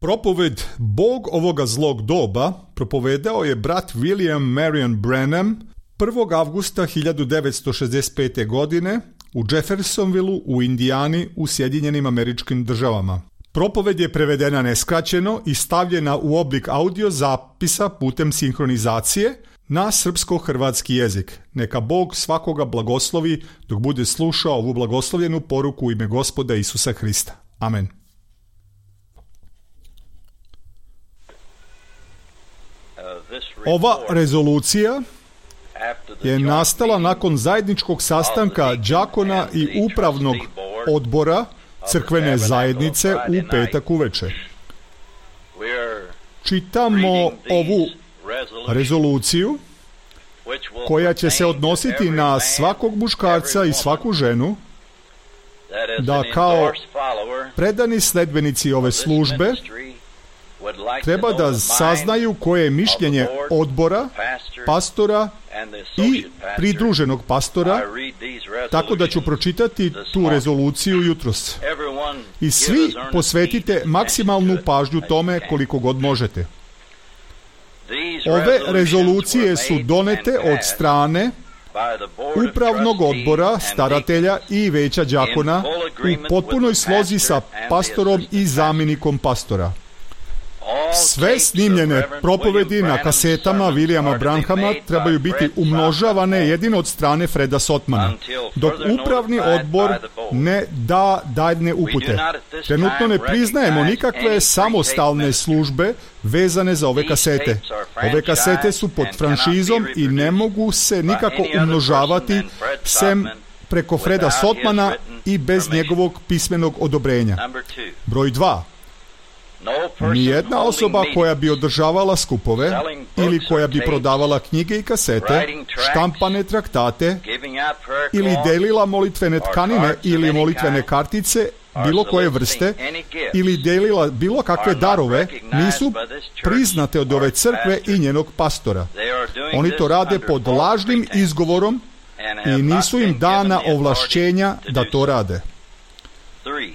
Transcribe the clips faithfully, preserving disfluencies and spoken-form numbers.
Propoved Bog ovoga zlog doba propovedao je brat William Marion Branham prvog avgusta hiljadu devetsto šezdeset pete. godine u Jeffersonvilleu u Indijani u Sjedinjenim Američkim Državama. Propoved je prevedena neskraćeno i stavljena u oblik audio zapisa putem sinhronizacije na srpsko-hrvatski jezik. Neka Bog svakoga blagoslovi dok bude slušao ovu blagoslovljenu poruku u ime Gospoda Isusa Hrista. Amen. Ova rezolucija je nastala nakon zajedničkog sastanka đakona i upravnog odbora crkvene zajednice u petak uveče. Čitamo ovu rezoluciju koja će se odnositi na svakog muškarca i svaku ženu da kao predani sledbenici ove službe treba da saznaju koje je mišljenje odbora, pastora i pridruženog pastora, tako da ću pročitati tu rezoluciju jutros. I svi posvetite maksimalnu pažnju tome koliko god možete. Ove rezolucije su donete od strane upravnog odbora, staratelja i veća đakona u potpunoj slozi sa pastorom i zamjenikom pastora. Sve snimljene propovedi na kasetama Williama Branhama trebaju biti umnožavane jedino od strane Freda Sotmana, dok upravni odbor ne da daljne upute. Trenutno ne priznajemo nikakve samostalne službe vezane za ove kasete. Ove kasete su pod franšizom i ne mogu se nikako umnožavati sem preko Freda Sotmana i bez njegovog pismenog odobrenja. Broj dva. Nijedna osoba koja bi održavala skupove ili koja bi prodavala knjige i kasete, štampane traktate ili delila molitvene tkanine ili molitvene kartice bilo koje vrste ili delila bilo kakve darove nisu priznate od ove crkve i njenog pastora. Oni to rade pod lažnim izgovorom i nisu im dana ovlašćenja da to rade.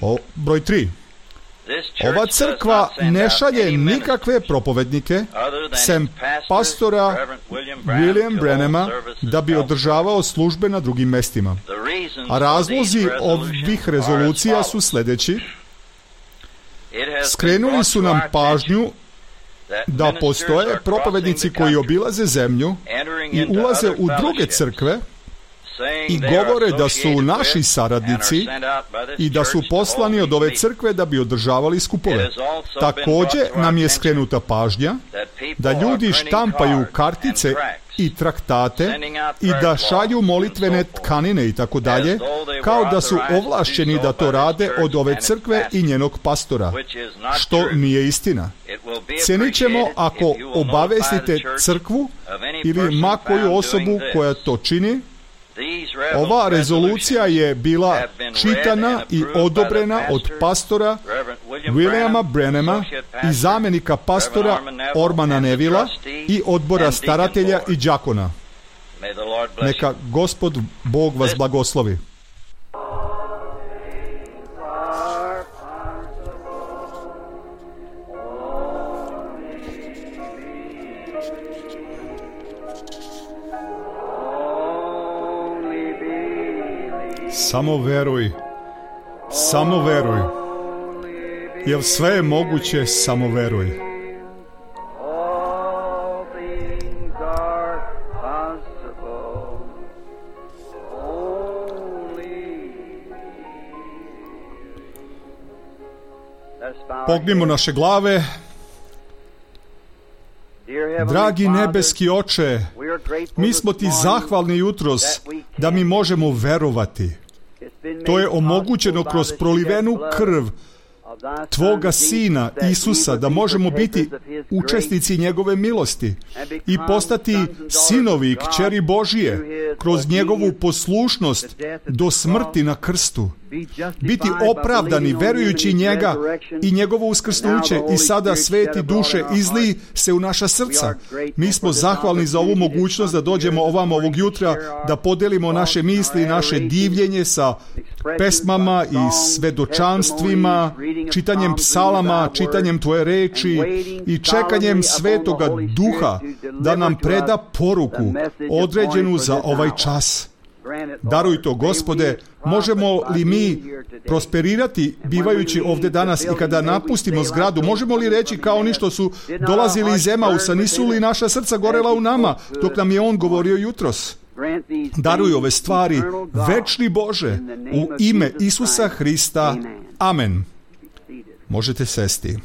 O, broj tri. Ova crkva ne šalje nikakve propovednike sem pastora William Branhama da bi održavao službe na drugim mestima. A razlozi ovih rezolucija su sljedeći. Skrenuli su nam pažnju da postoje propovednici koji obilaze zemlju i ulaze u druge crkve i govore da su naši saradnici i da su poslani od ove crkve da bi održavali skupove. Također nam je skrenuta pažnja da ljudi štampaju kartice i traktate i da šalju molitvene tkanine i tako dalje, kao da su ovlašćeni da to rade od ove crkve i njenog pastora, što nije istina. Cijenit ćemo ako obavestite crkvu ili ma koju osobu koja to čini. Ova rezolucija je bila čitana i odobrena od pastora Williama Branhama i zamjenika pastora Ormana Nevila i odbora staratelja i đakona. Neka Gospod Bog vas blagoslovi. Samo veruj, samo veruj, jer sve je moguće, samo veruj. Pognimo naše glave. Dragi nebeski Oče, mi smo ti zahvalni jutros da mi možemo verovati. To je omogućeno kroz prolivenu krv Tvoga Sina Isusa, da možemo biti učesnici njegove milosti i postati sinovi i kćeri Božije kroz njegovu poslušnost do smrti na krstu biti opravdani verujući njega i njegovo uskrsnuće i sada sveti duše izli se u naša srca. Mi smo zahvalni za ovu mogućnost da dođemo ovamo ovog jutra, da podelimo naše misli i naše divljenje sa pesmama i svedočanstvima, čitanjem psalama, čitanjem Tvoje reči i čekanjem Svetoga Duha da nam preda poruku određenu za ovaj čas. Daruj to, Gospode. Možemo li mi prosperirati bivajući ovdje danas i kada napustimo zgradu? Možemo li reći kao oni što su dolazili iz Emausa, nisu li naša srca gorela u nama dok nam je on govorio jutros? Daruj ove stvari, večni Bože, u ime Isusa Hrista. Amen. Možete sesti.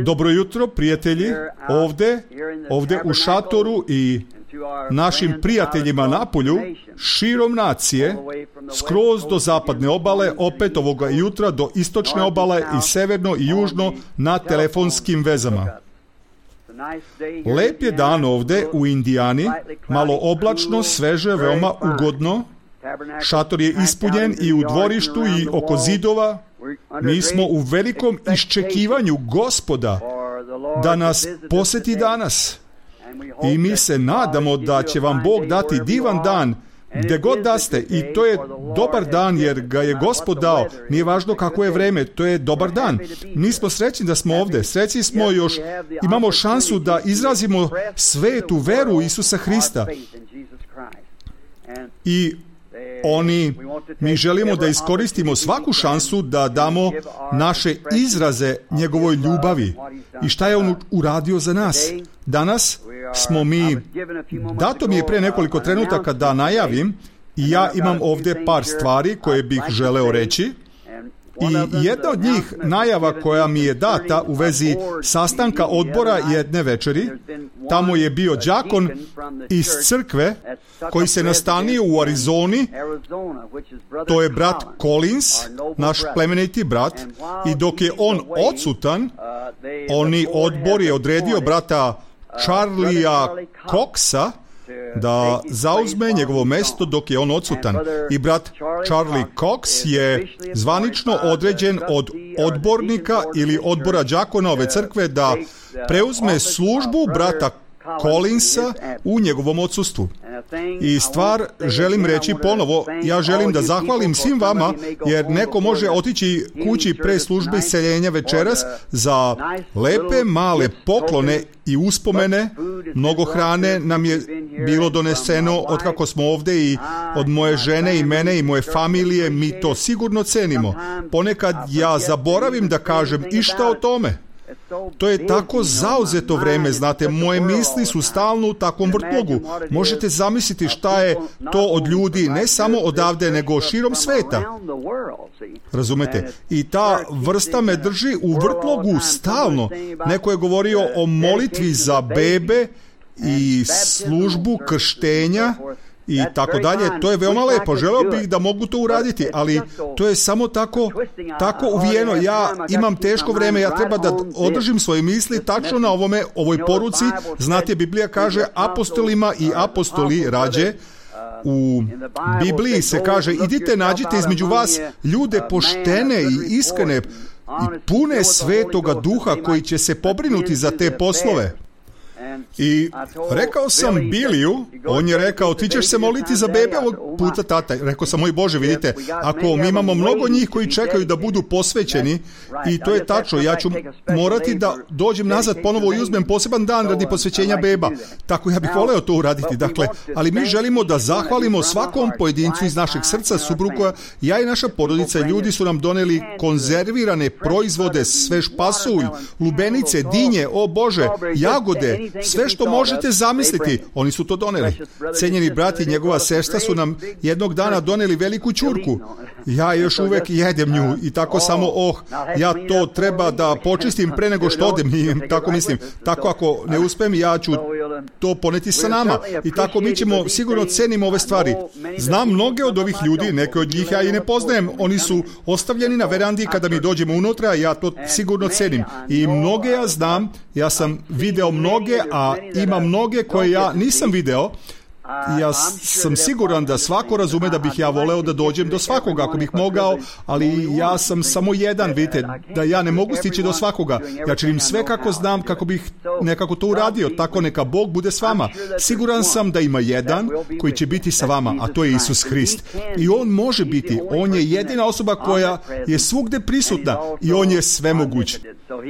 Dobro jutro, prijatelji, ovdje, ovdje u šatoru i našim prijateljima napolju, širom nacije, skroz do zapadne obale, opet ovoga jutra do istočne obale i severno i južno na telefonskim vezama. Lep je dan ovdje u Indijani, malo oblačno, sveže, veoma ugodno. Šator je ispunjen i u dvorištu i oko zidova. Mi smo u velikom iščekivanju Gospoda da nas posjeti danas. I mi se nadamo da će vam Bog dati divan dan gdje god da ste. I to je dobar dan jer ga je Gospod dao. Nije važno kako je vreme, to je dobar dan. Mi smo srećni da smo ovdje. Srećni smo još, imamo šansu da izrazimo svetu veru Isusa Hrista. I oni, mi želimo da iskoristimo svaku šansu da damo naše izraze njegovoj ljubavi i šta je on uradio za nas. Danas smo mi, dato mi je pre nekoliko trenutaka da najavim i ja imam ovdje par stvari koje bih želeo reći. I jedna od njih najava koja mi je data u vezi sastanka odbora jedne večeri, tamo je bio đakon iz crkve koji se nastanio u Arizoni, to je brat Collins, naš plemeniti brat, i dok je on odsutan, oni odbor je odredio brata Charlija Coxa da zauzme njegovo mesto dok je on odsutan. I brat Charlie Cox je zvanično određen od odbornika ili odbora đakona ove crkve da preuzme službu brata Collinsa u njegovom odsustvu. I stvar želim reći ponovo, ja želim da zahvalim svim vama, jer neko može otići kući pre službe iseljenja večeras za lepe male poklone i uspomene. Mnogo hrane nam je bilo doneseno od kako smo ovdje i od moje žene i mene i moje familije, mi to sigurno cenimo. Ponekad ja zaboravim da kažem išta o tome. To je tako zauzeto vreme, znate, moje misli su stalno u takvom vrtlogu. Možete zamisliti šta je to od ljudi, ne samo odavde, nego širom sveta. Razumete? I ta vrsta me drži u vrtlogu stalno. Neko je govorio o molitvi za bebe i službu krštenja i tako dalje. To je veoma lepo. Želeo bih da mogu to uraditi, ali to je samo tako, tako uvijeno. Ja imam teško vreme, ja treba da održim svoje misli tačno na ovome, ovoj poruci. Znate, Biblija kaže apostolima i apostoli rađe. U Bibliji se kaže, idite nađite između vas ljude poštene i iskrene i pune Svetoga Duha koji će se pobrinuti za te poslove. I rekao sam Biliju, on je rekao, ti ćeš se moliti za bebe ovog puta, tata. Rekao sam, moj Bože, vidite, ako mi imamo mnogo njih koji čekaju da budu posvećeni, i to je tačno, ja ću morati da dođem nazad ponovo i uzmem poseban dan radi posvećenja beba. Tako ja bih voleo to uraditi, dakle, ali mi želimo da zahvalimo svakom pojedincu iz našeg srca, supruga, ja i naša porodica, ljudi su nam doneli konzervirane proizvode, svež pasulj, lubenice, dinje, o Bože, jagode, sve što možete zamisliti, oni su to doneli. Cenjeni brat i njegova sestra su nam jednog dana doneli veliku ćurku. Ja još uvek jedem nju i tako samo, oh, ja to treba da počistim pre nego što odem. I tako mislim, tako ako ne uspem, ja ću to poneti sa nama. I tako mi ćemo, sigurno cenimo ove stvari. Znam mnoge od ovih ljudi, neke od njih ja i ne poznajem. Oni su ostavljeni na verandi kada mi dođemo unutra, ja to sigurno cenim. I mnoge ja znam, ja sam video mnoge, a ima mnoge koje ja nisam video, Ja sam siguran da svako razume da bih ja voleo da dođem do svakoga ako bih mogao, ali ja sam samo jedan, vidite, da ja ne mogu stići do svakoga. Ja činim sve kako znam, kako bih nekako to uradio, tako neka Bog bude s vama. Siguran sam da ima jedan koji će biti sa vama, a to je Isus Hrist. I On može biti, On je jedina osoba koja je svugde prisutna i On je svemoguć.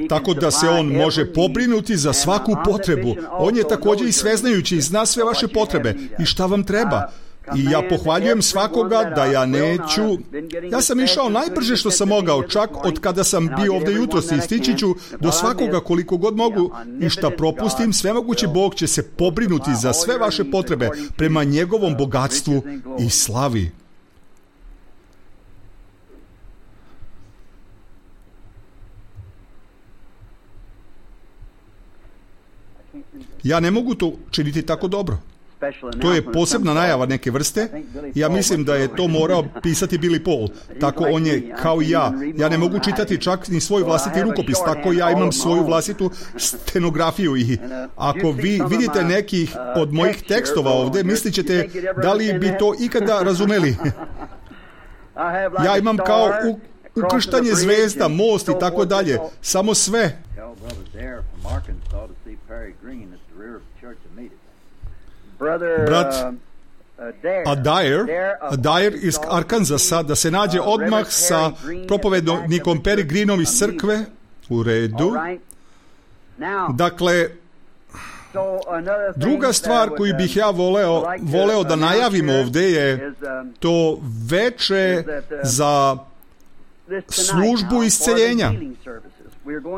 Tako da se On može pobrinuti za svaku potrebu. On je također i sveznajući i zna sve vaše potrebe i šta vam treba. I ja pohvaljujem svakoga da ja neću... Ja sam išao najbrže što sam mogao, čak od kada sam bio ovdje jutros i stići ću do svakoga koliko god mogu i šta propustim, svemogući Bog će se pobrinuti za sve vaše potrebe prema njegovom bogatstvu i slavi. Ja ne mogu to činiti tako dobro. To je posebna najava neke vrste. Ja mislim da je to morao pisati Billy Paul. Tako on je kao i ja. Ja ne mogu čitati čak ni svoj vlastiti rukopis. Tako ja imam svoju vlastitu stenografiju. I ako vi vidite nekih od mojih tekstova ovdje, mislit ćete da li bi to ikada razumeli. Ja imam kao u, ukrštanje zvezda, most i tako dalje. Samo sve. Brat Adair, Adair iz Arkansasa, da se nađe odmah sa propovednikom Perry Greenom iz crkve, u redu. Dakle, druga stvar koju bih ja voleo, voleo da najavim ovdje je to veče za službu isceljenja.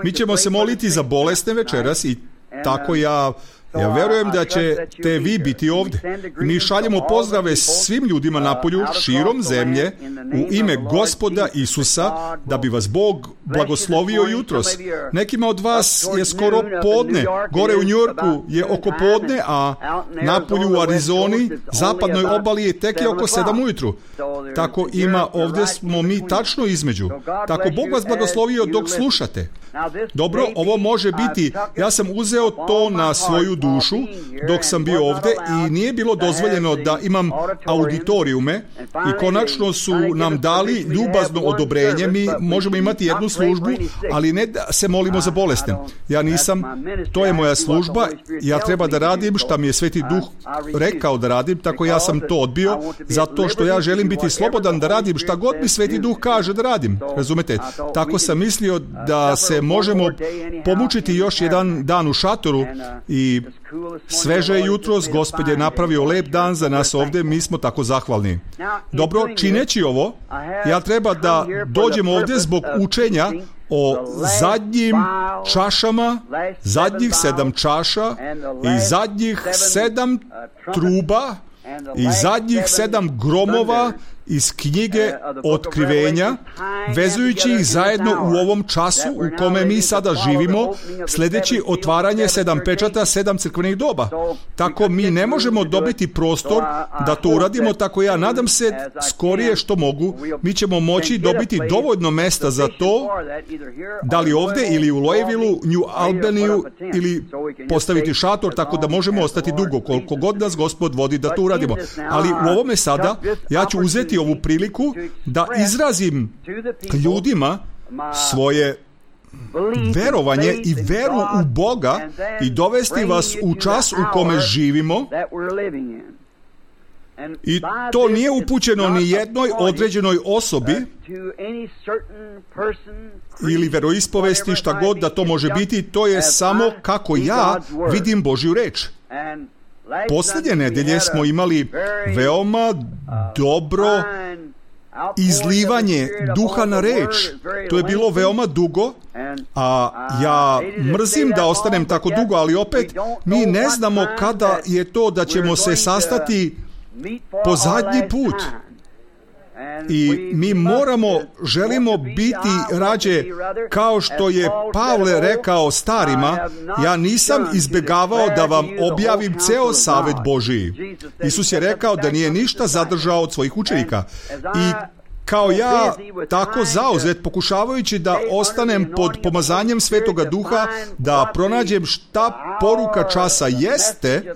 Mi ćemo se moliti za bolesne večeras i tako ja Ja verujem da ćete vi biti ovdje. Mi šaljemo pozdrave svim ljudima napolju, širom zemlje, u ime Gospoda Isusa, da bi vas Bog blagoslovio jutros. Nekima od vas je skoro podne, gore u Njujorku je oko podne, a napolju u Arizoni, zapadnoj obali je tek je oko sedam ujutru. Tako ima, ovdje smo mi tačno između. Tako Bog vas blagoslovio dok slušate. Dobro, ovo može biti, ja sam uzeo to na svoju dušu dok sam bio ovdje i nije bilo dozvoljeno da imam auditorijume i konačno su nam dali ljubazno odobrenje. Mi možemo imati jednu službu, ali ne da se molimo za bolesne. Ja nisam, to je moja služba, ja treba da radim šta mi je Sveti Duh rekao da radim, tako ja sam to odbio, zato što ja želim biti slobodan da radim šta god mi Sveti Duh kaže da radim. Razumete? Tako sam mislio da se možemo pomučiti još jedan dan u šatoru i sveže je jutros, Gospod je napravio lep dan za nas ovdje, mi smo tako zahvalni. Dobro, čineći ovo, ja treba da dođem ovdje zbog učenja o zadnjim čašama, zadnjih sedam čaša i zadnjih sedam truba i zadnjih sedam gromova iz knjige Otkrivenja, vezujući ih zajedno u ovom času u kome mi sada živimo, sljedeći otvaranje sedam pečata, sedam crkvenih doba. Tako mi ne možemo dobiti prostor da to uradimo, tako ja nadam se skorije što mogu. Mi ćemo moći dobiti dovoljno mesta za to, da li ovdje ili u Louisvilleu, New Albaniju ili postaviti šator, tako da možemo ostati dugo, koliko god nas Gospod vodi da to uradimo. Ali u ovome sada ja ću uzeti ovu priliku da izrazim ljudima svoje verovanje i veru u Boga i dovesti vas u čas u kome živimo. I to nije upućeno ni jednoj određenoj osobi ili veroispovesti, šta god da to može biti, to je samo kako ja vidim Božju reč. Posljednje nedelje smo imali veoma dobro izlivanje duha na reč. To je bilo veoma dugo, a ja mrzim da ostanem tako dugo, ali opet mi ne znamo kada je to da ćemo se sastati po zadnji put. I mi moramo, želimo biti rađe, kao što je Pavle rekao starima, ja nisam izbjegavao da vam objavim ceo savet Božiji. Isus je rekao da nije ništa zadržao od svojih učenika. I kao ja, tako zauzet, pokušavajući da ostanem pod pomazanjem Svetoga Duha, da pronađem šta poruka časa jeste,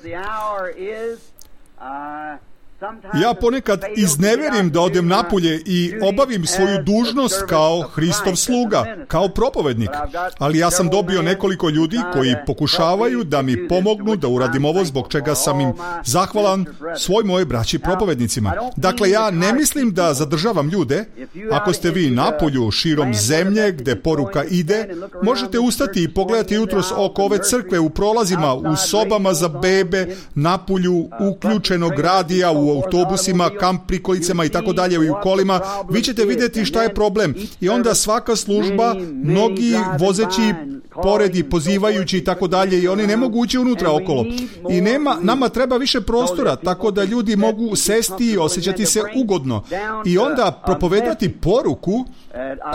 Ja ponekad izneverim da odem napolje i obavim svoju dužnost kao Hristov sluga, kao propovednik. Ali ja sam dobio nekoliko ljudi koji pokušavaju da mi pomognu da uradim ovo, zbog čega sam im zahvalan svoj moje braći propovednicima. Dakle, ja ne mislim da zadržavam ljude. Ako ste vi napolju širom zemlje gde poruka ide, možete ustati i pogledati jutros oko ove crkve u prolazima, u sobama za bebe, napolju uključenog radija, u autobusima, kamp prikolicama i tako dalje, i u kolima. Vi ćete vidjeti šta je problem. I onda svaka služba, mnogi vozeći pored i pozivajući i tako dalje, i oni ne mogu ući unutra okolo. I nema, nama treba više prostora, tako da ljudi mogu sesti i osjećati se ugodno. I onda propovedati poruku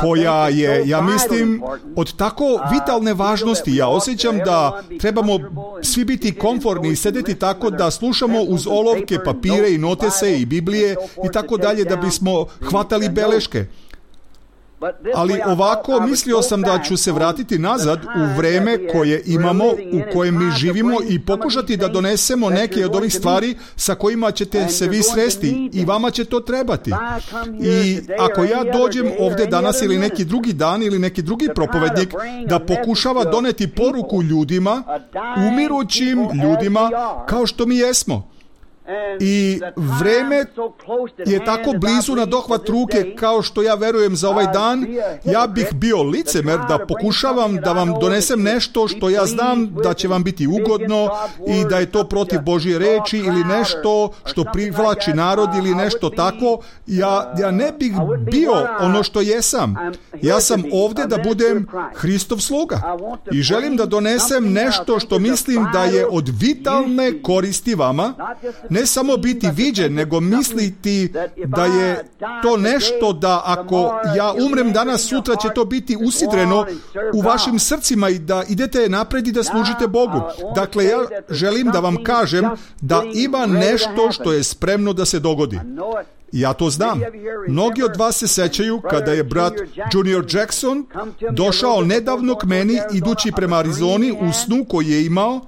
koja je, ja mislim, od tako vitalne važnosti. Ja osjećam da trebamo svi biti komforni i sedeti tako da slušamo uz olovke, papire i notese i Biblije i tako dalje, da bismo hvatali beleške. Ali ovako mislio sam da ću se vratiti nazad u vreme koje imamo, u kojem mi živimo, i pokušati da donesemo neke od ovih stvari sa kojima ćete se vi sresti i vama će to trebati. I ako ja dođem ovdje danas ili neki drugi dan ili neki drugi propovednik da pokušava doneti poruku ljudima, umirućim ljudima kao što mi jesmo, i vreme je tako blizu na dohvat ruke kao što ja verujem za ovaj dan, ja bih bio licemer da pokušavam da vam donesem nešto što ja znam da će vam biti ugodno i da je to protiv Božje reči ili nešto što privlači narod ili nešto tako. Ja, ja ne bih bio ono što jesam. Ja sam ovdje da budem Hristov sluga i želim da donesem nešto što mislim da je od vitalne koristi vama, ne samo biti viđen, nego misliti da je to nešto da ako ja umrem danas, sutra će to biti usidreno u vašim srcima i da idete napred i da služite Bogu. Dakle, ja želim da vam kažem da ima nešto što je spremno da se dogodi. Ja to znam. Mnogi od vas se sećaju kada je brat Junior Jackson došao nedavno k meni idući prema Arizoni u snu koji je imao.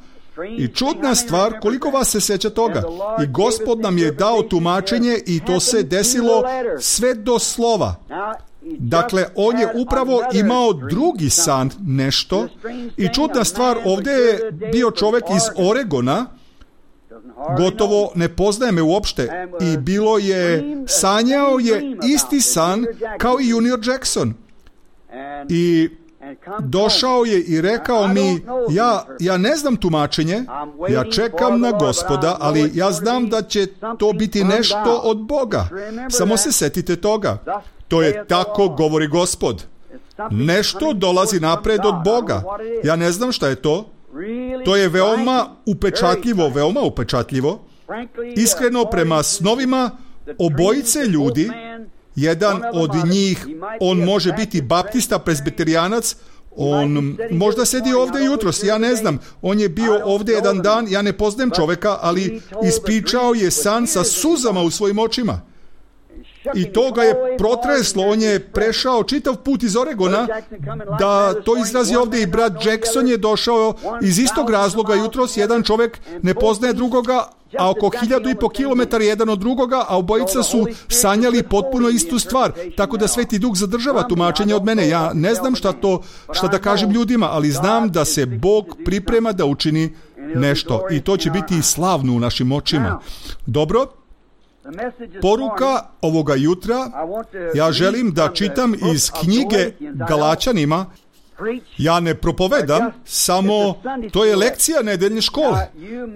I čudna stvar, koliko vas se seća toga? I Gospod nam je dao tumačenje i to se desilo sve do slova. Dakle, on je upravo imao drugi san, nešto. I čudna stvar, ovdje je bio čovjek iz Oregona, gotovo ne poznaje me uopšte, i bilo je, sanjao je isti san kao i Junior Jackson. I došao je i rekao mi, ja, ja ne znam tumačenje, ja čekam na Gospoda, ali ja znam da će to biti nešto od Boga. Samo se setite toga. To je tako govori Gospod. Nešto dolazi napred od Boga. Ja ne znam šta je to. To je veoma upečatljivo, veoma upečatljivo. Iskreno, prema snovima obojice ljudi, jedan od njih, on može biti baptista, presbiterijanac, on možda sedi ovdje jutros, ja ne znam. On je bio ovdje jedan dan, ja ne poznajem čovjeka, ali ispričao je san sa suzama u svojim očima. I to ga je protreslo, on je prešao čitav put iz Oregona da to izrazi ovdje, i brat Jackson je došao iz istog razloga jutros, jedan čovjek ne poznaje drugoga, a oko hiljadu i po kilometara jedan od drugoga, a obojica su sanjali potpuno istu stvar, tako da Sveti Duh zadržava tumačenje od mene. Ja ne znam šta to, šta da kažem ljudima, ali znam da se Bog priprema da učini nešto i to će biti slavno u našim očima. Dobro? Poruka ovoga jutra, ja želim da čitam iz knjige Galačanima. Ja ne propovedam, samo to je lekcija nedeljne škole.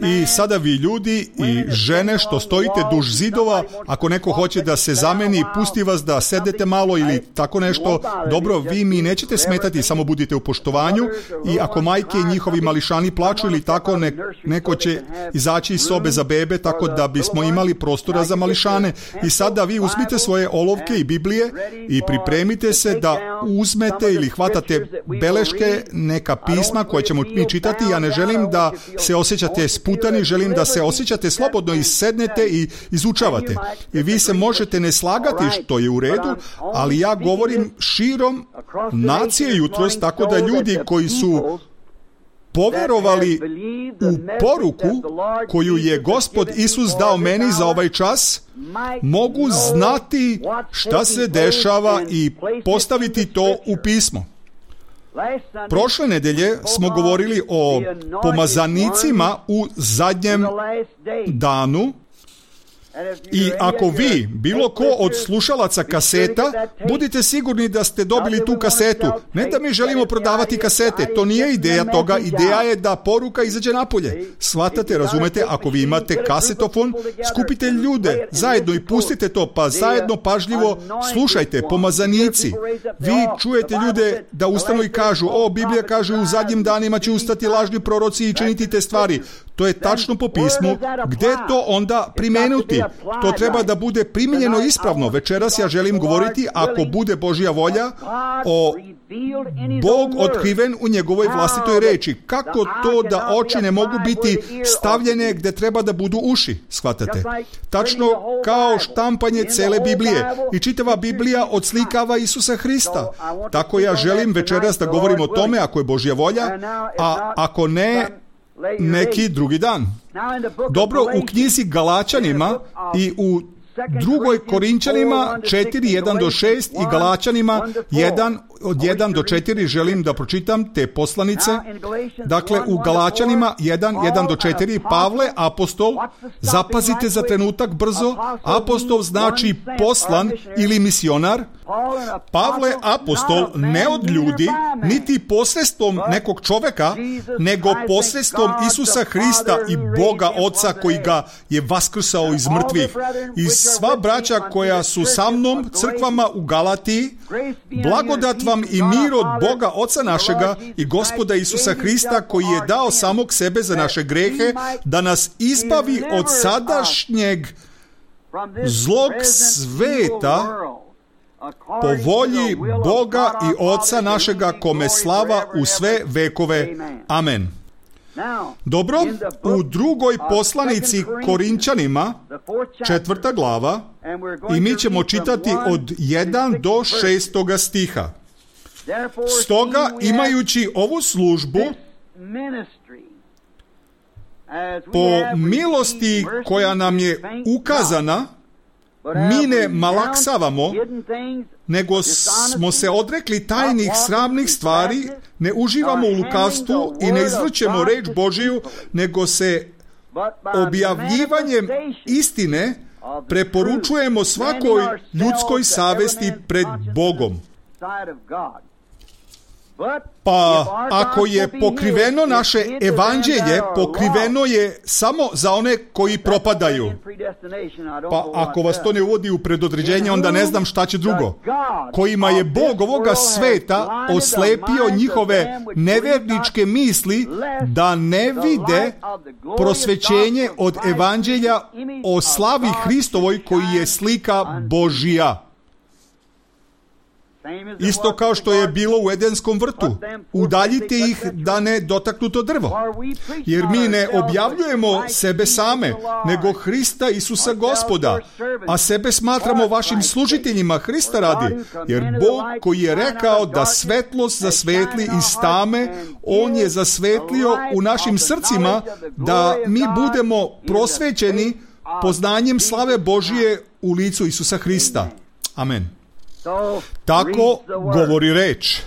I sada vi ljudi i žene što stojite duž zidova, ako neko hoće da se zameni, pusti vas da sedete malo ili tako nešto, dobro, vi mi nećete smetati, samo budite u poštovanju. I ako majke i njihovi mališani plaču ili tako, ne, neko će izaći iz sobe za bebe, tako da bismo imali prostora za mališane. I sada vi uzmite svoje olovke i Biblije i pripremite se da uzmete ili hvatate beleške, neka pisma koje ćemo mi čitati. Ja ne želim da se osjećate sputani, želim da se osjećate slobodno i sednete i izučavate. I vi se možete ne slagati, što je u redu, ali ja govorim širom nacije jutros, tako da ljudi koji su poverovali u poruku koju je Gospod Isus dao meni za ovaj čas, mogu znati šta se dešava i postaviti to u pismo. Prošle nedelje smo govorili o pomazanicima u zadnjem danu. I ako vi, bilo ko od slušalaca kaseta, budite sigurni da ste dobili tu kasetu. Ne da mi želimo prodavati kasete, to nije ideja toga, ideja je da poruka izađe napolje. Shvatate, razumete, ako vi imate kasetofon, skupite ljude zajedno i pustite to, pa zajedno pažljivo slušajte, pomazanici. Vi čujete ljude da ustanu i kažu, o, Biblija kaže u zadnjim danima će ustati lažni proroci i činiti te stvari. To je tačno po pismu. Gde to onda primenuti? To treba da bude primijenjeno ispravno. Večeras ja želim govoriti, ako bude Božja volja, o Bog otkriven u njegovoj vlastitoj reči. Kako to da oči ne mogu biti stavljene gde treba da budu uši? Shvatate? Tačno kao štampanje cele Biblije. I čitava Biblija odslikava Isusa Hrista. Tako ja želim večeras da govorim o tome, ako je Božja volja, a ako ne, neki drugi dan. Dobro, u knjizi Galačanima i u drugoj Korinčanima četiri, jedan do šest i Galačanima jedan, od jedan do četiri želim da pročitam te poslanice. Dakle, u Galačanima jedan, jedan do četiri Pavle, apostol, zapazite za trenutak brzo, apostol znači poslan ili misionar. Pavle, apostol, ne od ljudi, niti posredstvom nekog čoveka, nego posredstvom Isusa Hrista i Boga Oca koji ga je vaskrsao iz mrtvih. I sva braća koja su sa mnom, crkvama u Galatiji, blagodat vam i mir od Boga Oca našega i Gospoda Isusa Hrista koji je dao samog sebe za naše grehe, da nas izbavi od sadašnjeg zlog sveta po volji Boga i Oca našega, kome slava u sve vekove. Amen. Dobro, u drugoj poslanici Korinčanima, četvrta glava, i mi ćemo čitati od jedan do šestoga stiha. Stoga, imajući ovu službu, po milosti koja nam je ukazana, mi ne malaksavamo, nego smo se odrekli tajnih sramnih stvari, ne uživamo u lukavstvu i ne izvrćemo reč Božiju, nego se objavljivanjem istine preporučujemo svakoj ljudskoj savesti pred Bogom. Pa ako je pokriveno naše evanđelje, pokriveno je samo za one koji propadaju. Pa ako vas to ne uvodi u predodređenje, onda ne znam šta će drugo. Kojima je Bog ovoga sveta oslepio njihove neverničke misli da ne vide prosvećenje od evanđelja o slavi Hristovoj koji je slika Božija. Isto kao što je bilo u Edenskom vrtu. Udaljite ih da ne dotaknu to drvo. Jer mi ne objavljujemo sebe same, nego Hrista Isusa Gospoda, a sebe smatramo vašim služiteljima Hrista radi. Jer Bog koji je rekao da svetlost zasvetli iz tame, On je zasvetlio u našim srcima da mi budemo prosvećeni poznanjem slave Božije u licu Isusa Hrista. Amen. Tako govori reč.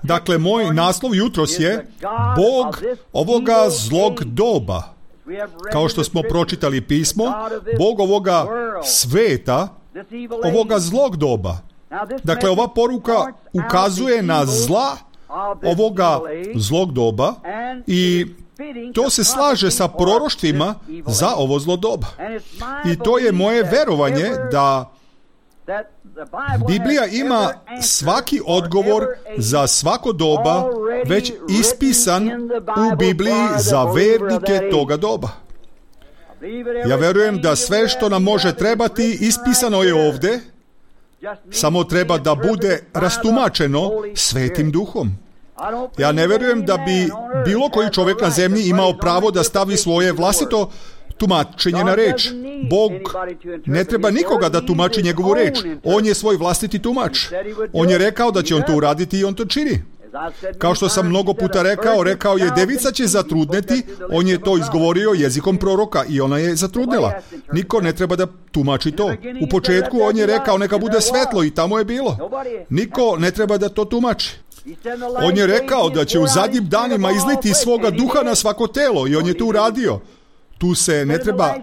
Dakle, moj naslov jutros je Bog ovoga zlog doba. Kao što smo pročitali pismo, Bog ovoga sveta, ovoga zlog doba. Dakle, ova poruka ukazuje na zla ovoga zlog doba i to se slaže sa proroštvima za ovo zlo doba. I to je moje verovanje da Biblija ima svaki odgovor za svako doba već ispisan u Bibliji za vernike toga doba. Ja verujem da sve što nam može trebati ispisano je ovde, samo treba da bude rastumačeno Svetim Duhom. Ja ne verujem da bi bilo koji čovjek na zemlji imao pravo da stavi svoje vlastito tumačenje na reč. Bog ne treba nikoga da tumači njegovu reč. On je svoj vlastiti tumač. On je rekao da će on to uraditi i on to čini. Kao što sam mnogo puta rekao, rekao je devica će zatrudneti, on je to izgovorio jezikom proroka i ona je zatrudnela. Niko ne treba da tumači to. U početku on je rekao neka bude svetlo i tamo je bilo. Niko ne treba da to tumači. On je rekao da će u zadnjim danima izliti svoga duha na svako telo i on je to uradio. Tu se ne treba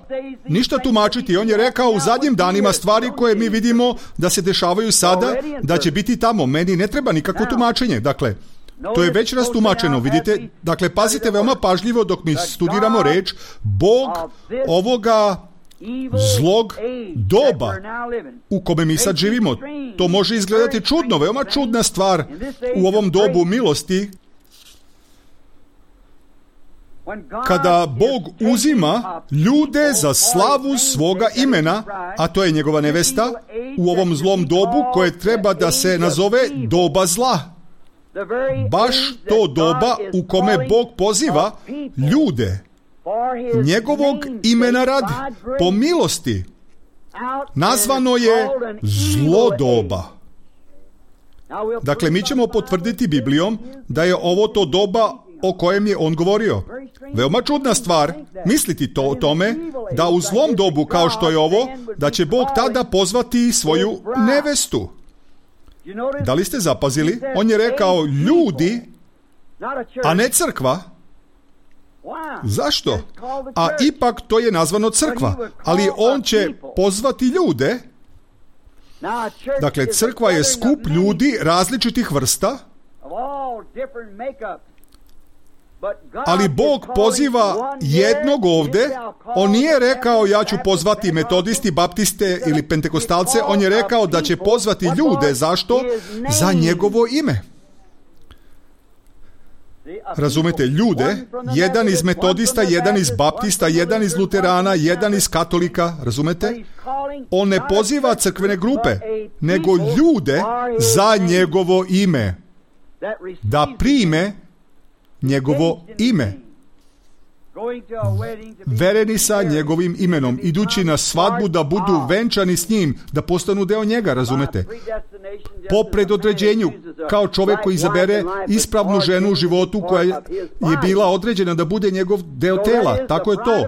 ništa tumačiti. On je rekao u zadnjim danima stvari koje mi vidimo da se dešavaju sada, da će biti tamo. Meni ne treba nikakvo tumačenje. Dakle, to je već rastumačeno, vidite. Dakle, pazite veoma pažljivo dok mi studiramo reč. Bog ovoga zlog doba u kome mi sad živimo. To može izgledati čudno, veoma čudna stvar u ovom dobu milosti. Kada Bog uzima ljude za slavu svoga imena, a to je njegova nevesta, u ovom zlom dobu koje treba da se nazove doba zla. Baš to doba u kome Bog poziva ljude njegovog imena radi, po milosti. Nazvano je zlo doba. Dakle, mi ćemo potvrditi Biblijom da je ovo to doba o kojem je on govorio. Veoma čudna stvar misliti to o tome da u zlom dobu kao što je ovo, da će Bog tada pozvati svoju nevestu. Da li ste zapazili? On je rekao ljudi, a ne crkva. Zašto? A ipak to je nazvano crkva. Ali on će pozvati ljude. Dakle, crkva je skup ljudi različitih vrsta. Ali Bog poziva jednog ovde. On nije rekao ja ću pozvati metodisti, baptiste ili pentekostalce. On je rekao da će pozvati ljude. Zašto? Za njegovo ime. Razumete, ljude, jedan iz metodista, jedan iz baptista, jedan iz luterana, jedan iz katolika, razumete? On ne poziva crkvene grupe, nego ljude za njegovo ime, da prime njegovo ime. Vereni sa njegovim imenom, idući na svadbu da budu venčani s njim, da postanu deo njega, razumete? Po predodređenju, kao čovjek koji izabere ispravnu ženu u životu koja je bila određena da bude njegov deo tela, tako je to.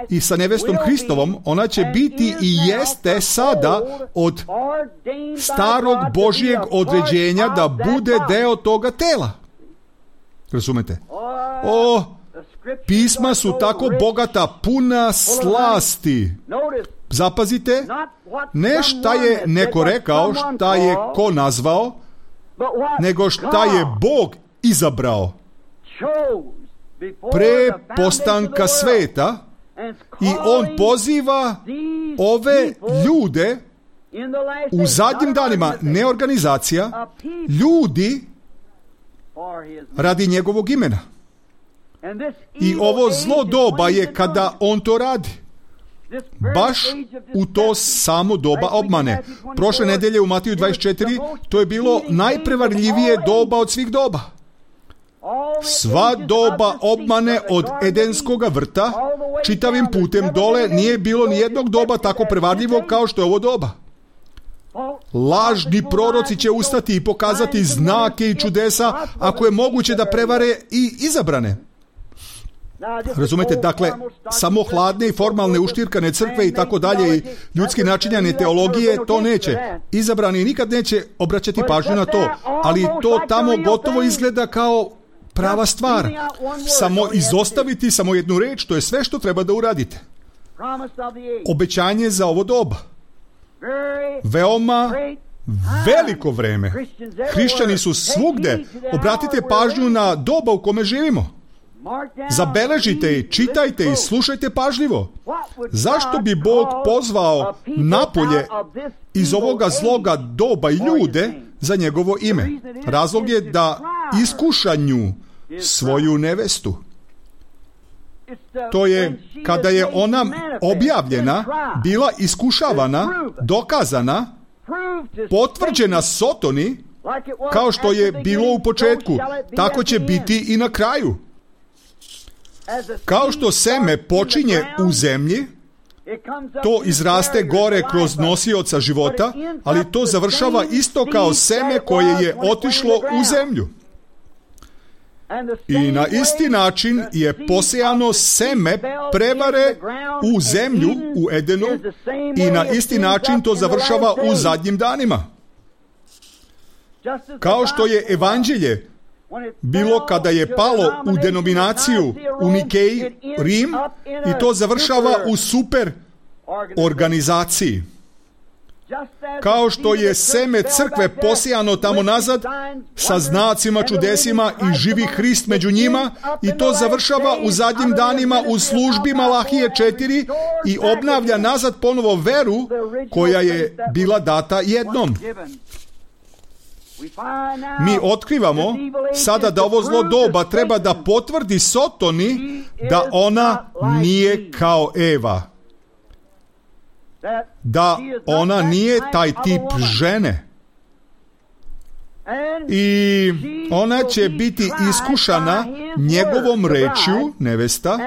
I sa nevestom Hristovom ona će biti i jeste sada od starog Božijeg određenja da bude deo toga tela. Razumete? O, pisma su tako bogata, puna slasti. Zapazite, ne šta je neko rekao, šta je ko nazvao, nego šta je Bog izabrao pre postanka sveta i on poziva ove ljude u zadnjim danima, ne organizacija, ljudi radi njegovog imena. I ovo zlo doba je kada on to radi. Baš u to samo doba obmane. Prošle nedelje u Matiju dvadeset četiri to je bilo najprevarljivije doba od svih doba. Sva doba obmane od Edenskoga vrta, čitavim putem dole, nije bilo ni jednog doba tako prevarljivog kao što je ovo doba. Lažni proroci će ustati i pokazati znake i čudesa, ako je moguće da prevare i izabrane. Razumete, dakle, samo hladne i formalne uštirkane crkve i tako dalje i ljudski načinjane teologije to neće. Izabrani nikad neće obraćati pažnju na to, ali to tamo gotovo izgleda kao prava stvar. Samo izostaviti samo jednu reč, to je sve što treba da uradite. Obećanje za ovo doba. Veoma veliko vreme. Hrišćani su svugde. Obratite pažnju na doba u kome živimo. Zabeležite i čitajte i slušajte pažljivo. Zašto bi Bog pozvao napolje iz ovoga zloga doba i ljude za njegovo ime? Razlog je da iskuša nju, svoju nevestu. To je kada je ona objavljena, bila iskušavana, dokazana, potvrđena Sotoni, kao što je bilo u početku, tako će biti i na kraju. Kao što seme počinje u zemlji, to izraste gore kroz nosioca života, ali to završava isto kao seme koje je otišlo u zemlju. I na isti način je posejano seme prevare u zemlju, u Edenu, i na isti način to završava u zadnjim danima. Kao što je evanđelje bilo kada je palo u denominaciju u Nikeji, Rim, i to završava u super organizaciji. Kao što je seme crkve posijano tamo nazad sa znacima, čudesima i živi Hrist među njima, i to završava u zadnjim danima u službi Malahije četiri i obnavlja nazad ponovo veru koja je bila data jednom. Mi otkrivamo sada da ovo zlo doba treba da potvrdi Sotoni da ona nije kao Eva. Da ona nije taj tip žene. I ona će biti iskušana njegovom rečju, nevesta,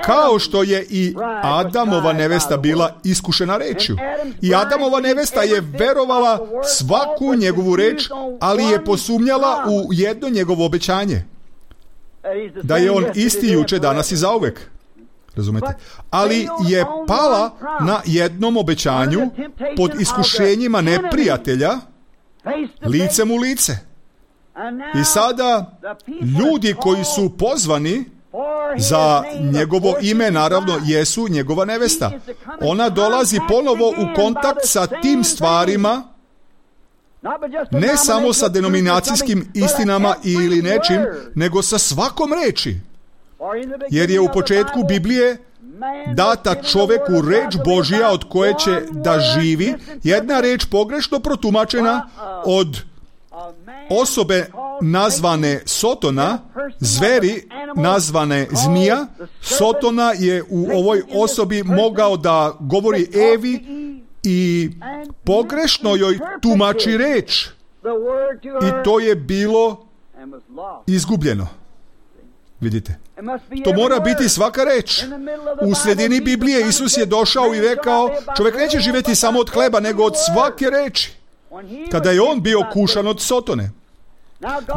kao što je i Adamova nevesta bila iskušena rečju. I Adamova nevesta je verovala svaku njegovu reč, ali je posumnjala u jedno njegovo obećanje. Da je on isti juče, danas i zauvek. Razumete? Ali je pala na jednom obećanju pod iskušenjima neprijatelja, licem u lice. I sada ljudi koji su pozvani za njegovo ime, naravno, jesu njegova nevesta. Ona dolazi ponovo u kontakt sa tim stvarima, ne samo sa denominacijskim istinama ili nečim, nego sa svakom reči. Jer je u početku Biblije data čoveku reč Božja od koje će da živi, jedna reč pogrešno protumačena od osobe nazvane Sotona, zveri nazvane zmija. Sotona je u ovoj osobi mogao da govori Evi i pogrešno joj tumači reč, i to je bilo izgubljeno. Vidite, to mora biti svaka reč. U sredini Biblije Isus je došao i rekao, čovjek neće živjeti samo od hleba, nego od svake reči. Kada je on bio kušan od Sotone.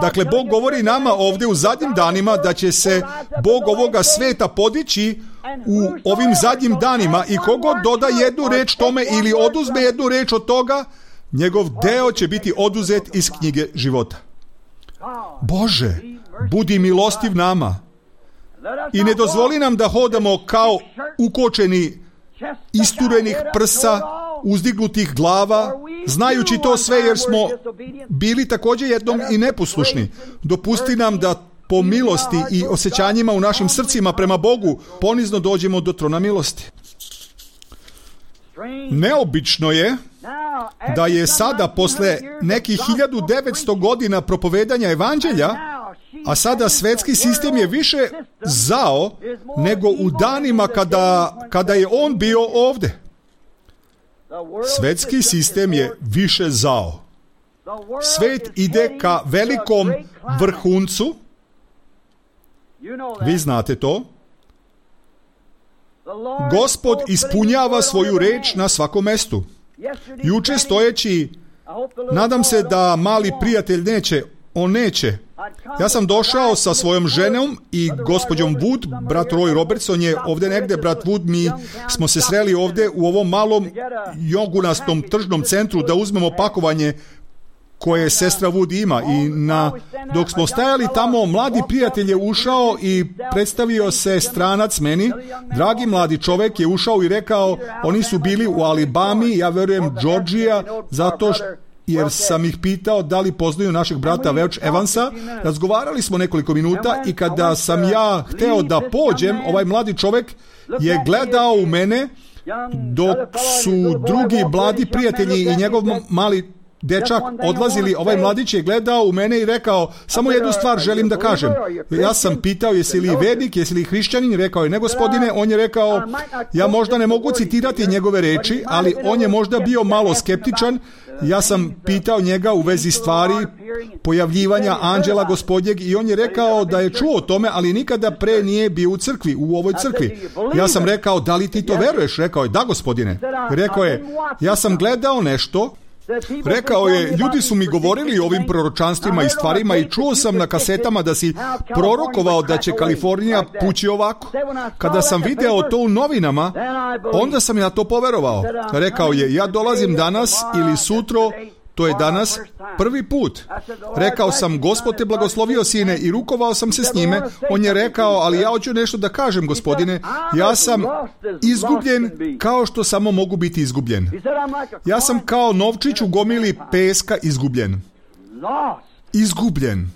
Dakle, Bog govori nama ovdje u zadnjim danima da će se Bog ovoga sveta podići u ovim zadnjim danima, i kogod doda jednu reč tome ili oduzme jednu reč od toga, njegov deo će biti oduzet iz knjige života. Bože, budi milostiv nama i ne dozvoli nam da hodamo kao ukočeni, isturenih prsa, uzdignutih glava, znajući to sve jer smo bili također jednom i neposlušni. Dopusti nam da po milosti i osjećanjima u našim srcima prema Bogu ponizno dođemo do trona milosti. Neobično je da je sada posle nekih hiljadu devetsto godina propovedanja evanđelja, a sada svetski sistem je više zao nego u danima kada, kada je on bio ovdje. Svetski sistem je više zao. Svet ide ka velikom vrhuncu. Vi znate to. Gospod ispunjava svoju reč na svakom mestu. Juče stojeći, nadam se da mali prijatelj neće, on neće. Ja sam došao sa svojom ženom i gospođom Wood, brat Roy Robertson je ovdje negdje, brat Wood, mi smo se sreli ovdje u ovom malom jogunastom tržnom centru da uzmemo pakovanje koje sestra Wood ima, i na, dok smo stajali tamo, mladi prijatelj je ušao i predstavio se stranac meni. Dragi mladi čovjek je ušao i rekao, oni su bili u Alabami, ja verujem Georgija, zato što jer sam ih pitao da li poznaju našeg brata Welch Evansa. Razgovarali smo nekoliko minuta i kada sam ja hteo da pođem, ovaj mladi čovjek je gledao u mene dok su drugi mladi prijatelji i njegov mali dečak odlazili. Ovaj mladić je gledao u mene i rekao, samo jednu stvar želim da kažem. Ja sam pitao, jesi li vernik, jesi li hrišćanin? Rekao je, ne gospodine. On je rekao, ja možda ne mogu citirati njegove reči, ali on je možda bio malo skeptičan. Ja sam pitao njega u vezi stvari pojavljivanja anđela gospodnjeg i on je rekao da je čuo o tome, ali nikada pre nije bio u crkvi, u ovoj crkvi. Ja sam rekao, da li ti to veruješ? Rekao je, da gospodine. Rekao je, ja sam gledao nešto Rekao je, ljudi su mi govorili o ovim proročanstvima i stvarima i čuo sam na kasetama da si prorokovao da će Kalifornija pući ovako. Kada sam video to u novinama, onda sam ja to poverovao. Rekao je, ja dolazim danas ili sutro, to je danas prvi put. Rekao sam, Gospod te blagoslovio, sine, i rukovao sam se s njime. On je rekao, ali ja hoću nešto da kažem, gospodine. Ja sam izgubljen kao što samo mogu biti izgubljen. Ja sam kao novčić u gomili peska izgubljen. Izgubljen.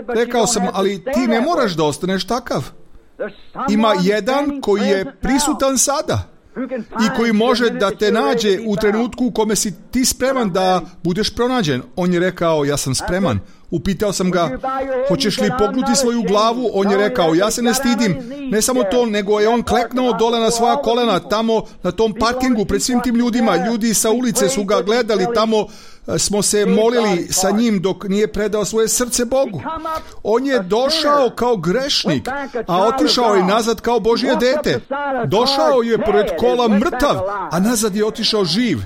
Rekao sam, ali ti ne moraš da ostaneš takav. Ima jedan koji je prisutan sada i koji može da te nađe u trenutku u kome si ti spreman da budeš pronađen. On je rekao, ja sam spreman. Upitao sam ga, hoćeš li pognuti svoju glavu? On je rekao, ja se ne stidim. Ne samo to, nego je on kleknuo dole na svoja kolena, tamo na tom parkingu pred svim tim ljudima. Ljudi sa ulice su ga gledali, tamo smo se molili sa njim dok nije predao svoje srce Bogu. On je došao kao grešnik, a otišao je nazad kao Božje dete. Došao je pored kola mrtav, a nazad je otišao živ.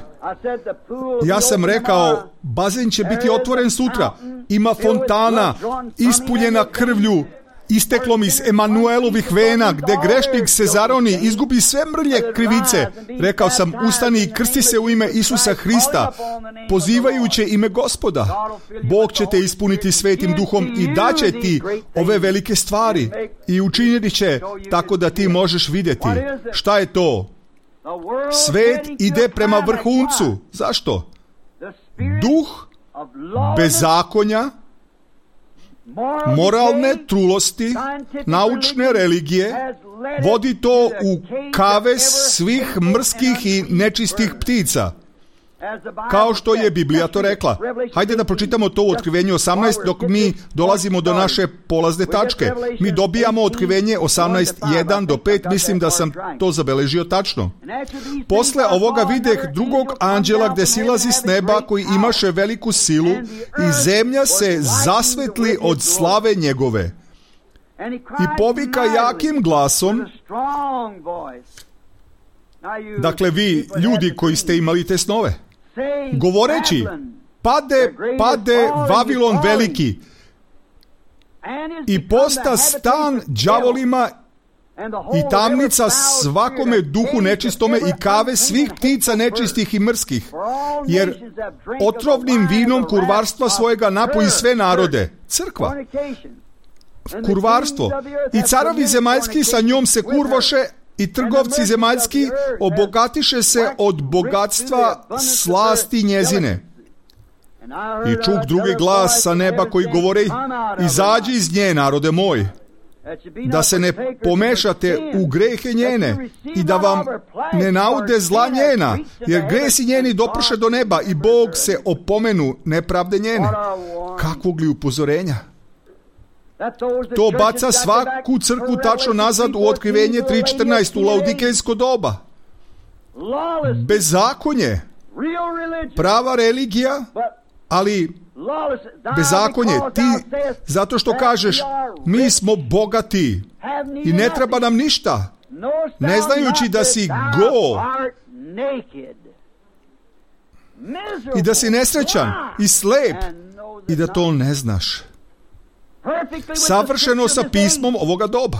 Ja sam rekao, bazen će biti otvoren sutra. Ima fontana, ispunjena krvlju, isteklom iz Emanuelovih vena, gde grešnik se zaroni, izgubi sve mrlje krivice. Rekao sam, ustani i krsti se u ime Isusa Hrista, pozivajući ime Gospoda. Bog će te ispuniti Svetim Duhom i daće ti ove velike stvari i učiniti će tako da ti možeš vidjeti. Šta je to? Svet ide prema vrhuncu. Zašto? Duh bezakonja, moralne trulosti, naučne religije vodi to u kavez svih mrskih i nečistih ptica. Kao što je Biblija to rekla. Hajde da pročitamo to u Otkrivenju osamnaest dok mi dolazimo do naše polazne tačke. Mi dobijamo Otkrivenje osamnaest, jedan do pet, mislim da sam to zabeležio tačno. Posle ovoga videh drugog anđela gde silazi s neba, koji imaše veliku silu, i zemlja se zasvetli od slave njegove. I povika jakim glasom. Dakle, vi, ljudi koji ste imali te snove, govoreći, pade, pade Vavilon veliki i posta stan đavolima i tamnica svakome duhu nečistome i kave svih ptica nečistih i mrskih, jer otrovnim vinom kurvarstva svojega napoji sve narode. Crkva. Kurvarstvo. I carovi zemaljski sa njom se kurvoše, i trgovci zemaljski obogatiše se od bogatstva slasti njezine. I čuh drugi glas sa neba koji govori, izađi iz nje, narode moj, da se ne pomešate u grehe njene i da vam ne naude zla njena, jer gresi njeni doprše do neba i Bog se opomenu nepravde njene. Kakvog li upozorenja? To baca svaku crkvu tačno nazad u Otkrivenje tri četrnaest, u laodikejsko doba. Bezakonje, prava religija, ali bezakonje. Ti, zato što kažeš, mi smo bogati i ne treba nam ništa, ne znajući da si go i da si nesrećan i slep i da to ne znaš. Savršeno sa pismom ovoga doba.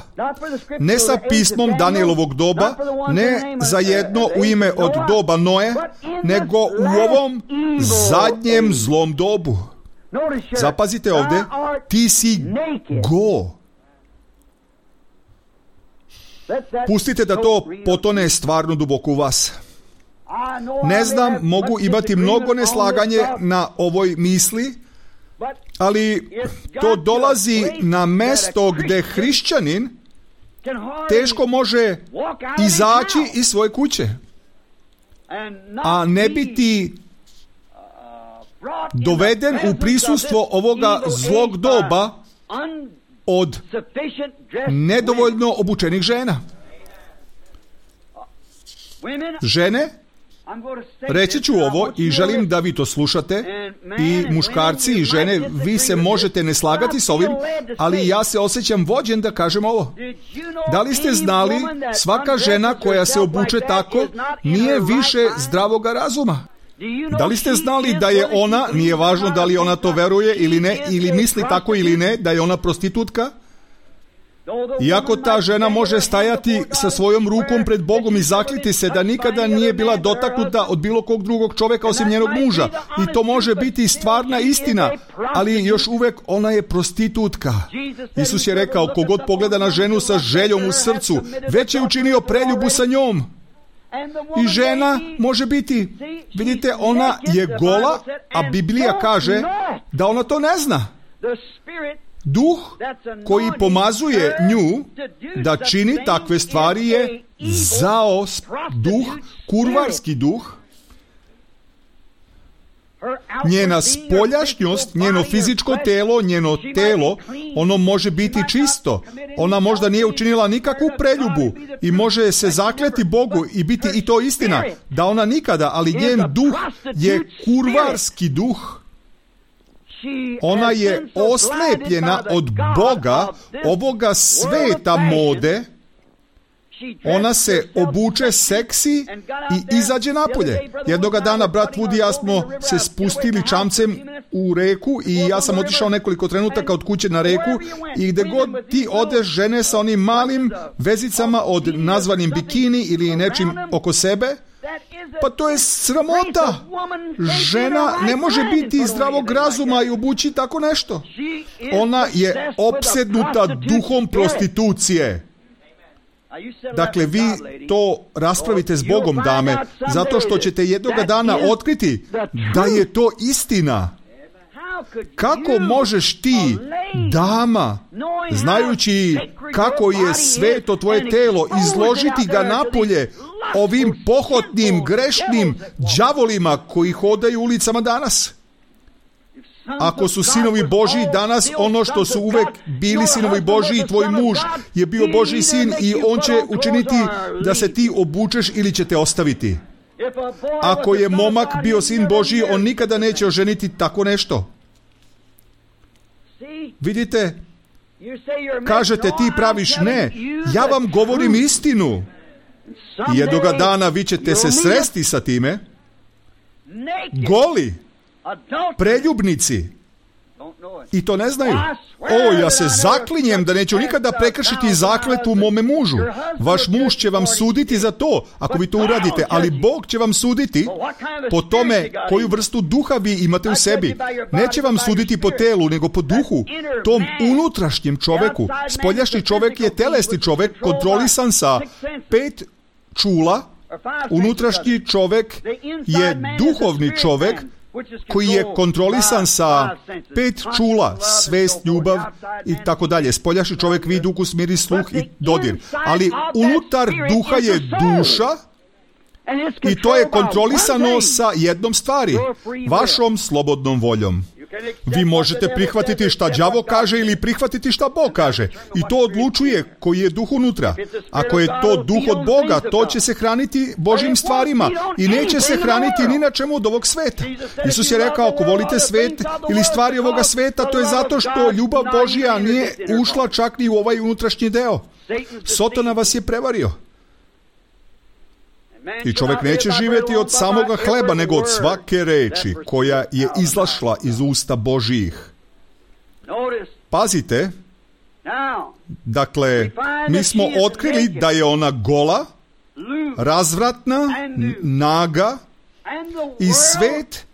Ne sa pismom Danielovog doba, ne za jedno u ime od doba Noe, nego u ovom zadnjem zlom dobu. Zapazite ovdje, ti si go. Pustite da to potone stvarno duboko u vas. Ne znam, mogu imati mnogo neslaganje na ovoj misli, ali to dolazi na mesto gde hrišćanin teško može izaći iz svoje kuće, a ne biti doveden u prisustvo ovoga zlog doba od nedovoljno obučenih žena. Žene, reći ću ovo i želim da vi to slušate, i muškarci i žene, vi se možete ne slagati s ovim, ali ja se osjećam vođen da kažem ovo. Da li ste znali, svaka žena koja se obuče tako nije više zdravoga razuma? Da li ste znali da je ona, nije važno da li ona to veruje ili ne, ili misli tako ili ne, da je ona prostitutka? Iako ta žena može stajati sa svojom rukom pred Bogom i zakliti se da nikada nije bila dotaknuta od bilo kog drugog čovjeka osim njenog muža. I to može biti stvarna istina, ali još uvijek ona je prostitutka. Isus je rekao, kogod pogleda na ženu sa željom u srcu, već je učinio preljubu sa njom. I žena može biti, vidite, ona je gola, a Biblija kaže da ona to ne zna. Duh koji pomazuje nju da čini takve stvari je zao duh, kurvarski duh. Njena spoljašnjost, njeno fizičko telo, njeno telo, ono može biti čisto. Ona možda nije učinila nikakvu preljubu i može se zakleti Bogu i biti i to istina, da ona nikada, ali njen duh je kurvarski duh. Ona je oslepljena od Boga, ovoga sveta mode. Ona se obuče seksi i izađe napolje. Jednoga dana brat Woody i ja smo se spustili čamcem u reku i ja sam otišao nekoliko trenutaka od kuće na reku i gdje god ti odeš žene sa onim malim vezicama od nazvanim bikini ili nečim oko sebe, pa to je sramota. Žena ne može biti zdravog razuma i obući tako nešto. Ona je opsednuta duhom prostitucije. Dakle, vi to raspravite s Bogom, dame, zato što ćete jednoga dana otkriti da je to istina. Kako možeš ti, dama, znajući kako je sveto tvoje telo, izložiti ga napolje ovim pohotnim, grešnim đavolima koji hodaju ulicama danas? Ako su sinovi Božji danas ono što su uvek bili sinovi Božji, tvoj muž je bio Božji sin i on će učiniti da se ti obučeš ili će te ostaviti. Ako je momak bio sin Božji, on nikada neće oženiti tako nešto. Vidite, kažete ti praviš, ne, ja vam govorim istinu. I jednoga dana vi ćete se sresti sa time, goli, preljubnici, i to ne znaju. O, ja se zaklinjem da neću nikada prekršiti zakletvu mome mužu. Vaš muž će vam suditi za to, ako vi to uradite, ali Bog će vam suditi po tome koju vrstu duha vi imate u sebi. Neće vam suditi po telu, nego po duhu, tom unutrašnjem čoveku. Spoljašnji čovek je telesni čovek, kontrolisan sa pet čula. Unutrašnji čovek je duhovni čovek, koji je kontrolisan sa pet čula, svest, ljubav i tako dalje. Spoljašnji čovjek vid, ukus, miris, sluh i dodir. Ali unutar duha je duša i to je kontrolisano sa jednom stvari, vašom slobodnom voljom. Vi možete prihvatiti šta đavo kaže ili prihvatiti šta Bog kaže. I to odlučuje koji je duh unutra. Ako je to duh od Boga, to će se hraniti Božjim stvarima i neće se hraniti ni na čemu od ovog sveta. Isus je rekao, ako volite svet ili stvari ovoga sveta, to je zato što ljubav Božja nije ušla čak ni u ovaj unutrašnji deo. Sotona vas je prevario. I čovjek neće živjeti od samoga hleba, nego od svake reči koja je izašla iz usta Božjih. Pazite, dakle, mi smo otkrili da je ona gola, razvratna, naga i svet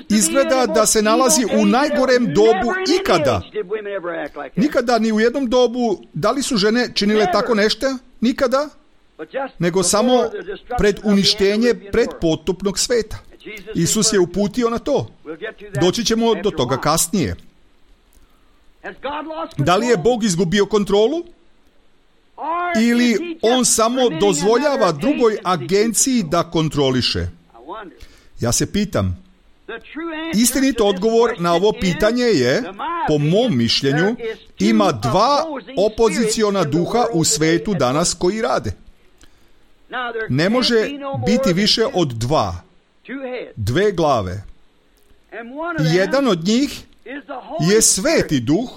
izgleda da se nalazi u najgorem dobu ikada. Nikada ni u jednom dobu, da li su žene činile tako nešto? Nikada? Nego samo pred uništenje predpotopnog sveta. Isus je uputio na to. Doći ćemo do toga kasnije. Da li je Bog izgubio kontrolu? Ili on samo dozvoljava drugoj agenciji da kontroliše? Ja se pitam. Istinit odgovor na ovo pitanje je, po mom mišljenju, ima dva opoziciona duha u svetu danas koji rade. Ne može biti više od dva. Dve glave. Jedan od njih je sveti duh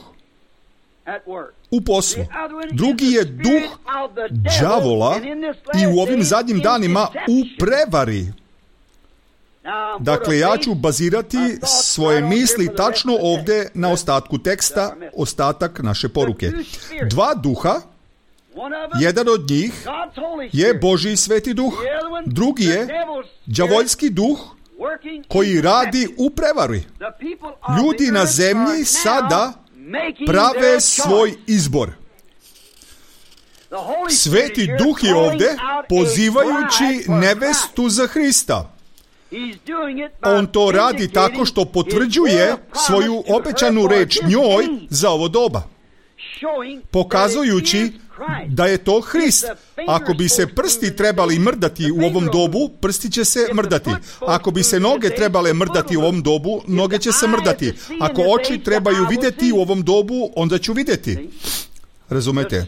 u poslu. Drugi je duh đavola i u ovim zadnjim danima u prevari. Dakle, ja ću bazirati svoje misli tačno ovdje na ostatku teksta, ostatak naše poruke. Dva duha, jedan od njih je Božji sveti duh, drugi je đavoljski duh koji radi u prevari. Ljudi na zemlji sada prave svoj izbor. Sveti duh je ovdje pozivajući nevestu za Hrista. On to radi tako što potvrđuje svoju obećanu reč njoj za ovo doba, pokazujući da je to Hrist. Ako bi se prsti trebali mrdati u ovom dobu, prsti će se mrdati. Ako bi se noge trebale mrdati u ovom dobu, noge će se mrdati. Ako oči trebaju vidjeti u ovom dobu, onda ću vidjeti. Razumete?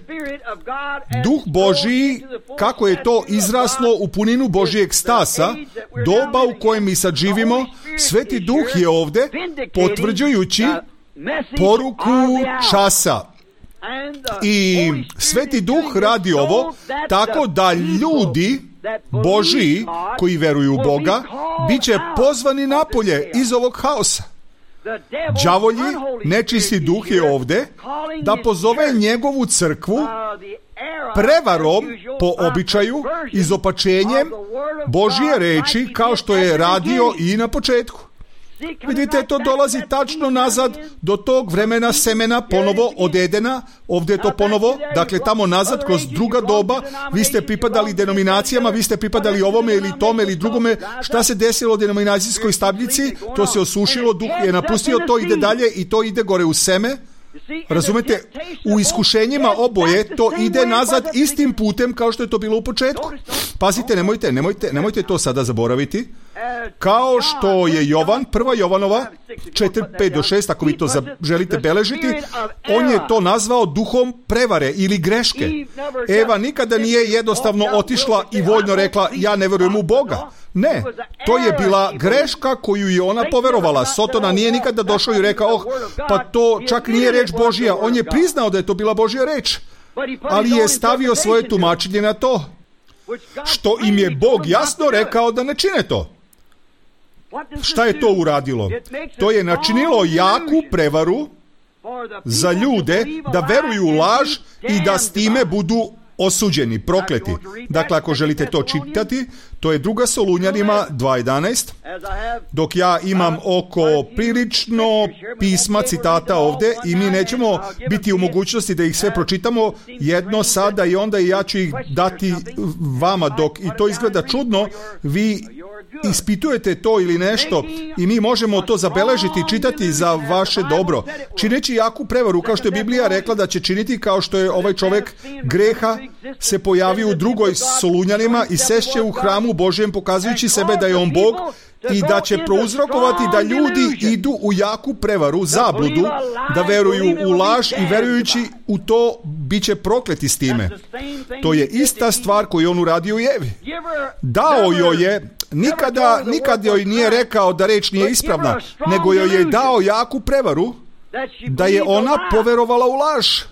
Duh Božiji, kako je to izraslo u puninu Božijeg stasa, doba u kojem mi sad živimo, Sveti Duh je ovdje potvrđujući poruku časa. I Sveti Duh radi ovo tako da ljudi Božiji koji veruju u Boga bit će pozvani napolje iz ovog haosa. Đavolji, nečisti duh je ovdje da pozove njegovu crkvu prevarom po običaju, izopačenjem Božje reči kao što je radio i na početku. Vidite, to dolazi tačno nazad do tog vremena semena ponovo od Edena, ovdje je to ponovo, dakle tamo nazad kroz druga doba, vi ste pripadali denominacijama, vi ste pripadali ovome ili tome ili drugome, šta se desilo u denominacijskoj stabljici, to se osušilo, duh je napustio, to ide dalje i to ide gore u seme. Razumete, u iskušenjima oboje to ide nazad istim putem kao što je to bilo u početku. Pazite, nemojte, nemojte, nemojte to sada zaboraviti. Kao što je Jovan, prva Jovanova, četiri, pet do šest, ako vi to želite beležiti, on je to nazvao duhom prevare ili greške. Eva nikada nije jednostavno otišla i voljno rekla, ja ne verujem u Boga. Ne, to je bila greška koju je ona poverovala. Sotona nije nikada došao i rekao, oh, pa to čak nije reč Božja. On je priznao da je to bila Božja reč, ali je stavio svoje tumačenje na to, što im je Bog jasno rekao da ne čine to. Šta je to uradilo? To je načinilo jaku prevaru za ljude da veruju u laž i da s time budu osuđeni, prokleti. Dakle, ako želite to čitati, to je druga Solunjanima dva jedanaest, dok ja imam oko prilično pisma, citata ovdje i mi nećemo biti u mogućnosti da ih sve pročitamo jedno sada i onda i ja ću ih dati vama dok i to izgleda čudno, vi ispitujete to ili nešto i mi možemo to zabeležiti, čitati za vaše dobro. Čineći jaku prevaru, kao što je Biblija rekla da će činiti, kao što je ovaj čovjek greha se pojavio u drugoj Solunjanima i sešće u hramu Božjem pokazujući sebe da je on Bog i da će prouzrokovati da ljudi idu u jaku prevaru, zabludu, da veruju u laž i verujući u to bit će prokleti s time. To je ista stvar koju on uradio u Evi. Dao joj je, nikada, nikad joj nije rekao da reč nije ispravna, nego joj je dao jaku prevaru da je ona poverovala u laž.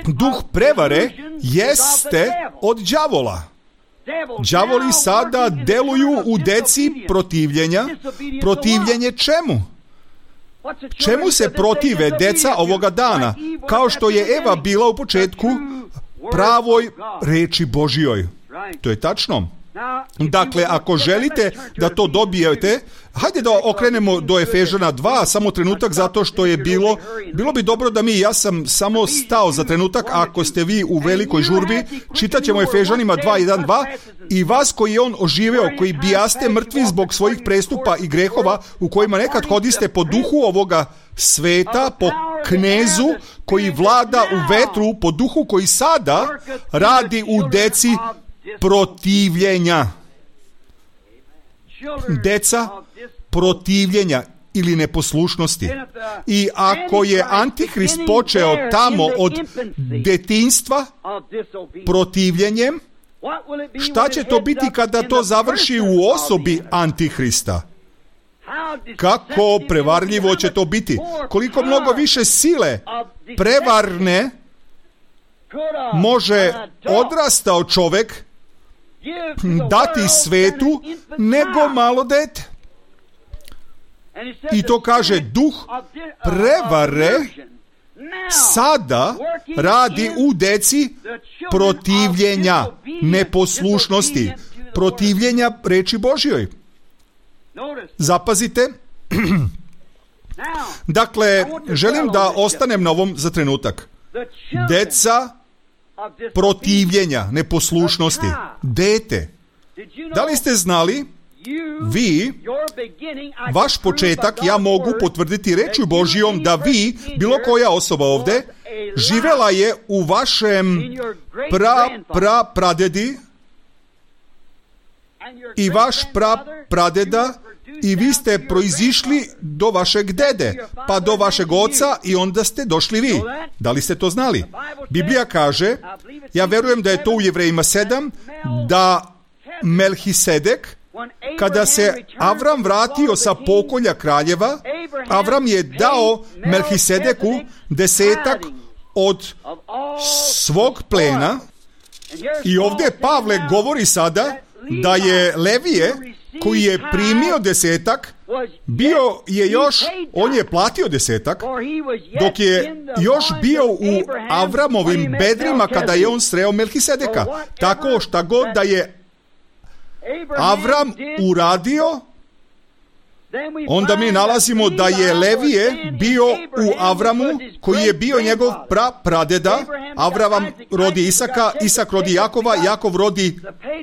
Duh prevare jeste od đavola. Đavoli sada deluju u deci protivljenja. Protivljenje čemu? Čemu se protive deca ovoga dana? Kao što je Eva bila u početku pravoj reči Božjoj. To je tačno. Dakle, ako želite da to dobijete, hajde da okrenemo do Efežana dva, samo trenutak, zato što je bilo, bilo bi dobro da mi, ja sam samo stao za trenutak, ako ste vi u velikoj žurbi, čitat ćemo Efežanima dva jedan dva i vas koji je on oživeo, koji bijaste mrtvi zbog svojih prestupa i grehova, u kojima nekad hodiste po duhu ovoga sveta, po knezu koji vlada u vetru, po duhu koji sada radi u deci protivljenja. Deca protivljenja ili neposlušnosti. I ako je Antihrist počeo tamo od detinjstva protivljenjem, šta će to biti kada to završi u osobi Antihrista? Kako prevarljivo će to biti? Koliko mnogo više sile prevarne može odrastao čovjek dati svetu nego malo dete. I to kaže duh prevare sada radi u deci protivljenja, neposlušnosti, protivljenja reči Božjoj. Zapazite. Dakle, želim da ostanem na ovom za trenutak. Deca protivljenja, neposlušnosti. Dete. Da li ste znali, vi, vaš početak, ja mogu potvrditi rečju Božjom da vi, bilo koja osoba ovdje, živela je u vašem pra, pra, pradedi i vaš pra, pradeda i vi ste proizišli do vašeg dede, pa do vašeg oca i onda ste došli vi. Da li ste to znali? Biblija kaže, ja verujem da je to u Jevrejima sedam, da Melhisedek, kada se Avram vratio sa pokolja kraljeva, Avram je dao Melhisedeku desetak od svog plena i ovdje Pavle govori sada da je Levije, koji je primio desetak, bio je još, on je platio desetak, dok je još bio u Avramovim bedrima kada je on sreo Melhisedeka. Tako šta god da je Avram uradio, onda mi nalazimo da je Levije bio u Avramu, koji je bio njegov pra, pradeda. Avram rodi Isaka, Isak rodi Jakova, Jakov rodi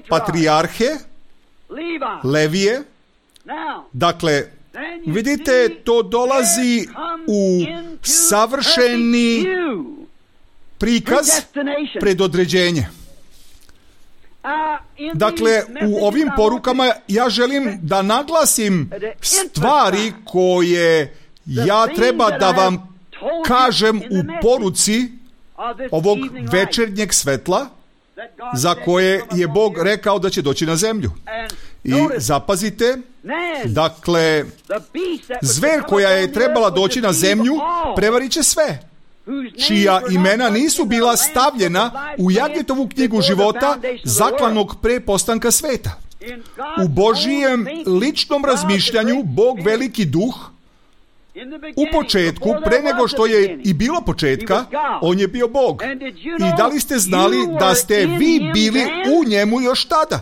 patrijarhe, Levije. Dakle, vidite, to dolazi u savršeni prikaz, predodređenje. Dakle, u ovim porukama ja želim da naglasim stvari koje ja treba da vam kažem u poruci ovog večernjeg svetla za koje je Bog rekao da će doći na zemlju. I zapazite, dakle, zver koja je trebala doći na zemlju prevarit će sve, čija imena nisu bila stavljena u Jagetovu knjigu života zaklanog pre postanka sveta. U Božijem ličnom razmišljanju Bog veliki duh u početku, pre nego što je i bilo početka, on je bio Bog. I da li ste znali da ste vi bili u njemu još tada?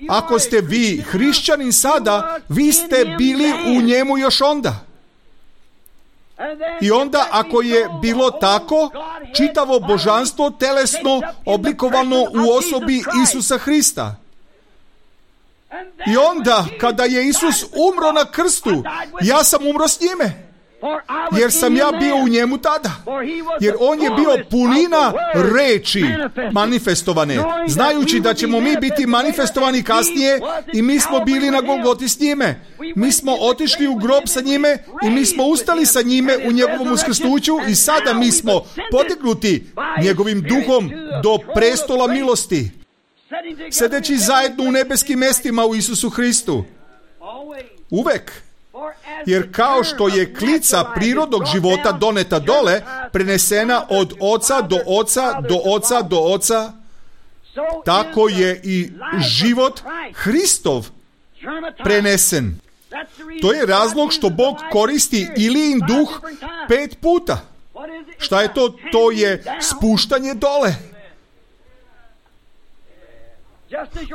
Ako ste vi hrišćanin sada, vi ste bili u njemu još onda. I onda, ako je bilo tako, čitavo božanstvo telesno oblikovano u osobi Isusa Hrista. I onda, kada je Isus umro na krstu, ja sam umro s njime, jer sam ja bio u njemu tada. Jer on je bio punina reči manifestovane, znajući da ćemo mi biti manifestovani kasnije, i mi smo bili na Golgoti s njime. Mi smo otišli u grob sa njime i mi smo ustali sa njime u njegovom uskrsnuću i sada mi smo podignuti njegovim duhom do prestola milosti, sedeći zajedno u nebeskim mestima u Isusu Hristu. Uvek. Jer kao što je klica prirodnog života doneta dole, prenesena od oca do oca, do oca do oca, tako je i život Hristov prenesen. To je razlog što Bog koristi Ilijin duh pet puta. Šta je to? To je spuštanje dole.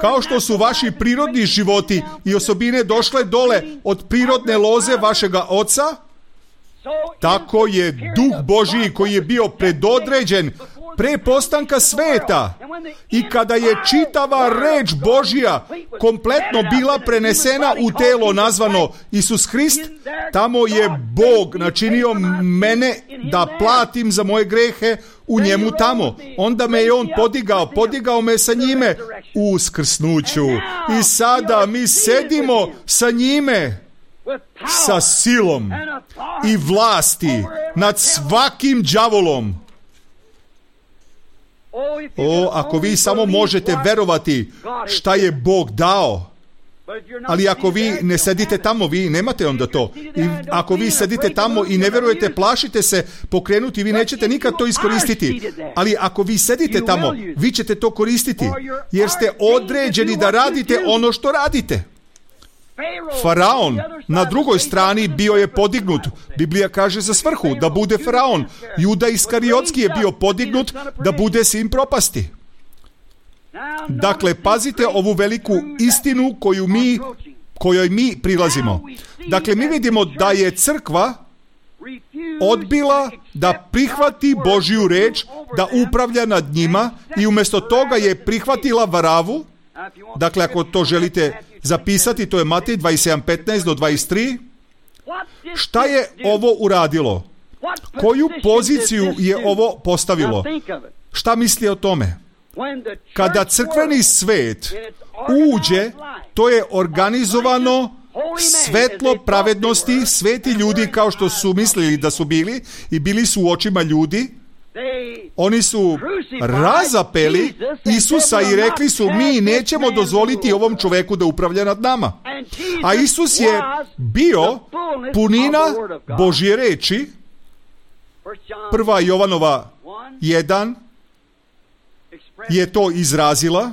Kao što su vaši prirodni životi i osobine došle dole od prirodne loze vašega oca, tako je duh Božiji koji je bio predodređen pre postanka sveta, i kada je čitava reč Božja kompletno bila prenesena u telo nazvano Isus Hrist, tamo je Bog načinio mene da platim za moje grehe u njemu tamo. Onda me je on podigao, podigao me sa njime u uskrsnuću. I sada mi sedimo sa njime sa silom i vlasti nad svakim đavolom. O, ako vi samo možete verovati šta je Bog dao, Ali ako vi ne sedite tamo, vi nemate onda to. I ako vi sedite tamo i ne verujete, plašite se pokrenuti, vi nećete nikad to iskoristiti. Ali ako vi sedite tamo, vi ćete to koristiti, jer ste određeni da radite ono što radite. Faraon na drugoj strani bio je podignut. Biblija kaže za svrhu da bude faraon. Juda Iskariotski je bio podignut da bude sin propasti. Dakle, pazite ovu veliku istinu koju mi, kojoj mi prilazimo. Dakle, mi vidimo da je crkva odbila da prihvati Božju reč, da upravlja nad njima i umjesto toga je prihvatila varavu. Dakle, ako to želite zapisati, to je Matej dvadeset sedam petnaest do dvadeset tri. Šta je ovo uradilo? Koju poziciju je ovo postavilo? Šta misli o tome? Kada crkveni svet uđe, to je organizovano svetlo pravednosti, sveti ljudi kao što su mislili da su bili i bili su u očima ljudi. Oni su razapeli Isusa i rekli su, mi nećemo dozvoliti ovom čoveku da upravlja nad nama. A Isus je bio punina Božje reči. Prva Jovanova jedan je to izrazila.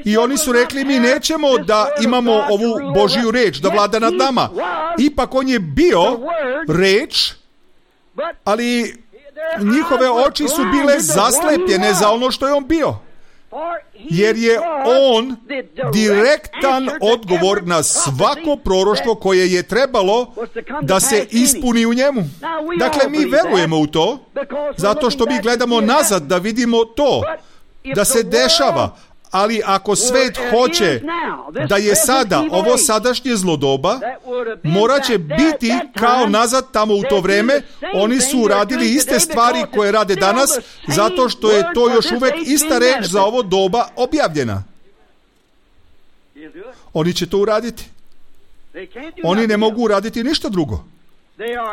I oni su rekli, mi nećemo da imamo ovu Božju reč da vlada nad nama. Ipak on je bio reč, ali njihove oči su bile zaslepljene za ono što je on bio. Jer je on direktan odgovor na svako proroštvo koje je trebalo da se ispuni u njemu. Dakle, mi verujemo u to, zato što mi gledamo nazad da vidimo to, da se dešava. Ali ako svet hoće da je sada ovo sadašnje zlodoba, morat će biti kao nazad tamo u to vreme. Oni su uradili iste stvari koje rade danas, zato što je to još uvek ista reč za ovo doba objavljena. Oni će to uraditi. Oni ne mogu uraditi ništa drugo.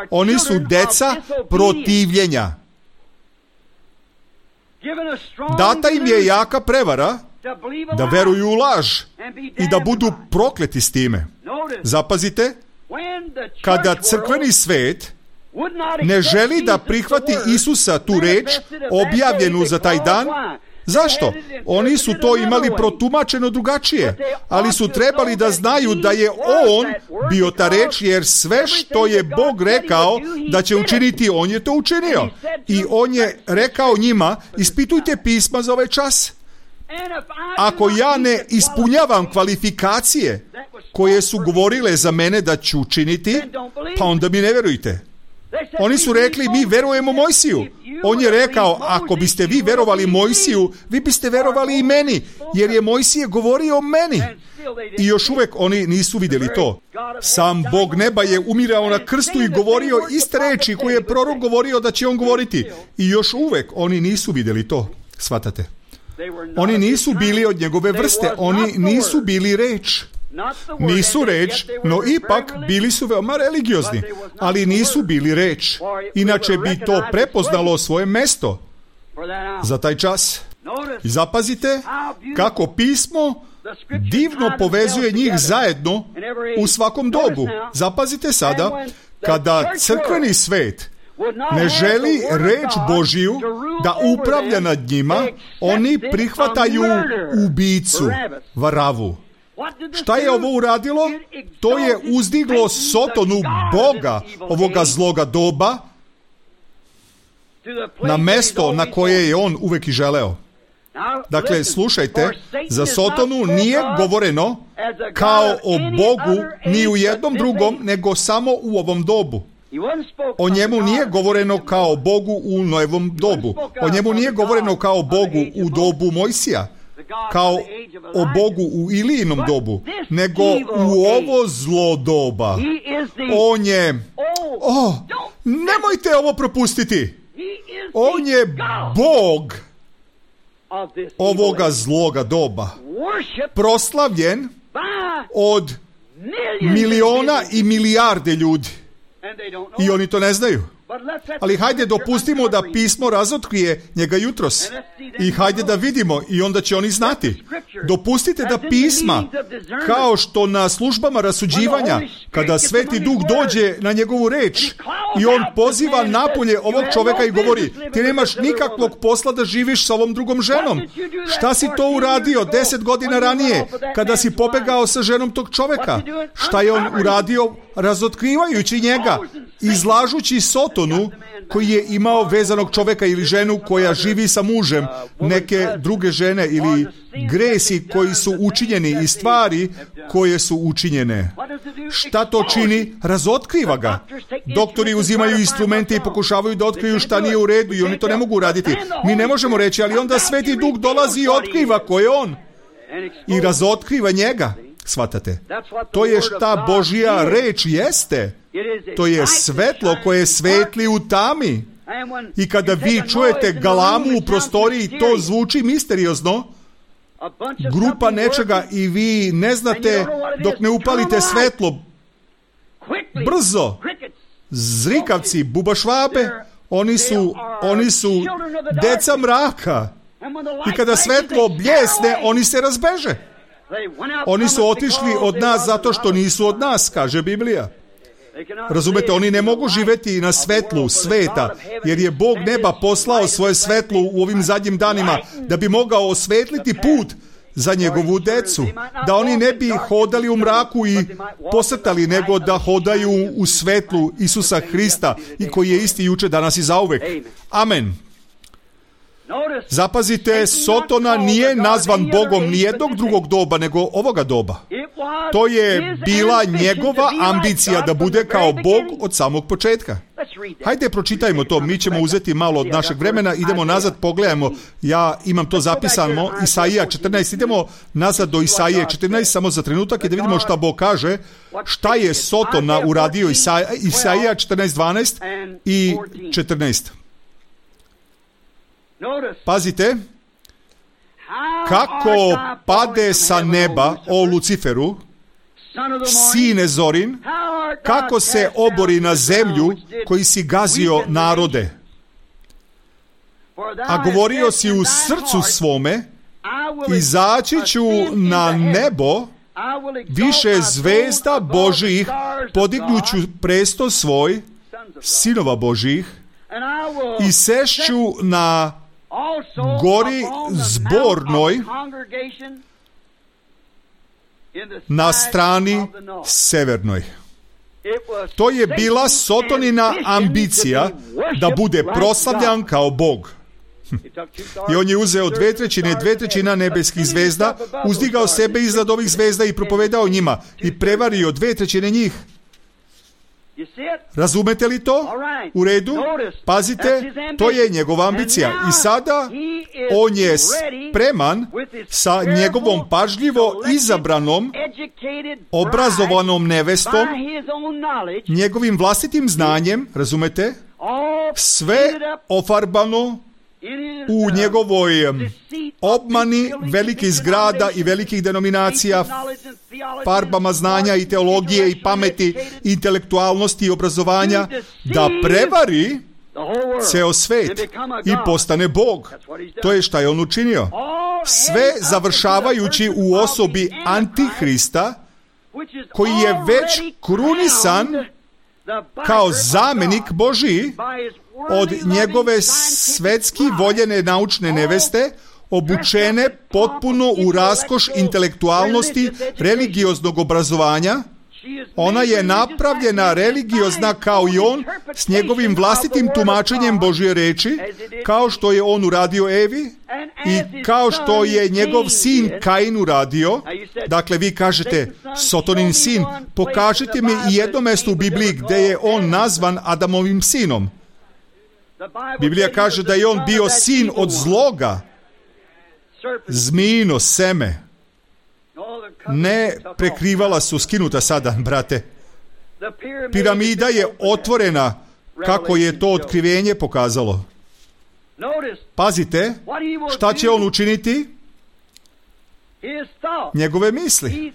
Oni su deca protivljenja. Data im je jaka prevara da veruju u laž i da budu prokleti s time. Zapazite, kada crkveni svet ne želi da prihvati Isusa tu reč objavljenu za taj dan, zašto? Oni su to imali protumačeno drugačije, ali su trebali da znaju da je on bio ta reč, jer sve što je Bog rekao da će učiniti, on je to učinio. I on je rekao njima, ispitujte pisma za ovaj čas. Ako ja ne ispunjavam kvalifikacije koje su govorile za mene da ću učiniti, pa onda mi ne verujte. Oni su rekli, mi verujemo Mojsiju. On je rekao, ako biste vi verovali Mojsiju, vi biste verovali i meni, jer je Mojsije govorio o meni. I još uvek oni nisu vidjeli to. Sam Bog neba je umirao na krstu i govorio iste reči koje je prorok govorio da će on govoriti. I još uvek oni nisu vidjeli to. Shvatate? Oni nisu bili od njegove vrste, oni nisu bili reč. Nisu reč, no ipak bili su veoma religiozni, ali nisu bili reč. Inače bi to prepoznalo svoje mesto za taj čas. I zapazite kako pismo divno povezuje njih zajedno u svakom dobu. Zapazite sada, kada crkveni svet ne želi reč Božiju da upravlja nad njima, oni prihvataju ubicu, varavu. Šta je ovo uradilo? To je uzdiglo Sotonu, Boga ovoga zloga doba, na mesto na koje je on uvek i želeo. Dakle, slušajte, za Sotonu nije govoreno kao o Bogu ni u jednom drugom, nego samo u ovom dobu. O njemu nije govoreno kao Bogu u Noevom dobu. O njemu nije govoreno kao Bogu u dobu Mojsija, kao o Bogu u Ilijinom dobu, nego u ovo zlo doba. On je... Oh, nemojte ovo propustiti. On je Bog ovoga zloga doba. Proslavljen od miliona i milijarde ljudi. I oni to ne znaju. Ali hajde dopustimo da pismo razotkrije njega jutros. I hajde da vidimo i onda će oni znati. Dopustite da pisma, kao što na službama rasuđivanja, kada Sveti Duh dođe na njegovu reč i on poziva napolje ovog čoveka i govori: ti nemaš nikakvog posla da živiš sa ovom drugom ženom. Šta si to uradio deset godina ranije kada si pobegao sa ženom tog čoveka? Šta je on uradio razotkrivajući njega, izlažući Sotonu koji je imao vezanog čoveka ili ženu koja živi sa mužem, neke druge žene ili gresi koji su učinjeni i stvari koje su učinjene. Šta to čini? Razotkriva ga. Doktori uzimaju instrumente i pokušavaju da otkriju šta nije u redu i oni to ne mogu uraditi. Mi ne možemo reći, ali onda Sveti Duh dolazi i otkriva ko je on. I razotkriva njega. Shvatate? To je šta Božja reč jeste. To je svetlo koje svetli u tami. I kada vi čujete galamu u prostoriji, to zvuči misteriozno. Grupa nečega i vi ne znate dok ne upalite svetlo. Brzo. Zrikavci, bubašvabe, oni su, oni su deca mraka. I kada svetlo bljesne, oni se razbeže. Oni su otišli od nas zato što nisu od nas, kaže Biblija. Razumete, oni ne mogu živjeti na svetlu sveta, jer je Bog neba poslao svoje svetlo u ovim zadnjim danima da bi mogao osvetliti put za njegovu decu, da oni ne bi hodali u mraku i posrtali, nego da hodaju u svetlu Isusa Hrista, i koji je isti juče, danas i zauvek. Amen. Zapazite, Sotona nije nazvan Bogom nijednog drugog doba, nego ovoga doba. To je bila njegova ambicija da bude kao Bog od samog početka. Hajde, pročitajmo to, mi ćemo uzeti malo od našeg vremena, idemo nazad, pogledajmo, ja imam to zapisano, Isaija četrnaest, idemo nazad do Isaije četrnaest, samo za trenutak, i da vidimo šta Bog kaže, šta je Sotona uradio. Isaija, Isaija četrnaest, dvanaest i četrnaest. Pazite, kako pade sa neba, o Luciferu, sine Zorin, kako se obori na zemlju koji si gazio narode. A govorio si u srcu svome, izaći ću na nebo, više zvezda Božih, podignuću presto svoj, sinova Božih, i sešću na gori zbornoj na strani severnoj. To je bila Sotonina ambicija da bude proslavljan kao Bog. I on je uzeo dve trećine, dve trećina nebeskih zvezda, uzdigao sebe iznad ovih zvezda i propovedao njima i prevario dve trećine njih. Razumete li to? U redu? Pazite, to je njegova ambicija. I sada on je spreman sa njegovom pažljivo izabranom, obrazovanom nevestom, njegovim vlastitim znanjem, razumete? Sve ofarbano u njegovoj obmani velikih zgrada i velikih denominacija, farbama znanja i teologije i pameti, intelektualnosti i obrazovanja, da prevari ceo svet i postane Bog. To je šta je on učinio. Sve završavajući u osobi Antihrista, koji je već krunisan kao zamenik Božiji od njegove svetski voljene naučne neveste, obučene potpuno u raskoš intelektualnosti, religioznog obrazovanja. Ona je napravljena religiozna kao i on, s njegovim vlastitim tumačenjem Božje reči, kao što je on uradio Evi i kao što je njegov sin Kain uradio. Dakle, vi kažete, Sotonin sin, pokažite mi i jedno mesto u Bibliji gdje je on nazvan Adamovim sinom. Biblija kaže da je on bio sin od zloga, zmijino seme. Ne, prekrivala su skinuta sada, brate. Piramida je otvorena, kako je to otkrivenje pokazalo. Pazite, šta će on učiniti? Njegove misli.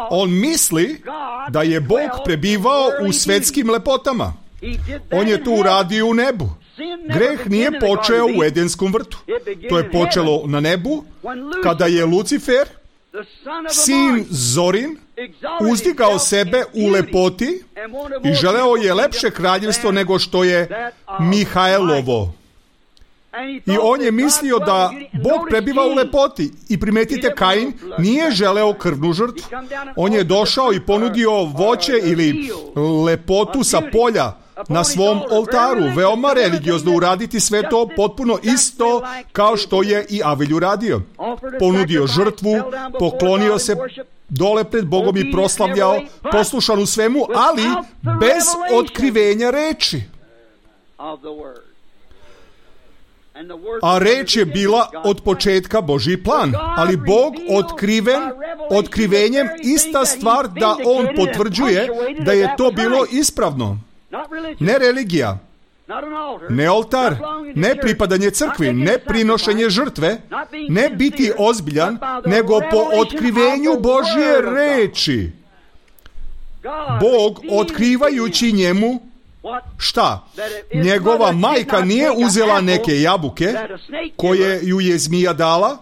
On misli da je Bog prebivao u svetskim lepotama. On je to uradio u nebu. Greh nije počeo u Edenskom vrtu. To je počelo na nebu, kada je Lucifer, sin Zorin, uzdigao sebe u lepoti i želeo je lepše kraljevstvo nego što je Mihajlovo. I on je mislio da Bog prebiva u lepoti. I primetite, Kain nije želeo krvnu žrtvu. On je došao i ponudio voće ili lepotu sa polja na svom oltaru. Veoma religiozno uraditi sve to potpuno isto kao što je i Avelj uradio. Ponudio žrtvu, poklonio se dole pred Bogom i proslavljao, poslušan u svemu, ali bez otkrivenja reči. A reč je bila od početka Božji plan, ali Bog otkriven, otkrivenjem ista stvar da On potvrđuje da je to bilo ispravno. Ne religija, ne oltar, ne pripadanje crkvi, ne prinošenje žrtve, ne biti ozbiljan, nego po otkrivenju Božje reči. Bog, otkrivajući njemu, šta? Njegova majka nije uzela neke jabuke koje ju je zmija dala,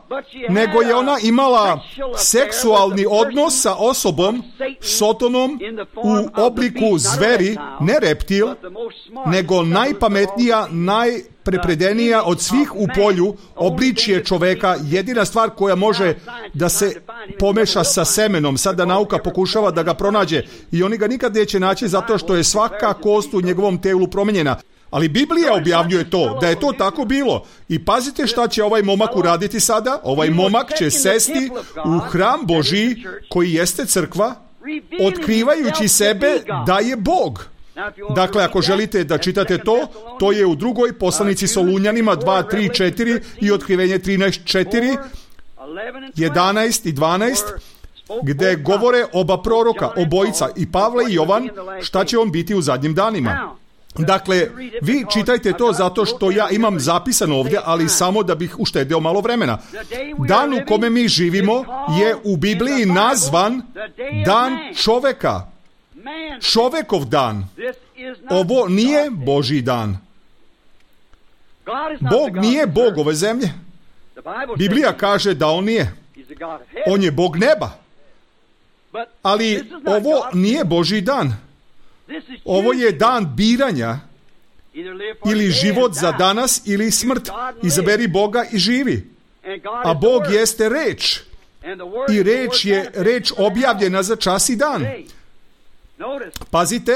nego je ona imala seksualni odnos sa osobom, Sotonom, u obliku zveri, ne reptil, nego najpametnija, najprepredenija od svih u polju, obličje čoveka, jedina stvar koja može da se pomeša sa semenom. Sada nauka pokušava da ga pronađe i oni ga nikad neće naći zato što je svaka kost u njegovom telu promenjena. Ali Biblija objavljuje to, da je to tako bilo. I pazite šta će ovaj momak uraditi sada. Ovaj momak će sesti u hram Božji, koji jeste crkva, otkrivajući sebe da je Bog. Dakle, ako želite da čitate to, to je u drugoj poslanici Solunjanima dva, tri, četiri i otkrivenje trinaest, četiri, jedanaest i dvanaest, gde govore oba proroka, obojica, i Pavle i Jovan, šta će on biti u zadnjim danima. Dakle, vi čitajte to zato što ja imam zapisano ovdje, ali samo da bih uštedeo malo vremena. Dan u kome mi živimo je u Bibliji nazvan dan čoveka. Čovekov dan. Ovo nije Božji dan. Bog nije Bog ove zemlje. Biblija kaže da on nije. On je Bog neba. Ali ovo nije Božji dan. Ovo je dan biranja. Ili život za danas ili smrt. Izaberi Boga i živi. A Bog jeste reč. I reč je reč objavljena za čas i dan. Pazite,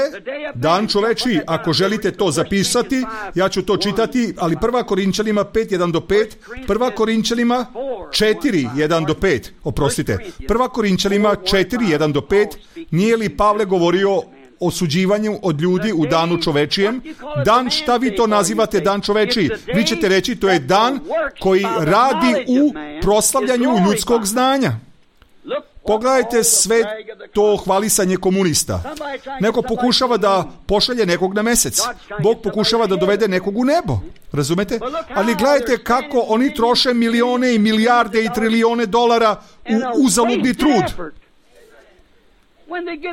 dan čovečiji, ako želite to zapisati, ja ću to čitati, ali prva Korinčanima pet, jedan do pet, prva Korinčanima četiri, jedan do pet, oprostite, prva Korinčanima četiri, jedan do pet, nije li Pavle govorio o suđivanju od ljudi u danu čovečijem? Dan, šta vi to nazivate dan čovečiji? Vi ćete reći, to je dan koji radi u proslavljanju ljudskog znanja. Pogledajte sve to hvalisanje komunista. Neko pokušava da pošalje nekog na mesec. Bog pokušava da dovede nekog u nebo. Razumete? Ali gledajte kako oni troše milione i milijarde i trilijone dolara u uzaludni trud.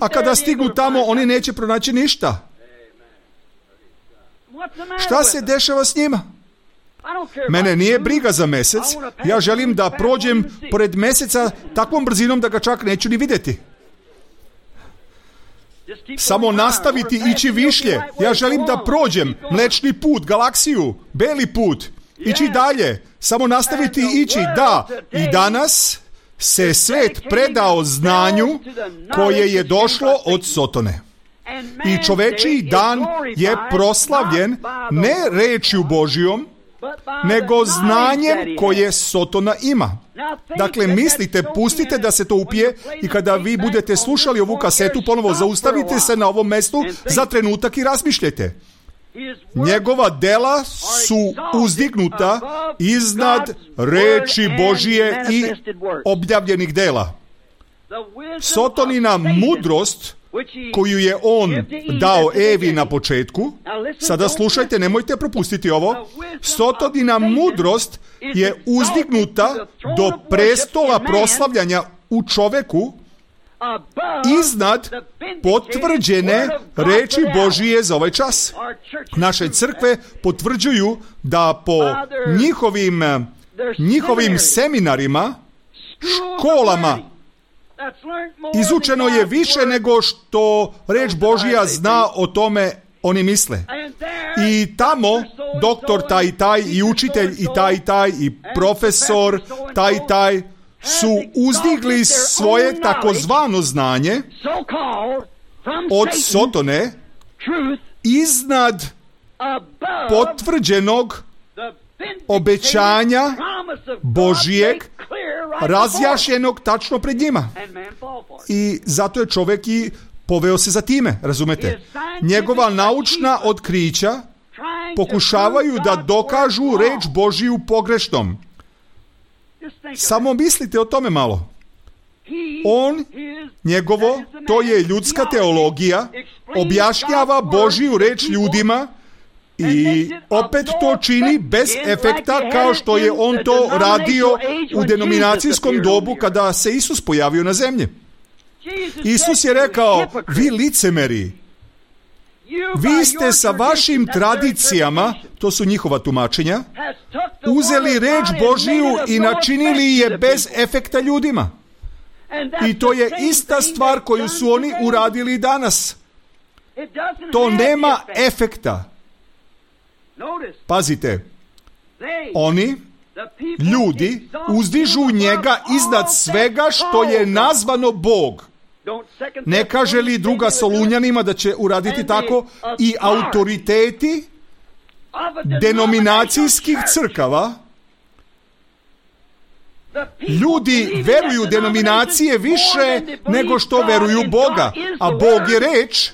A kada stignu tamo, oni neće pronaći ništa. Šta se dešava s njima? Mene nije briga za mesec. Ja želim da prođem pored meseca takvom brzinom da ga čak neću ni vidjeti. Samo nastaviti ići višlje. Ja želim da prođem mlečni put, galaksiju, beli put, ići dalje. Samo nastaviti ići. Da, i danas se svet predao znanju koje je došlo od Sotone. I čovečiji dan je proslavljen ne rečju Božjom, nego znanjem koje Sotona ima. Dakle, mislite, pustite da se to upije i kada vi budete slušali ovu kasetu, ponovo zaustavite se na ovom mestu za trenutak i razmišljajte. Njegova dela su uzdignuta iznad reči Božije i objavljenih dela. Sotonina mudrost koju je on dao Evi na početku, sada slušajte, nemojte propustiti ovo, Sotonina mudrost je uzdignuta do prestola proslavljanja u čoveku iznad potvrđene reči Božije za ovaj čas. Naše crkve potvrđuju da po njihovim, njihovim seminarima, školama, izučeno je više nego što reč Božja zna o tome oni misle. I tamo doktor taj i taj i učitelj i taj i taj i profesor taj i taj su uzdigli svoje takozvano znanje od Sotone iznad potvrđenog obećanja Božijeg, razjašnjenog tačno pred njima. I zato je čovjek i poveo se za time, razumete? Njegova naučna otkrića pokušavaju da dokažu reč Božiju pogrešnom. Samo mislite o tome malo. On, njegovo, to je ljudska teologija, objašnjava Božiju reč ljudima i opet to čini bez efekta kao što je on to radio u denominacijskom dobu kada se Isus pojavio na zemlji. Isus je rekao, vi licemeri, vi ste sa vašim tradicijama, to su njihova tumačenja, uzeli reč Božiju i načinili je bez efekta ljudima. I to je ista stvar koju su oni uradili danas. To nema efekta. Pazite, oni, ljudi, uzdižu njega iznad svega što je nazvano Bog. Ne kaže li druga Solunjanima da će uraditi tako i autoriteti denominacijskih crkava? Ljudi veruju denominacije više nego što veruju Boga, a Bog je reč.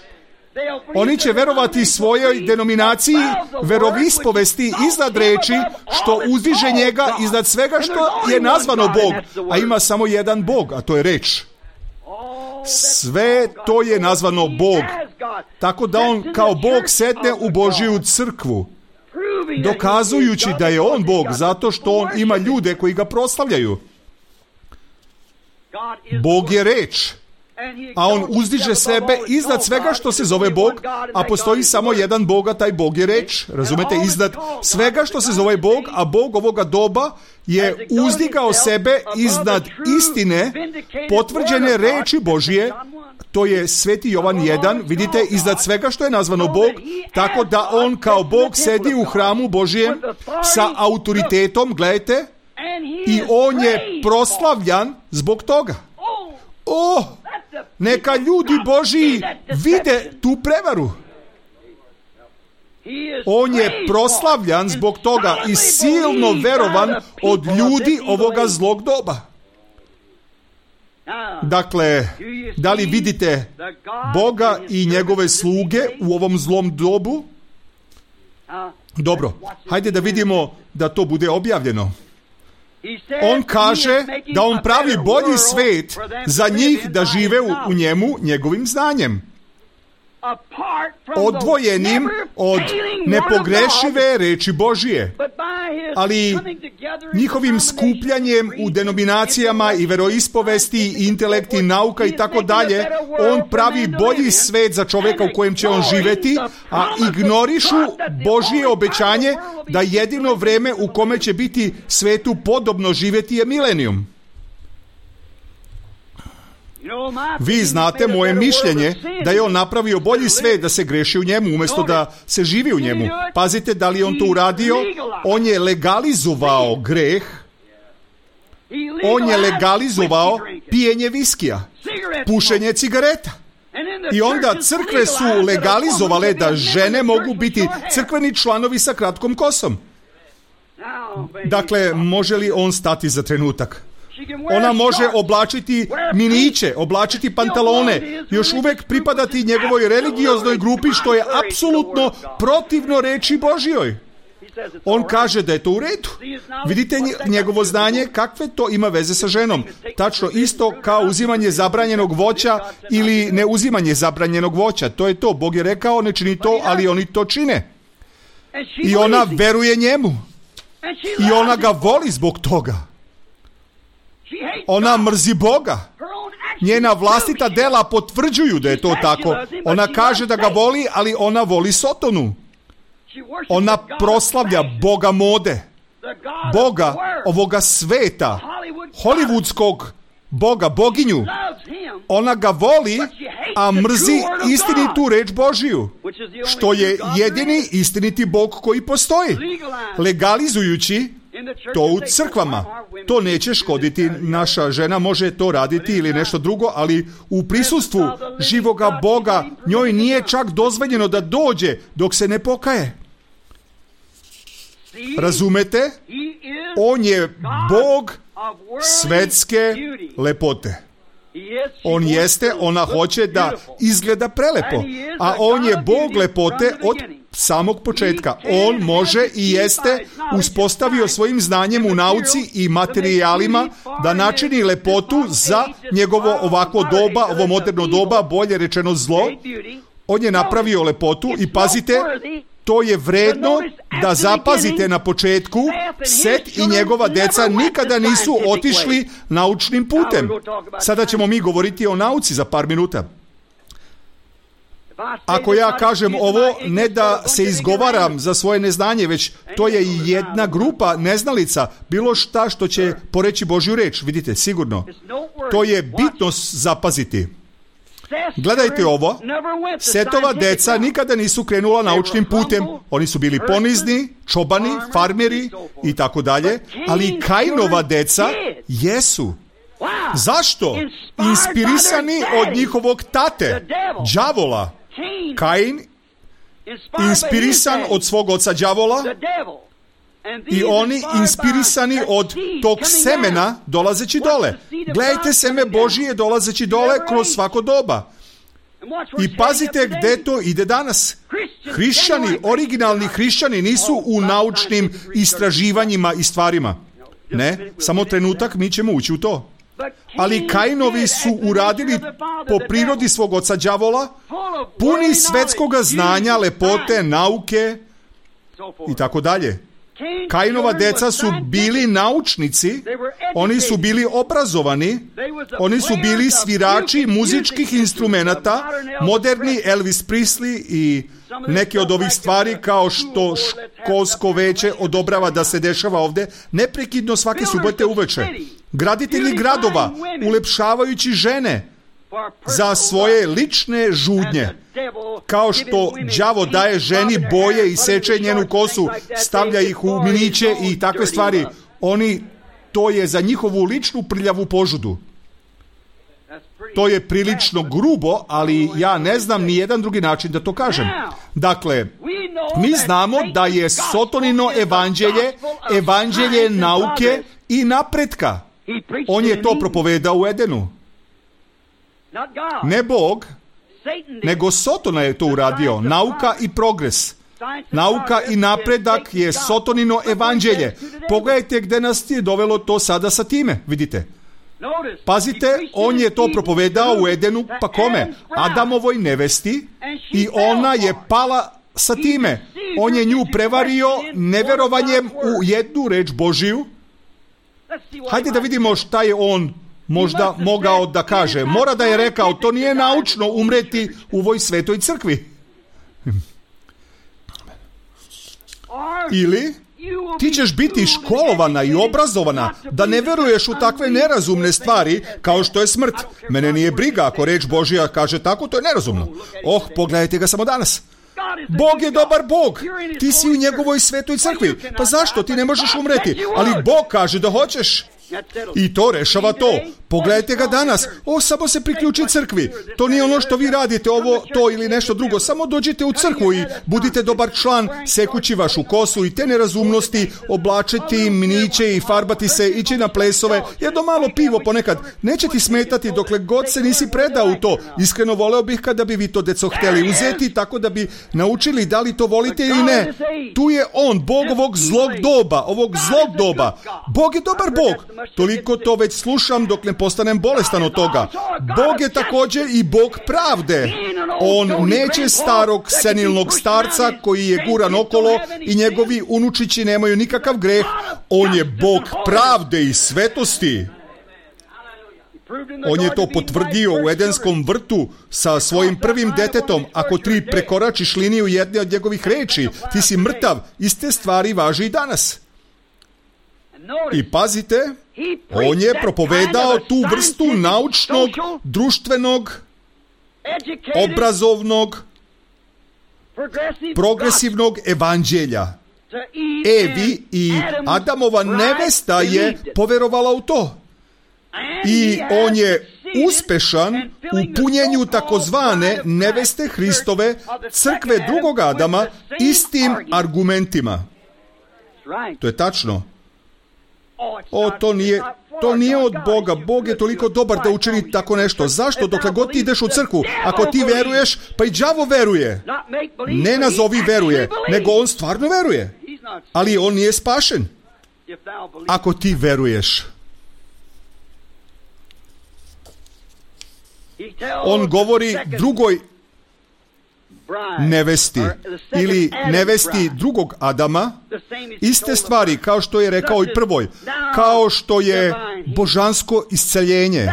Oni će verovati svojoj denominaciji verovispovesti iznad reči što uzdiže njega iznad svega što je nazvano Bog, a ima samo jedan Bog, a to je reč. Sve to je nazvano Bog, tako da on kao Bog sedne u Božiju crkvu, dokazujući da je on Bog, zato što on ima ljude koji ga proslavljaju. Bog je reč, a on uzdiže sebe iznad svega što se zove Bog, a postoji samo jedan Bog, a taj Bog je reč. Razumete, iznad svega što se zove Bog, a Bog ovoga doba je uzdigao sebe iznad istine potvrđene reči Božije. To je Sveti Jovan jedan, vidite, iznad svega što je nazvano Bog, tako da on kao Bog sedi u hramu Božijem sa autoritetom, gledajte, i on je proslavljan zbog toga. O, neka ljudi Božiji vide tu prevaru. On je proslavljan zbog toga i silno verovan od ljudi ovoga zlog doba. Dakle, da li vidite Boga i njegove sluge u ovom zlom dobu? Dobro, hajde da vidimo da to bude objavljeno. On kaže da on pravi bolji svet za njih da žive u, u njemu njegovim znanjem, odvojenim od nepogrešive reči Božije, ali njihovim skupljanjem u denominacijama i veroispovesti, intelekti, nauka i tako dalje, on pravi bolji svet za čovjeka u kojem će on živjeti, a ignorišu Božije obećanje da jedino vreme u kome će biti svetu podobno živjeti je milenijum. Vi znate moje mišljenje da je on napravio bolji svet da se greši u njemu umjesto da se živi u njemu. Pazite, da li je on to uradio? On je legalizovao greh. On je legalizovao pijenje viskija, pušenje cigareta. I onda crkve su legalizovale da žene mogu biti crkveni članovi sa kratkom kosom. Dakle, može li on stati za trenutak? Ona može oblačiti miniće, oblačiti pantalone, još uvijek pripadati njegovoj religioznoj grupi, što je apsolutno protivno reči Božjoj. On kaže da je to u redu. Vidite njegovo znanje, kakve to ima veze sa ženom. Tačno isto kao uzimanje zabranjenog voća ili ne uzimanje zabranjenog voća. To je to. Bog je rekao, ne čini to, ali oni to čine. I ona veruje njemu. I ona ga voli zbog toga. Ona mrzi Boga. Njena vlastita dela potvrđuju da je to tako. Ona kaže da ga voli, ali ona voli Sotonu. Ona proslavlja Boga mode, Boga ovoga sveta, hollywoodskog Boga, boginju. Ona ga voli, a mrzi istinitu reč Božiju, što je jedini istiniti Bog koji postoji. Legalizujući to u crkvama. To neće škoditi. Naša žena može to raditi ili nešto drugo, ali u prisustvu živoga Boga njoj nije čak dozvoljeno da dođe dok se ne pokaje. Razumete? On je Bog svetske lepote. On jeste, ona hoće da izgleda prelepo, a on je Bog lepote od samog početka. On može i jeste uspostavio svojim znanjem u nauci i materijalima da načini lepotu za njegovo ovako doba, ovo moderno doba, bolje rečeno zlo. On je napravio lepotu i pazite, to je vredno da zapazite na početku. Set i njegova deca nikada nisu otišli naučnim putem. Sada ćemo mi govoriti o nauci za par minuta. Ako ja kažem ovo, ne da se izgovaram za svoje neznanje, već to je jedna grupa neznalica, bilo šta što će poreći Božju reč, vidite, sigurno. To je bitno zapaziti. Gledajte ovo, Setova deca nikada nisu krenula naučnim putem. Oni su bili ponizni, čobani, farmeri i tako dalje, ali Kainova deca jesu. Zašto? Inspirisani od njihovog tate, đavola. Kain, inspirisan od svog oca đavola, i oni inspirisani od tog semena dolazeći dole. Gledajte seme Božije dolazeći dole kroz svako doba. I pazite gde to ide danas. Hrišćani, originalni hrišćani nisu u naučnim istraživanjima i stvarima. Ne, samo trenutak, mi ćemo ući u to. Ali Kainovi su uradili po prirodi svog oca đavola, puni svetskoga znanja, lepote, nauke i tako dalje. Kainova deca su bili naučnici, oni su bili obrazovani, oni su bili svirači muzičkih instrumenata, moderni Elvis Presley i neke od ovih stvari kao što školsko veće odobrava da se dešava ovde, neprekidno svake subote uveče. Graditelji gradova, ulepšavajući žene za svoje lične žudnje. Kao što đavo daje ženi boje i seče njenu kosu, stavlja ih u miniće i takve stvari. Oni, to je za njihovu ličnu prljavu požudu. To je prilično grubo, ali ja ne znam ni jedan drugi način da to kažem. Dakle, mi znamo da je Sotonino evanđelje, evanđelje nauke i napretka. On je to propovedao u Edenu. Ne Bog, nego Sotona je to uradio. Nauka i progres. Nauka i napredak je Sotonino evanđelje. Pogledajte gde nas je dovelo to sada sa time, vidite. Pazite, on je to propovedao u Edenu, pa kome? Adamovoj nevesti, i ona je pala sa time. On je nju prevario neverovanjem u jednu reč Božiju. Hajde da vidimo šta je on možda mogao da kaže. Mora da je rekao, to nije naučno umreti u ovoj svetoj crkvi. Ili ti ćeš biti školovana i obrazovana da ne veruješ u takve nerazumne stvari kao što je smrt. Mene nije briga ako reč Božja kaže tako, to je nerazumno. Oh, pogledajte ga samo danas. Bog je dobar Bog. Ti si u njegovoj svetoj crkvi. Pa zašto? Ti ne možeš umreti. Ali Bog kaže da hoćeš. I to rešava to. Pogledajte ga danas. O, samo se priključi crkvi. To nije ono što vi radite, ovo, to ili nešto drugo. Samo dođite u crkvu i budite dobar član, sekući vašu kosu i te nerazumnosti, oblačiti miniće i farbati se, ići na plesove, jedno malo pivo ponekad. Neće ti smetati dokle god se nisi predao u to. Iskreno voleo bih kada bi vi to, deco, hteli uzeti, tako da bi naučili da li to volite ili ne. Tu je on, Bog ovog zlog doba, ovog zlog doba. Bog je dobar Bog. Toliko to već slušam dok ne postanem bolestan od toga. Bog je također i Bog pravde. On neće starog senilnog starca koji je guran okolo i njegovi unučići nemaju nikakav greh. On je Bog pravde i svetosti. On je to potvrdio u Edenskom vrtu sa svojim prvim detetom. Ako ti prekoračiš liniju jedne od njegovih reči, ti si mrtav. Iste stvari važi i danas. I pazite, on je propovedao tu vrstu naučnog, društvenog, obrazovnog, progresivnog evanđelja. Evi i Adamova nevesta je poverovala u to. I on je uspešan u punjenju takozvane neveste Hristove, crkve drugog Adama, istim argumentima. To je tačno. O, to nije, to nije od Boga. Bog je toliko dobar da učini tako nešto. Zašto? Dokle god ti ideš u crkvu, ako ti veruješ, pa i đavo veruje. Ne nazovi veruje, nego on stvarno veruje. Ali on nije spašen. Ako ti veruješ. On govori drugoj nevesti ili nevesti drugog Adama iste stvari kao što je rekao i prvoj, kao što je božansko isceljenje.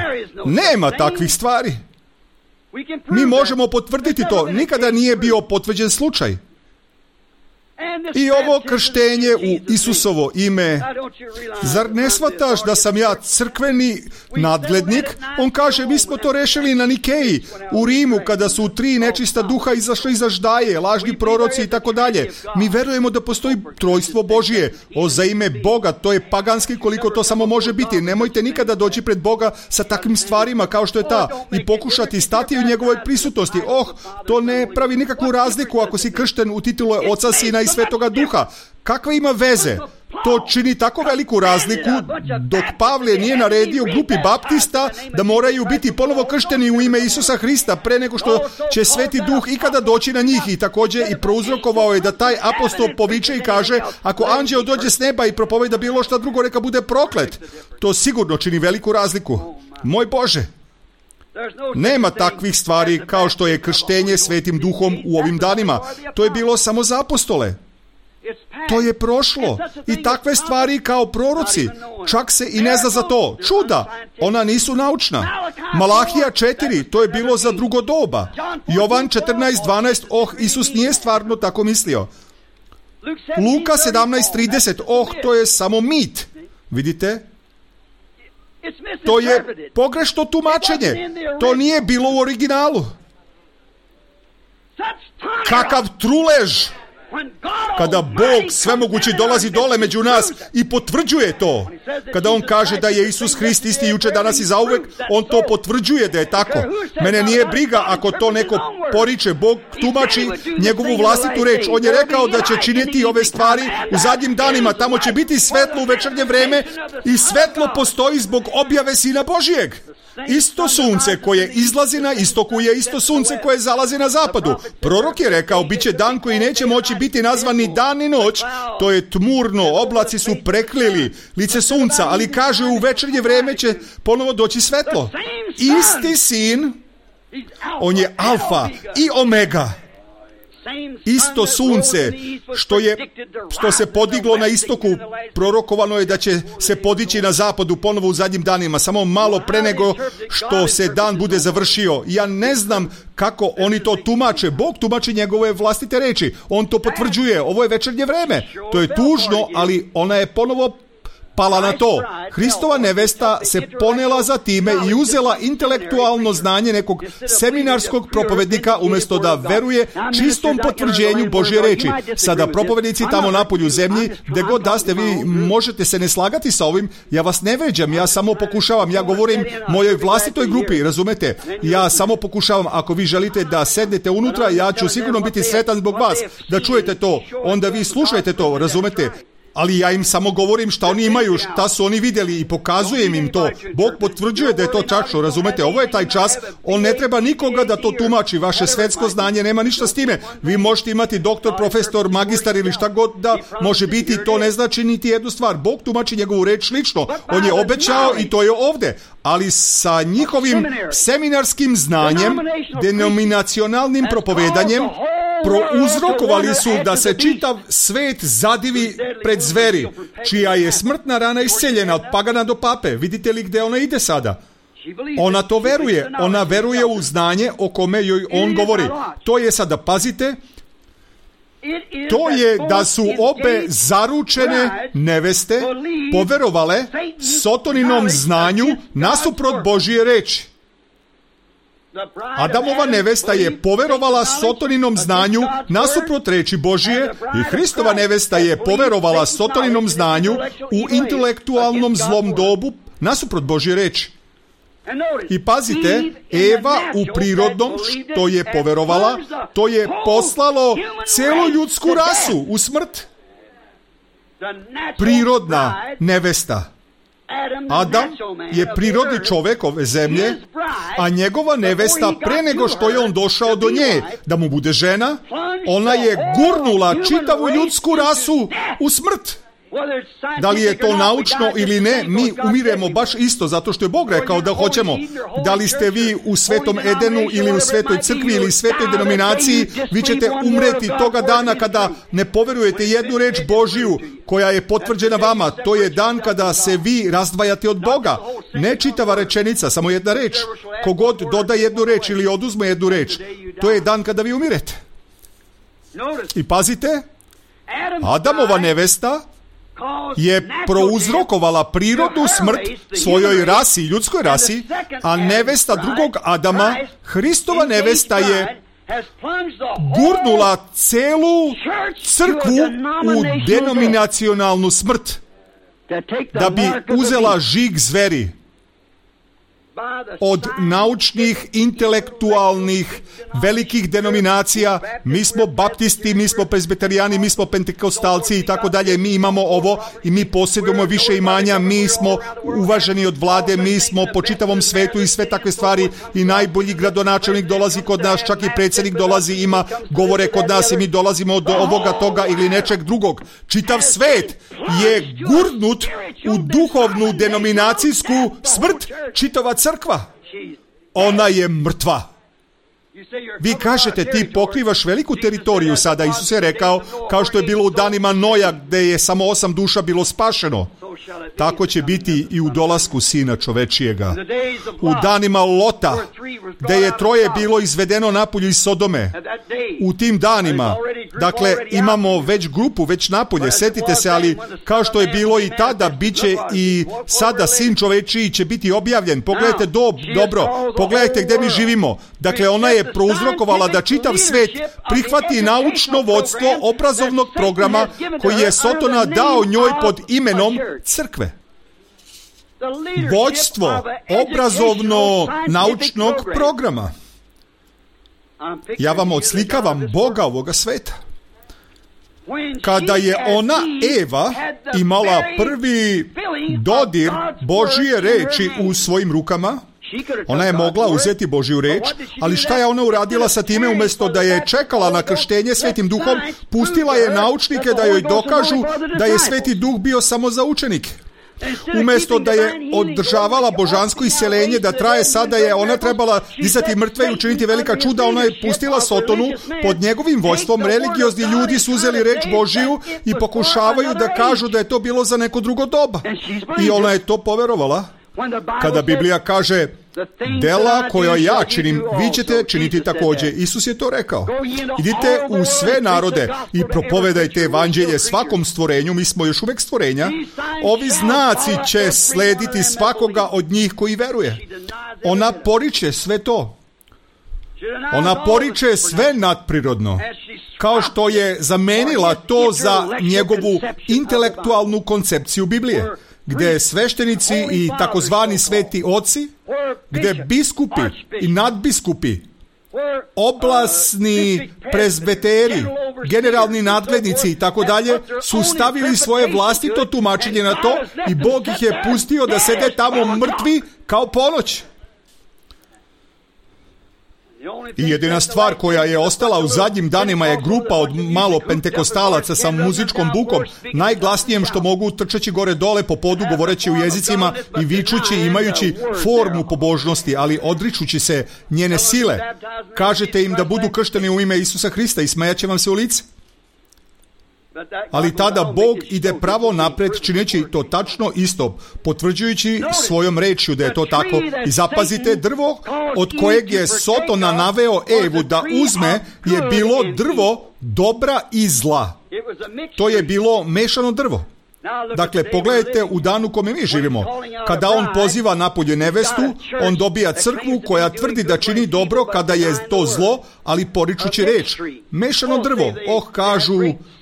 Nema takvih stvari. Mi možemo potvrditi to. Nikada nije bio potvrđen slučaj. I ovo krštenje u Isusovo ime, zar ne shvataš da sam ja crkveni nadglednik? On kaže, mi smo to rešili na Nikeji, u Rimu, kada su tri nečista duha izašli iza ždaje, lažni proroci i tako dalje. Mi verujemo da postoji trojstvo Božije. O, za ime Boga, to je paganski koliko to samo može biti. Nemojte nikada doći pred Boga sa takvim stvarima kao što je ta i pokušati stati u njegovoj prisutnosti. Oh, to ne pravi nikakvu razliku ako si kršten u titulu Oca, Sina i Svetoga Duha. Kakve ima veze? To čini tako veliku razliku dok Pavle nije naredio grupi baptista da moraju biti ponovo kršteni u ime Isusa Hrista pre nego što će Sveti Duh ikada doći na njih. I također i prouzrokovao je da taj apostol poviče i kaže, ako anđeo dođe s neba i propoveda bilo šta drugo, neka bude proklet. To sigurno čini veliku razliku. Moj Bože! Nema takvih stvari kao što je krštenje Svetim Duhom u ovim danima. To je bilo samo za apostole. To je prošlo. I takve stvari kao proroci, čak se i ne zna za to. Čuda, ona nisu naučna. Malahija četiri, to je bilo za drugo doba. Jovan četrnaest dvanaest, oh, Isus nije stvarno tako mislio. Luka sedamnaest trideset, oh, to je samo mit. Vidite? To je pogrešno tumačenje. To nije bilo u originalu. Kakav trulež! Kada Bog svemogući dolazi dole među nas i potvrđuje to. Kada on kaže da je Isus Hrist isti juče, danas i zauvek, on to potvrđuje da je tako. Mene nije briga ako to neko poriče. Bog tumači njegovu vlastitu reč. On je rekao da će činiti ove stvari u zadnjim danima. Tamo će biti svetlo u večernje vreme i svetlo postoji zbog objave Sina Božijeg. Isto sunce koje izlazi na istoku je isto sunce koje zalazi na zapadu. Prorok je rekao, bit će dan koji neće moći biti nazvan ni dan ni noć. To je tmurno, oblaci su prekrili lice sunca, ali kaže u večernje vreme će ponovo doći svetlo. Isti sin, on je alfa i omega. Isto sunce što je što se podiglo na istoku, prorokovano je da će se podići na zapadu ponovo u zadnjim danima, samo malo pre nego što se dan bude završio. Ja ne znam kako oni to tumače. Bog tumači njegove vlastite reči. On to potvrđuje. Ovo je večernje vreme. To je tužno, ali ona je ponovo pala na to. Hristova nevesta se ponela za time i uzela intelektualno znanje nekog seminarskog propovednika umjesto da veruje čistom potvrđenju Božje reči. Sada propovednici tamo napolju zemlji, gde god da ste, vi možete se ne slagati sa ovim, ja vas ne vređam, ja samo pokušavam, ja govorim mojoj vlastitoj grupi, razumete? Ja samo pokušavam, ako vi želite da sednete unutra, ja ću sigurno biti sretan zbog vas, da čujete to, onda vi slušajte to, razumete? Ali ja im samo govorim šta oni imaju, šta su oni vidjeli i pokazujem im to. Bog potvrđuje da je to tačno, razumete? Ovo je taj čas, on ne treba nikoga da to tumači, vaše svetsko znanje nema ništa s time. Vi možete imati doktor, profesor, magistar ili šta god da može biti, to ne znači niti jednu stvar. Bog tumači njegovu reč lično, on je obećao i to je ovde. Ali sa njihovim seminarskim znanjem, denominacionalnim propovedanjem, prouzrokovali su da se čitav svet zadivi pred zveri, čija je smrtna rana isceljena od pagana do pape. Vidite li gde ona ide sada? Ona to veruje. Ona veruje u znanje o kome joj on govori. To je sada, pazite, to je da su obe zaručene neveste poverovale Sotoninom znanju nasuprot Božije reči. Adamova nevesta je poverovala Sotoninom znanju nasuprot reči Božije i Hristova nevesta je poverovala Sotoninom znanju u intelektualnom zlom dobu nasuprot Božje reči. I pazite, Eva u prirodnom što je poverovala, to je poslalo celu ljudsku rasu u smrt. Prirodna nevesta. Adam je prirodni čovjek ove zemlje, a njegova nevesta pre nego što je on došao do nje da mu bude žena, ona je gurnula čitavu ljudsku rasu u smrt. Da li je to naučno ili ne, mi umiremo baš isto, zato što je Bog rekao da hoćemo. Da li ste vi u Svetom Edenu ili u Svetoj crkvi ili Svetoj denominaciji, vi ćete umreti toga dana kada ne poverujete jednu reč Božiju koja je potvrđena vama. To je dan kada se vi razdvajate od Boga. Ne čitava rečenica, samo jedna reč. Kogod doda jednu reč ili oduzme jednu reč, to je dan kada vi umirete. I pazite, Adamova nevesta je prouzrokovala prirodnu smrt svojoj rasi, ljudskoj rasi, a nevesta drugog Adama, Hristova nevesta je gurnula celu crkvu u denominacionalnu smrt, da bi uzela žig zveri od naučnih, intelektualnih, velikih denominacija. Mi smo baptisti, mi smo prezbiterijani, mi smo pentekostalci i tako dalje. Mi imamo ovo i mi posjedujemo više imanja, mi smo uvaženi od vlade, mi smo po čitavom svetu i sve takve stvari i najbolji gradonačelnik dolazi kod nas, čak i predsjednik dolazi, ima govore kod nas i mi dolazimo do ovoga, toga ili nečeg drugog. Čitav svet je gurnut u duhovnu denominacijsku smrt. Čitava crkva, ona je mrtva. Vi kažete, ti pokrivaš veliku teritoriju sada. Isus je rekao, kao što je bilo u danima Noja, gdje je samo osam duša bilo spašeno, tako će biti i u dolasku Sina čovečijega. U danima Lota, gdje je troje bilo izvedeno napolju iz Sodome, u tim danima, dakle, imamo već grupu, već napolje, setite se, ali kao što je bilo i tada, bit će i sada Sin čovečiji će biti objavljen. Pogledajte do, dobro, pogledajte gdje mi živimo. Dakle, ona je prouzrokovala da čitav svet prihvati naučno vodstvo obrazovnog programa koji je Sotona dao njoj pod imenom crkve. Vođstvo obrazovno-naučnog programa. Ja vam odslikavam Boga ovoga sveta. Kada je ona, Eva, imala prvi dodir Božije reči u svojim rukama, ona je mogla uzeti Božju reč, ali šta je ona uradila sa time? Umjesto da je čekala na krštenje Svetim Duhom, pustila je naučnike da joj dokažu da je Sveti Duh bio samo za učenike. Umjesto da je održavala božansko iseljenje da traje, sada je ona trebala dizati mrtve i učiniti velika čuda. Ona je pustila Sotonu pod njegovim vojstvom. Religiozni ljudi su uzeli reč Božiju i pokušavaju da kažu da je to bilo za neko drugo doba. I ona je to poverovala. Kada Biblija kaže, dela koja ja činim, vi ćete činiti također. Isus je to rekao. Idite u sve narode i propovedajte evanđelje svakom stvorenju. Mi smo još uvijek stvorenja. Ovi znaci će slediti svakoga od njih koji veruje. Ona poriče sve to. Ona poriče sve nadprirodno. Kao što je zamenila to za njegovu intelektualnu koncepciju Biblije, gdje sveštenici i takozvani sveti oci, gdje biskupi i nadbiskupi, oblasni prezbeteri, generalni nadglednici i tako dalje, su stavili svoje vlastito tumačenje na to i Bog ih je pustio da sede tamo mrtvi kao ponoć. I jedina stvar koja je ostala u zadnjim danima je grupa od malo pentekostalaca sa muzičkom bukom, najglasnijem što mogu, trčeći gore dole po podu, govoreći u jezicima i vičući, imajući formu pobožnosti, ali odričući se njene sile. Kažete im da budu kršteni u ime Isusa Hrista i smejat će vam se u lice. Ali tada Bog ide pravo napred čineći to tačno isto, potvrđujući svojom rečju da je to tako. I zapazite, drvo od kojeg je Sotona naveo Evu da uzme je bilo drvo dobra i zla. To je bilo mešano drvo. Dakle, pogledajte u danu u kome mi živimo. Kada on poziva napolje nevestu, on dobija crkvu koja tvrdi da čini dobro kada je to zlo, ali poričući reč. Mešano drvo. Oh, kažu,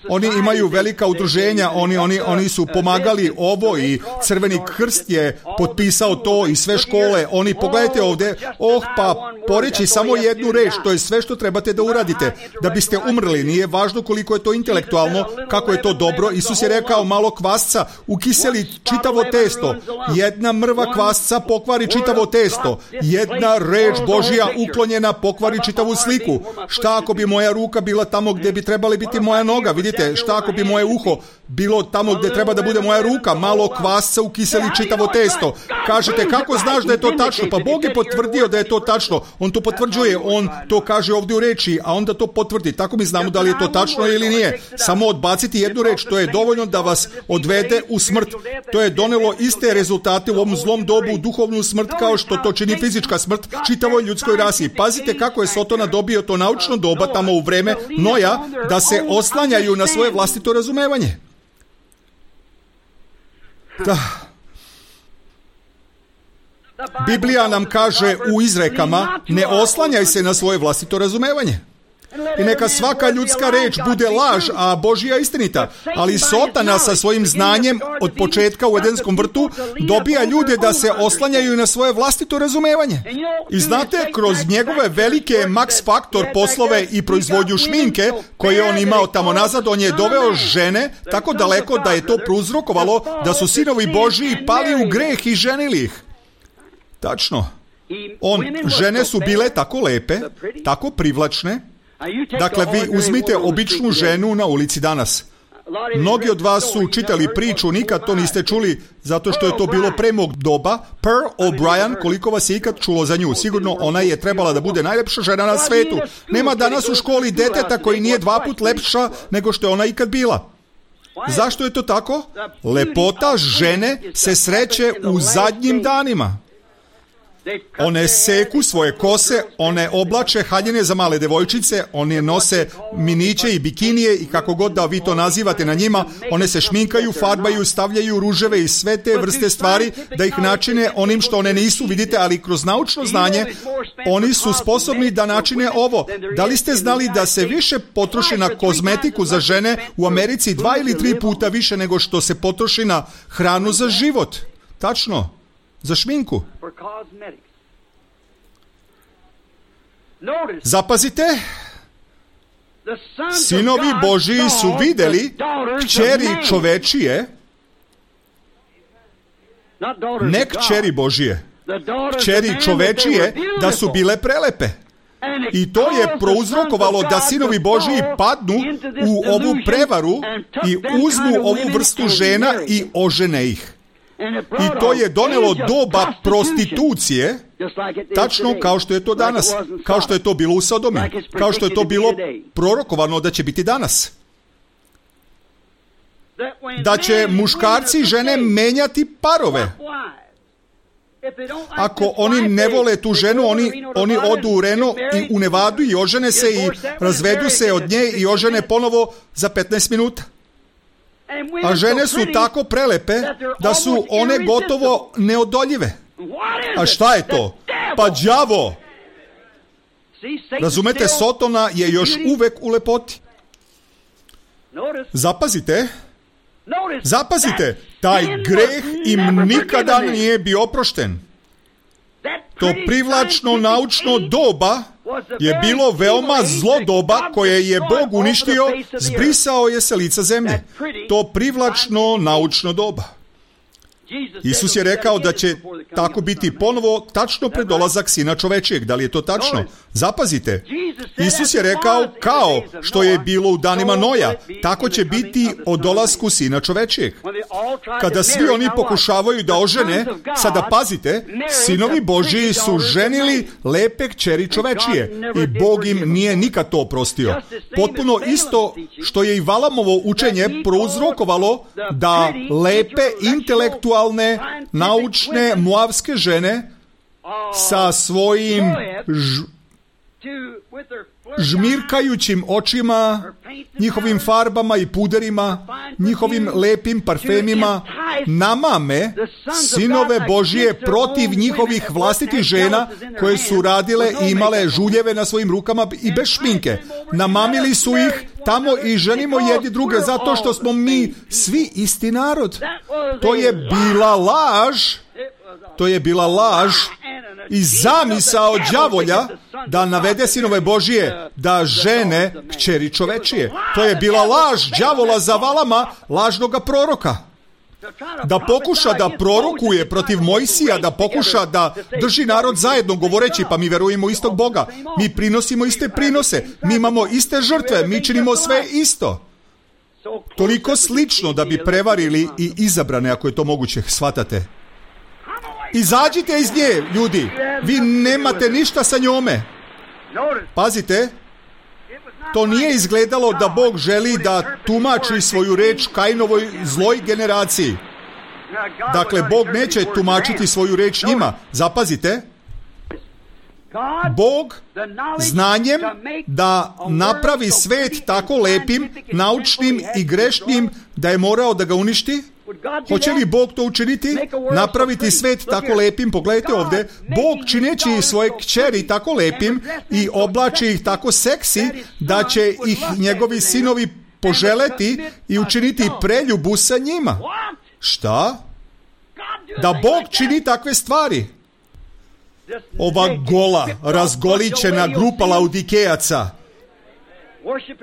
oni imaju velika udruženja, oni, oni, oni su pomagali ovo i Crveni krst je potpisao to i sve škole. Oni, pogledajte ovdje, oh, pa poreći samo jednu reč, to je sve što trebate da uradite. Da biste umrli, nije važno koliko je to intelektualno, kako je to dobro. Isus je rekao, malo kvasca ukiseli čitavo testo. Jedna mrva kvasca pokvari čitavo testo. Jedna reč Božja uklonjena pokvari čitavu sliku. Šta ako bi moja ruka bila tamo gdje bi trebali biti moja noga? Vidite, šta ako bi moje uho bilo tamo gdje treba da bude moja ruka? Malo kvasca ukiseli čitavo testo. Kažete, kako znaš da je to tačno? Pa Bog je potvrdio da je to tačno. On to potvrđuje, on to kaže ovdje u reči, a onda to potvrdi. Tako mi znamo da li je to tačno ili nije. Samo odbaciti jednu reč, to je dovoljno da vas odvede u smrt. To je donelo iste rezultate u ovom zlom dobu, duhovnu smrt, kao što to čini fizička smrt čitavoj ljudskoj rasi. Pazite kako je Sotona dobio to naučno doba tamo u vreme Noja, da se oslanjaju na svoje vlastito razumevanje. Da. Biblija nam kaže u izrekama, ne oslanjaj se na svoje vlastito razumevanje. I neka svaka ljudska reč bude laž, a Božja istinita. Ali Sotana sa svojim znanjem od početka u Edenskom vrtu dobija ljude da se oslanjaju na svoje vlastito razumevanje. I znate, kroz njegove velike Max Faktor poslove i proizvodnju šminke koje on imao tamo nazad, on je doveo žene tako daleko da je to prouzrokovalo da su sinovi Božji pali u greh i ženili ih. Tačno. On, žene su bile tako lepe, tako privlačne. Dakle, vi uzmite običnu ženu na ulici danas. Mnogi od vas su čitali priču, nikad to niste čuli, zato što je to bilo pre mog doba. Pearl O'Brien, koliko vas je ikad čulo za nju? Sigurno ona je trebala da bude najlepša žena na svetu. Nema danas u školi deteta koji nije dva put lepša nego što je ona ikad bila. Zašto je to tako? Lepota žene se sreće u zadnjim danima. One seku svoje kose, one oblače haljine za male devojčice, one nose miniće i bikinije i kako god da vi to nazivate na njima, one se šminkaju, farbaju, stavljaju ruževe i sve te vrste stvari da ih načine onim što one nisu, vidite, ali kroz naučno znanje oni su sposobni da načine ovo. Da li ste znali da se više potroši na kozmetiku za žene u Americi dva ili tri puta više nego što se potroši na hranu za život? Tačno. Za šminku. Zapazite, sinovi Božiji su vidjeli kćeri čovečije, ne kćeri Božije, kćeri čovečije, da su bile prelepe. I to je prouzrokovalo da sinovi Božiji padnu u ovu prevaru i uzmu ovu vrstu žena i ožene ih. I to je donelo doba prostitucije, tačno kao što je to danas, kao što je to bilo u Sodomi, kao što je to bilo prorokovano da će biti danas. Da će muškarci i žene menjati parove. Ako oni ne vole tu ženu, oni, oni odu u Reno i u Nevadu i ožene se i razvedu se od nje i ožene ponovo za petnaest minuta. A žene su tako prelepe da su one gotovo neodoljive. A šta je to? Pa đavo! Razumete, Sotona je još uvek u lepoti. Zapazite, zapazite, taj greh im nikada nije bio oprošten. To privlačno naučno doba je bilo veoma zlo doba koje je Bog uništio, zbrisao je sa lica zemlje. To privlačno naučno doba. Isus je rekao da će tako biti ponovo tačno pred dolazak Sina čovečijeg. Da li je to tačno? Zapazite. Isus je rekao kao što je bilo u danima Noja, tako će biti o dolasku Sina čovečijeg. kada svi oni pokušavaju da ožene, sada pazite, sinovi Božji su ženili lepe kćeri čovečije i Bog im nije nikad to oprostio. Potpuno isto što je i Valamovo učenje prouzrokovalo da lepe, intelektualne, naučne, moavske žene sa svojim ž... žmirkajućim očima, njihovim farbama i puderima, njihovim lepim parfemima namame sinove Božije protiv njihovih vlastitih žena koje su radile i imale žuljeve na svojim rukama i bez šminke. Namamili su ih tamo i ženimo jedni druge zato što smo mi svi isti narod. To je bila laž. To je bila laž i zamisao đavolja da navede sinove Božije da žene kćeri čovečije. To je bila laž đavola za Valama, lažnoga proroka. Da pokuša da prorokuje protiv Mojsija, da pokuša da drži narod zajedno govoreći pa mi verujemo istog Boga, mi prinosimo iste prinose, mi imamo iste žrtve, mi činimo sve isto. Toliko slično da bi prevarili i izabrane, ako je to moguće, shvatate. Izađite iz nje, ljudi. Vi nemate ništa sa njome. Pazite, to nije izgledalo da Bog želi da tumači svoju reč Kainovoj zloj generaciji. Dakle, Bog neće tumačiti svoju reč njima. Zapazite, Bog znanjem da napravi svet tako lepim, naučnim i grešnim da je morao da ga uništi. Hoće li Bog to učiniti? Napraviti svet tako lepim? Pogledajte ovdje. Bog čineći svoje kćeri tako lepim i oblači ih tako seksi da će ih njegovi sinovi poželeti i učiniti preljubu sa njima. Šta? Da Bog čini takve stvari? Ova gola, razgolićena grupa Laudikejaca,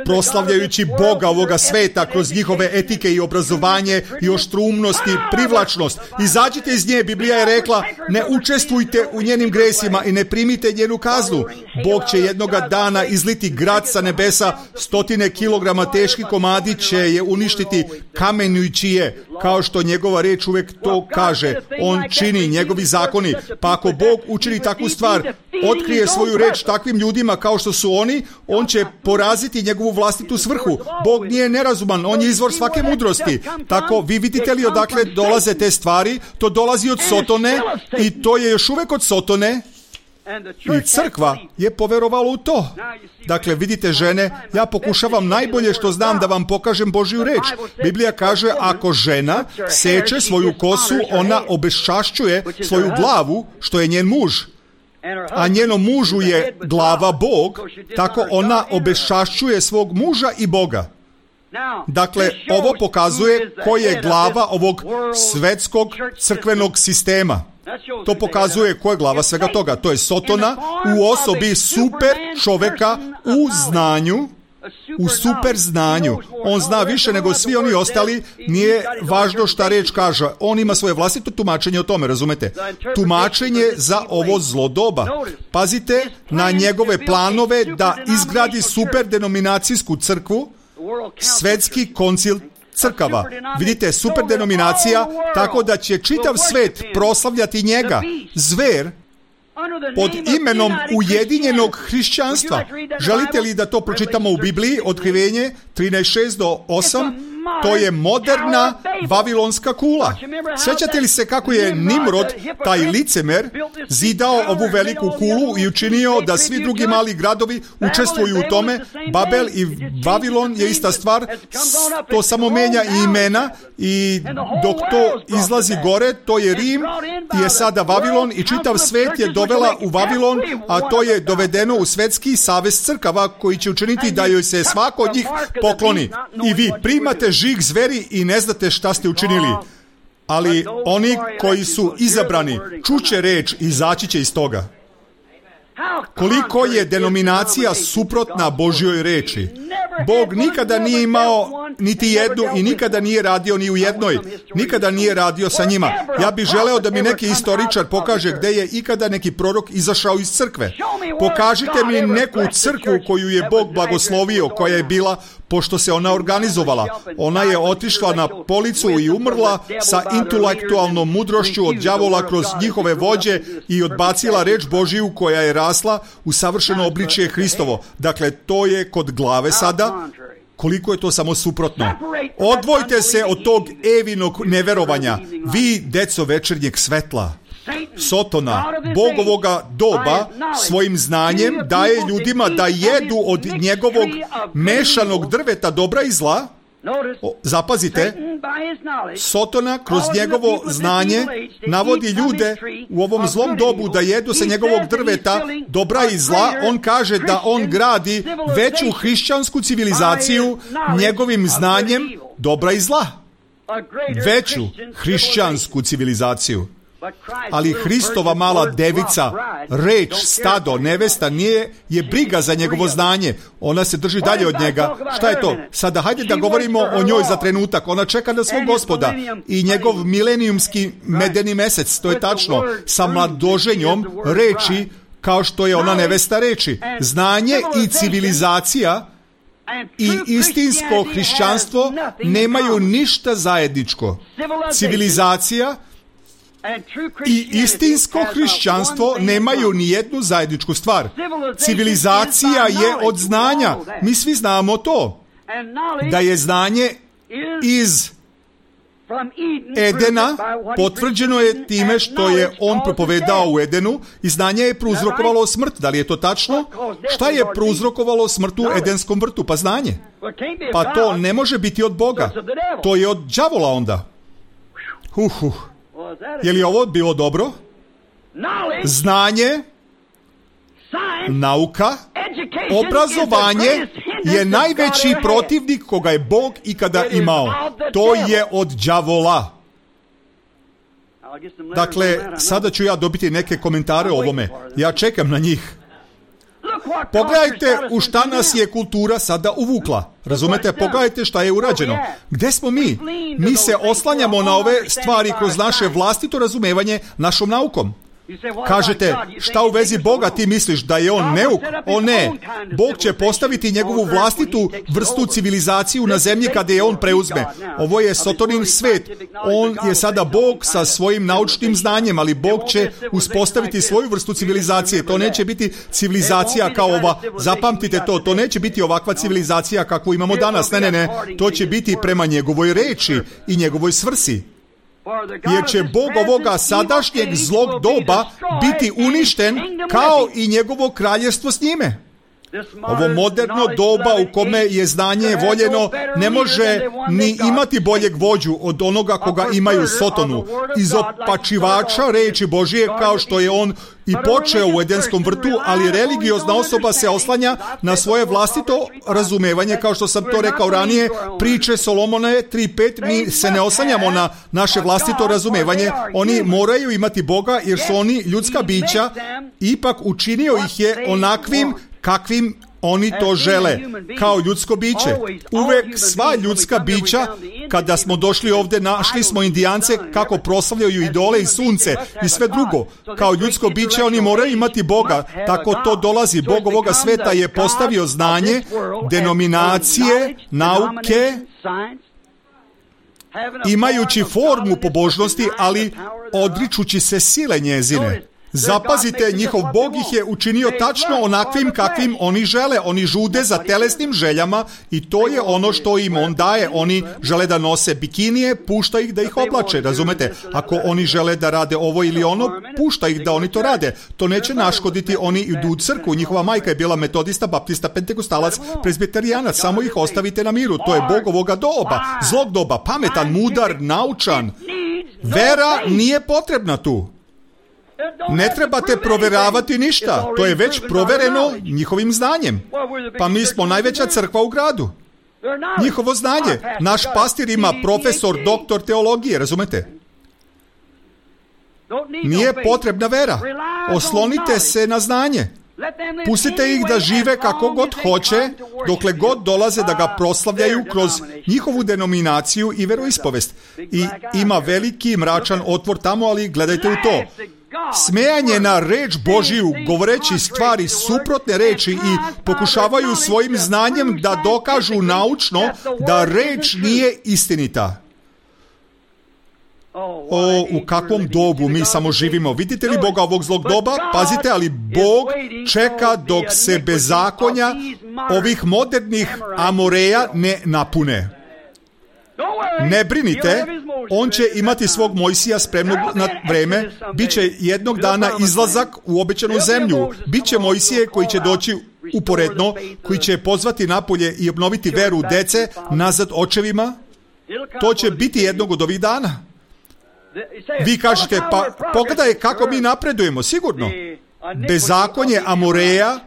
proslavljajući Boga ovoga sveta kroz njihove etike i obrazovanje i oštrumnost i privlačnost. Izađite iz nje, Biblija je rekla, ne učestvujte u njenim gresima i ne primite njenu kaznu. Bog će jednoga dana izliti grad sa nebesa, stotine kilograma teški komadi će je uništiti kamenjujući je, kao što njegova reč uvek to kaže. On čini njegovi zakoni, pa ako Bog učini takvu stvar, otkrije svoju reč takvim ljudima kao što su oni, on će poraziti njegovu vlastitu svrhu. Bog nije nerazuman, on je izvor svake mudrosti. Tako, vi vidite li odakle dolaze te stvari? To dolazi od Sotone i to je još uvek od Sotone. I crkva je poverovala u to. Dakle, vidite žene, ja pokušavam najbolje što znam da vam pokažem Božju reč. Biblija kaže, ako žena seče svoju kosu, ona obeščašćuje svoju glavu, što je njen muž. A njenom mužu je glava Bog, tako ona obeščašćuje svog muža i Boga. Dakle, ovo pokazuje ko je glava ovog svetskog crkvenog sistema. To pokazuje ko je glava svega toga. To je Sotona u osobi super čoveka u znanju, u super znanju. On zna više nego svi oni ostali, nije važno šta reč kaže. On ima svoje vlastito tumačenje o tome, razumete? Tumačenje za ovo zlo doba. Pazite na njegove planove da izgradi super denominacijsku crkvu, svetski koncil crkava. Vidite, super denominacija, tako da će čitav svet proslavljati njega, zver, pod imenom Ujedinjenog hrišćanstva. Želite li da to pročitamo u Bibliji? Otkrivenje trinaest šest do osam. To je moderna vavilonska kula. Sjećate li se kako je Nimrod, taj licemer, zidao ovu veliku kulu i učinio da svi drugi mali gradovi učestvuju u tome? Babel i Vavilon je ista stvar, to samo menja i imena, i dok to izlazi gore, to je Rim, je sada Vavilon i čitav svet je dovela u Vavilon, a to je dovedeno u svetski savez crkava koji će učiniti da joj se svako od njih pokloni. I vi primate žig zveri i ne znate šta ste učinili. Ali oni koji su izabrani čuće reč i izaći će iz toga. Koliko je denominacija suprotna Božjoj reči. Bog nikada nije imao niti jednu i nikada nije radio ni u jednoj. Nikada nije radio sa njima. Ja bih želeo da mi neki istoričar pokaže gde je ikada neki prorok izašao iz crkve. Pokažite mi neku crkvu koju je Bog blagoslovio, koja je bila pošto se ona organizovala. Ona je otišla na policu i umrla sa intelektualnom mudrošću od đavola kroz njihove vođe i odbacila reč Božiju koja je rasla u savršeno obličje Hristovo. Dakle, to je kod glave sada. Koliko je to samo suprotno. Odvojte se od tog Evinog neverovanja. Vi, deco večernjeg svetla. Sotona, Bog ovoga doba, svojim znanjem daje ljudima da jedu od njegovog mešanog drveta dobra i zla. O, zapazite, Sotona kroz njegovo znanje navodi ljude u ovom zlom dobu da jedu sa njegovog drveta dobra i zla. On kaže da on gradi veću hrišćansku civilizaciju njegovim znanjem dobra i zla. Veću hrišćansku civilizaciju. Ali Hristova mala devica, reč, stado, nevesta nije je briga za njegovo znanje. Ona se drži dalje od njega. Šta je to? Sada hajde da govorimo o njoj za trenutak. Ona čeka na svog Gospoda i njegov milenijumski medeni mesec, to je tačno, sa mladoženjom reči kao što je ona nevesta reči. Znanje i civilizacija i istinsko hrišćanstvo nemaju ništa zajedničko. Civilizacija i istinsko hrišćanstvo nemaju ni jednu zajedničku stvar. Civilizacija je od znanja. Mi svi znamo to. Da je znanje iz Edena potvrđeno je time što je on propovedao u Edenu i znanje je prouzrokovalo smrt. Da li je to tačno? Šta je prouzrokovalo smrt u Edenskom vrtu? Pa znanje. Pa to ne može biti od Boga. To je od đavola onda. Huh, huh. Je li ovo bilo dobro? Znanje, nauka, obrazovanje je najveći protivnik koga je Bog ikada imao. To je od đavola. Dakle, sada ću ja dobiti neke komentare o ovome. Ja čekam na njih. Pogledajte u šta nas je kultura sada uvukla. Razumete? Pogledajte šta je urađeno. Gde smo mi? Mi se oslanjamo na ove stvari kroz naše vlastito razumevanje našom naukom. Kažete, šta u vezi Boga ti misliš, da je on neuk? O ne, Bog će postaviti njegovu vlastitu vrstu civilizaciju na zemlji kada je on preuzme. Ovo je Sotonin svet. On je sada Bog sa svojim naučnim znanjem, ali Bog će uspostaviti svoju vrstu civilizacije. To neće biti civilizacija kao ova. Zapamtite to, to neće biti ovakva civilizacija kakvu imamo danas. Ne, ne, ne. To će biti prema njegovoj reči i njegovoj svrsi. Jer će Bog ovoga sadašnjeg zlog doba biti uništen kao i njegovo kraljevstvo s njime. Ovo moderno doba u kome je znanje voljeno ne može ni imati boljeg vođu od onoga koga imaju Sotonu, izopačivača reči Božije kao što je on i počeo u Edenskom vrtu, ali religiozna osoba se oslanja na svoje vlastito razumevanje, kao što sam to rekao ranije, priče Solomona tri pet, mi se ne oslanjamo na naše vlastito razumevanje, oni moraju imati Boga jer su oni ljudska bića, ipak učinio ih je onakvim kakvim oni to žele, kao ljudsko biće. Uvek sva ljudska bića, kada smo došli ovdje, našli smo Indijance kako proslavljaju idole i sunce i sve drugo. Kao ljudsko biće oni moraju imati Boga, tako to dolazi. Bog ovoga sveta je postavio znanje, denominacije, nauke, imajući formu pobožnosti, ali odričući se sile njezine. Zapazite, njihov Bog ih je učinio tačno onakvim kakvim oni žele. Oni žude za telesnim željama i to je ono što im on daje. Oni žele da nose bikinije, pušta ih da ih oblače, razumete? Ako oni žele da rade ovo ili ono, pušta ih da oni to rade. To neće naškoditi, oni idu u crkvu. Njihova majka je bila metodista, baptista, pentekostalac, prezbiterijanac. Samo ih ostavite na miru. To je Bog ovoga doba, zlog doba, pametan, mudar, naučan. Vera nije potrebna tu. Ne trebate proveravati ništa, to je već provereno njihovim znanjem. Pa mi smo najveća crkva u gradu. Njihovo znanje. Naš pastir ima profesor, doktor teologije, razumete? Nije potrebna vera. Oslonite se na znanje. Pustite ih da žive kako god hoće, dokle god dolaze da ga proslavljaju kroz njihovu denominaciju i veroispovest. I ima veliki mračan otvor tamo, ali gledajte u to. smejanje na reč Božiju, govoreći stvari suprotne reči i pokušavaju svojim znanjem da dokažu naučno da reč nije istinita. O, u kakvom dobu mi samo živimo. Vidite li Boga ovog zlog doba? Pazite, ali Bog čeka dok se bezakonja ovih modernih Amoreja ne napune. Ne brinite, on će imati svog Mojsija spremnog na vreme, bit će jednog dana izlazak u obećanu zemlju, bit će Mojsije koji će doći uporedno, koji će pozvati napolje i obnoviti veru dece nazad očevima. To će biti jednog od ovih dana. Vi kažete, pa pogledaj kako mi napredujemo, sigurno. Bezakonje Amoreja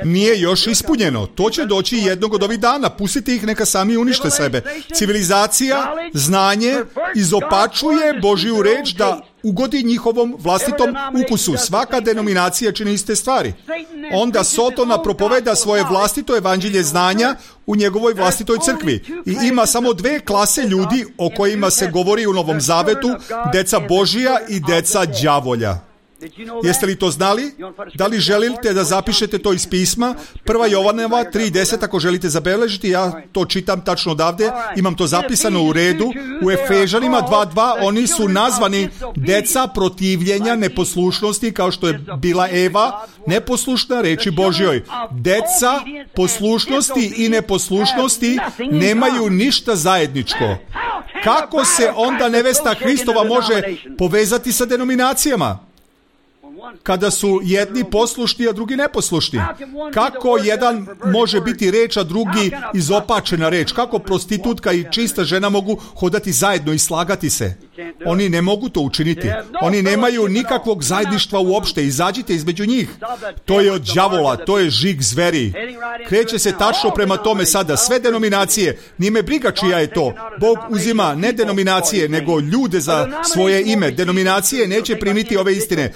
nije još ispunjeno. To će doći jednog od ovih dana. Pustite ih, neka sami unište sebe. Civilizacija, znanje, izopačuje Božju reč da ugodi njihovom vlastitom ukusu. Svaka denominacija čini iste stvari. Onda Sotona propoveda svoje vlastito evanđelje znanja u njegovoj vlastitoj crkvi. I ima samo dve klase ljudi o kojima se govori u Novom Zavetu, deca Božija i deca đavolja. Jeste li to znali? Da li želite da zapišete to iz pisma? Prva Jovanova tri deset, ako želite zabeležiti, ja to čitam tačno odavde, imam to zapisano u redu. U Efežanima dva dva oni su nazvani deca protivljenja neposlušnosti, kao što je bila Eva, neposlušna reči Božjoj. Deca poslušnosti i neposlušnosti nemaju ništa zajedničko. Kako se onda nevesta Hristova može povezati sa denominacijama? Kada su jedni poslušni, a drugi neposlušni. Kako jedan može biti reč, a drugi izopačena reč? Kako prostitutka i čista žena mogu hodati zajedno i slagati se? Oni ne mogu to učiniti. Oni nemaju nikakvog zajedništva uopšte. Izađite između njih. To je od đavola, to je žig zveri. Kreće se tačno prema tome sada. Sve denominacije, nije me briga čija je to. Bog uzima ne denominacije, nego ljude za svoje ime. Denominacije neće primiti ove istine.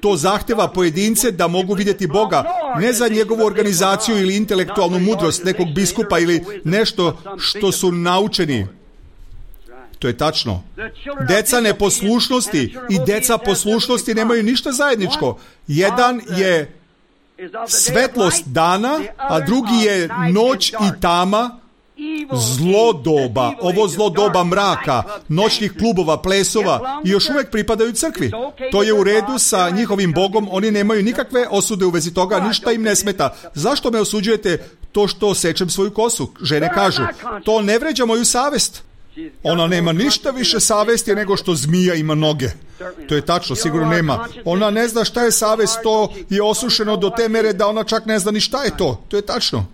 To zahteva pojedince da mogu vidjeti Boga, ne za njegovu organizaciju ili intelektualnu mudrost nekog biskupa ili nešto što su naučeni. To je tačno. Deca neposlušnosti i deca poslušnosti nemaju ništa zajedničko. Jedan je svetlost dana, a drugi je noć i tama, zlo doba, ovo zlo doba mraka, noćnih klubova, plesova i još uvijek pripadaju crkvi. To je u redu sa njihovim Bogom, oni nemaju nikakve osude u vezi toga, ništa im ne smeta. Zašto me osuđujete to što sečem svoju kosu? Žene kažu, to ne vređa moju savest. Ona nema ništa više savesti nego što zmija ima noge. To je tačno, sigurno nema. Ona ne zna šta je savest, to je osušeno do te mere da ona čak ne zna ni šta je to. To je tačno.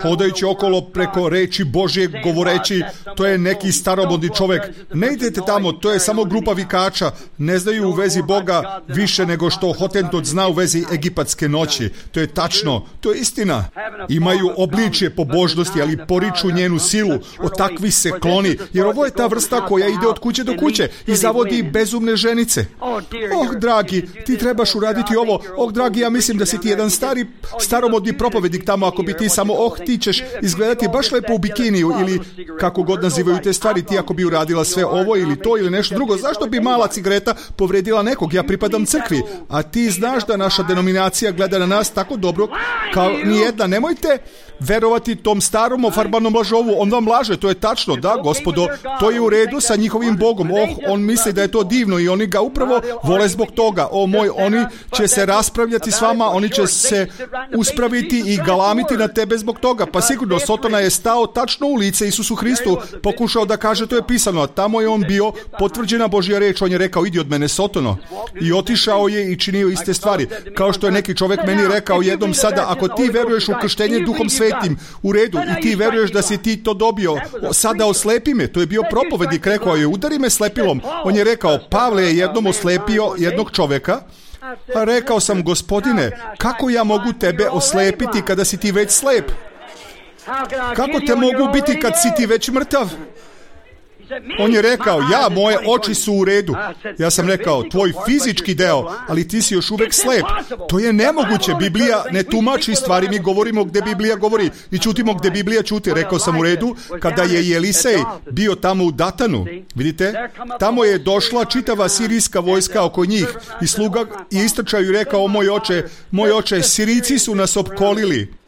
Hodajući okolo preko reči Božje, govoreći, to je neki staromodni čovjek. Ne idete tamo, to je samo grupa vikača. Ne znaju u vezi Boga više nego što Hotentot zna u vezi egipatske noći. To je tačno, to je istina. Imaju obličje pobožnosti, ali poriču njenu silu. Od takvih se kloni, jer ovo je ta vrsta koja ide od kuće do kuće i zavodi bezumne ženice. Oh, dragi, ti trebaš uraditi ovo. Oh, dragi, ja mislim da si ti jedan stari, staromodni propovednik tamo, ako bi ti samo, oh, ti ćeš izgledati baš lepo u bikiniju, ili kako god nazivaju te stvari, ti ako bi uradila sve ovo ili to ili nešto drugo, zašto bi mala cigareta povredila nekog? Ja pripadam crkvi, a ti znaš da naša denominacija gleda na nas tako dobro kao nijedna. Nemojte verovati tom starom ofarbanom lažovu, on vam laže, to je tačno, da, gospodo, to je u redu sa njihovim Bogom. Oh, on misli da je to divno i oni ga upravo vole zbog toga. O moj, oni će se raspravljati s vama, oni će se uspraviti i galamiti na tebe zbog toga. Pa sigurno, Sotona je stao tačno u lice Isusu Hristu, pokušao da kaže to je pisano, a tamo je on bio potvrđena Božja reč, on je rekao idi od mene Sotono, i otišao je i činio iste stvari. Kao što je neki čovjek meni rekao jednom sada, ako ti veruješ u krštenje Duhom Svetim, u redu, i ti veruješ da si ti to dobio, sada oslepi me. To je bio propovednik, rekao je udari me slepilom. On je rekao, Pavle je jednom oslepio jednog čovjeka, a rekao sam, gospodine, kako ja mogu tebe oslepiti kada si ti već slep? Kako te mogu biti kad si ti već mrtav? On je rekao, ja, moje oči su u redu. Ja sam rekao, tvoj fizički deo, ali ti si još uvek slep. To je nemoguće. Biblija ne tumači stvari, mi govorimo gde Biblija govori i ćutimo gde Biblija ćuti. Rekao sam u redu, kada je Elisej bio tamo u Datanu, vidite, tamo je došla čitava sirijska vojska oko njih i sluga je istrčao i rekao, o moj oče, moj oče, Sirijci su nas opkolili.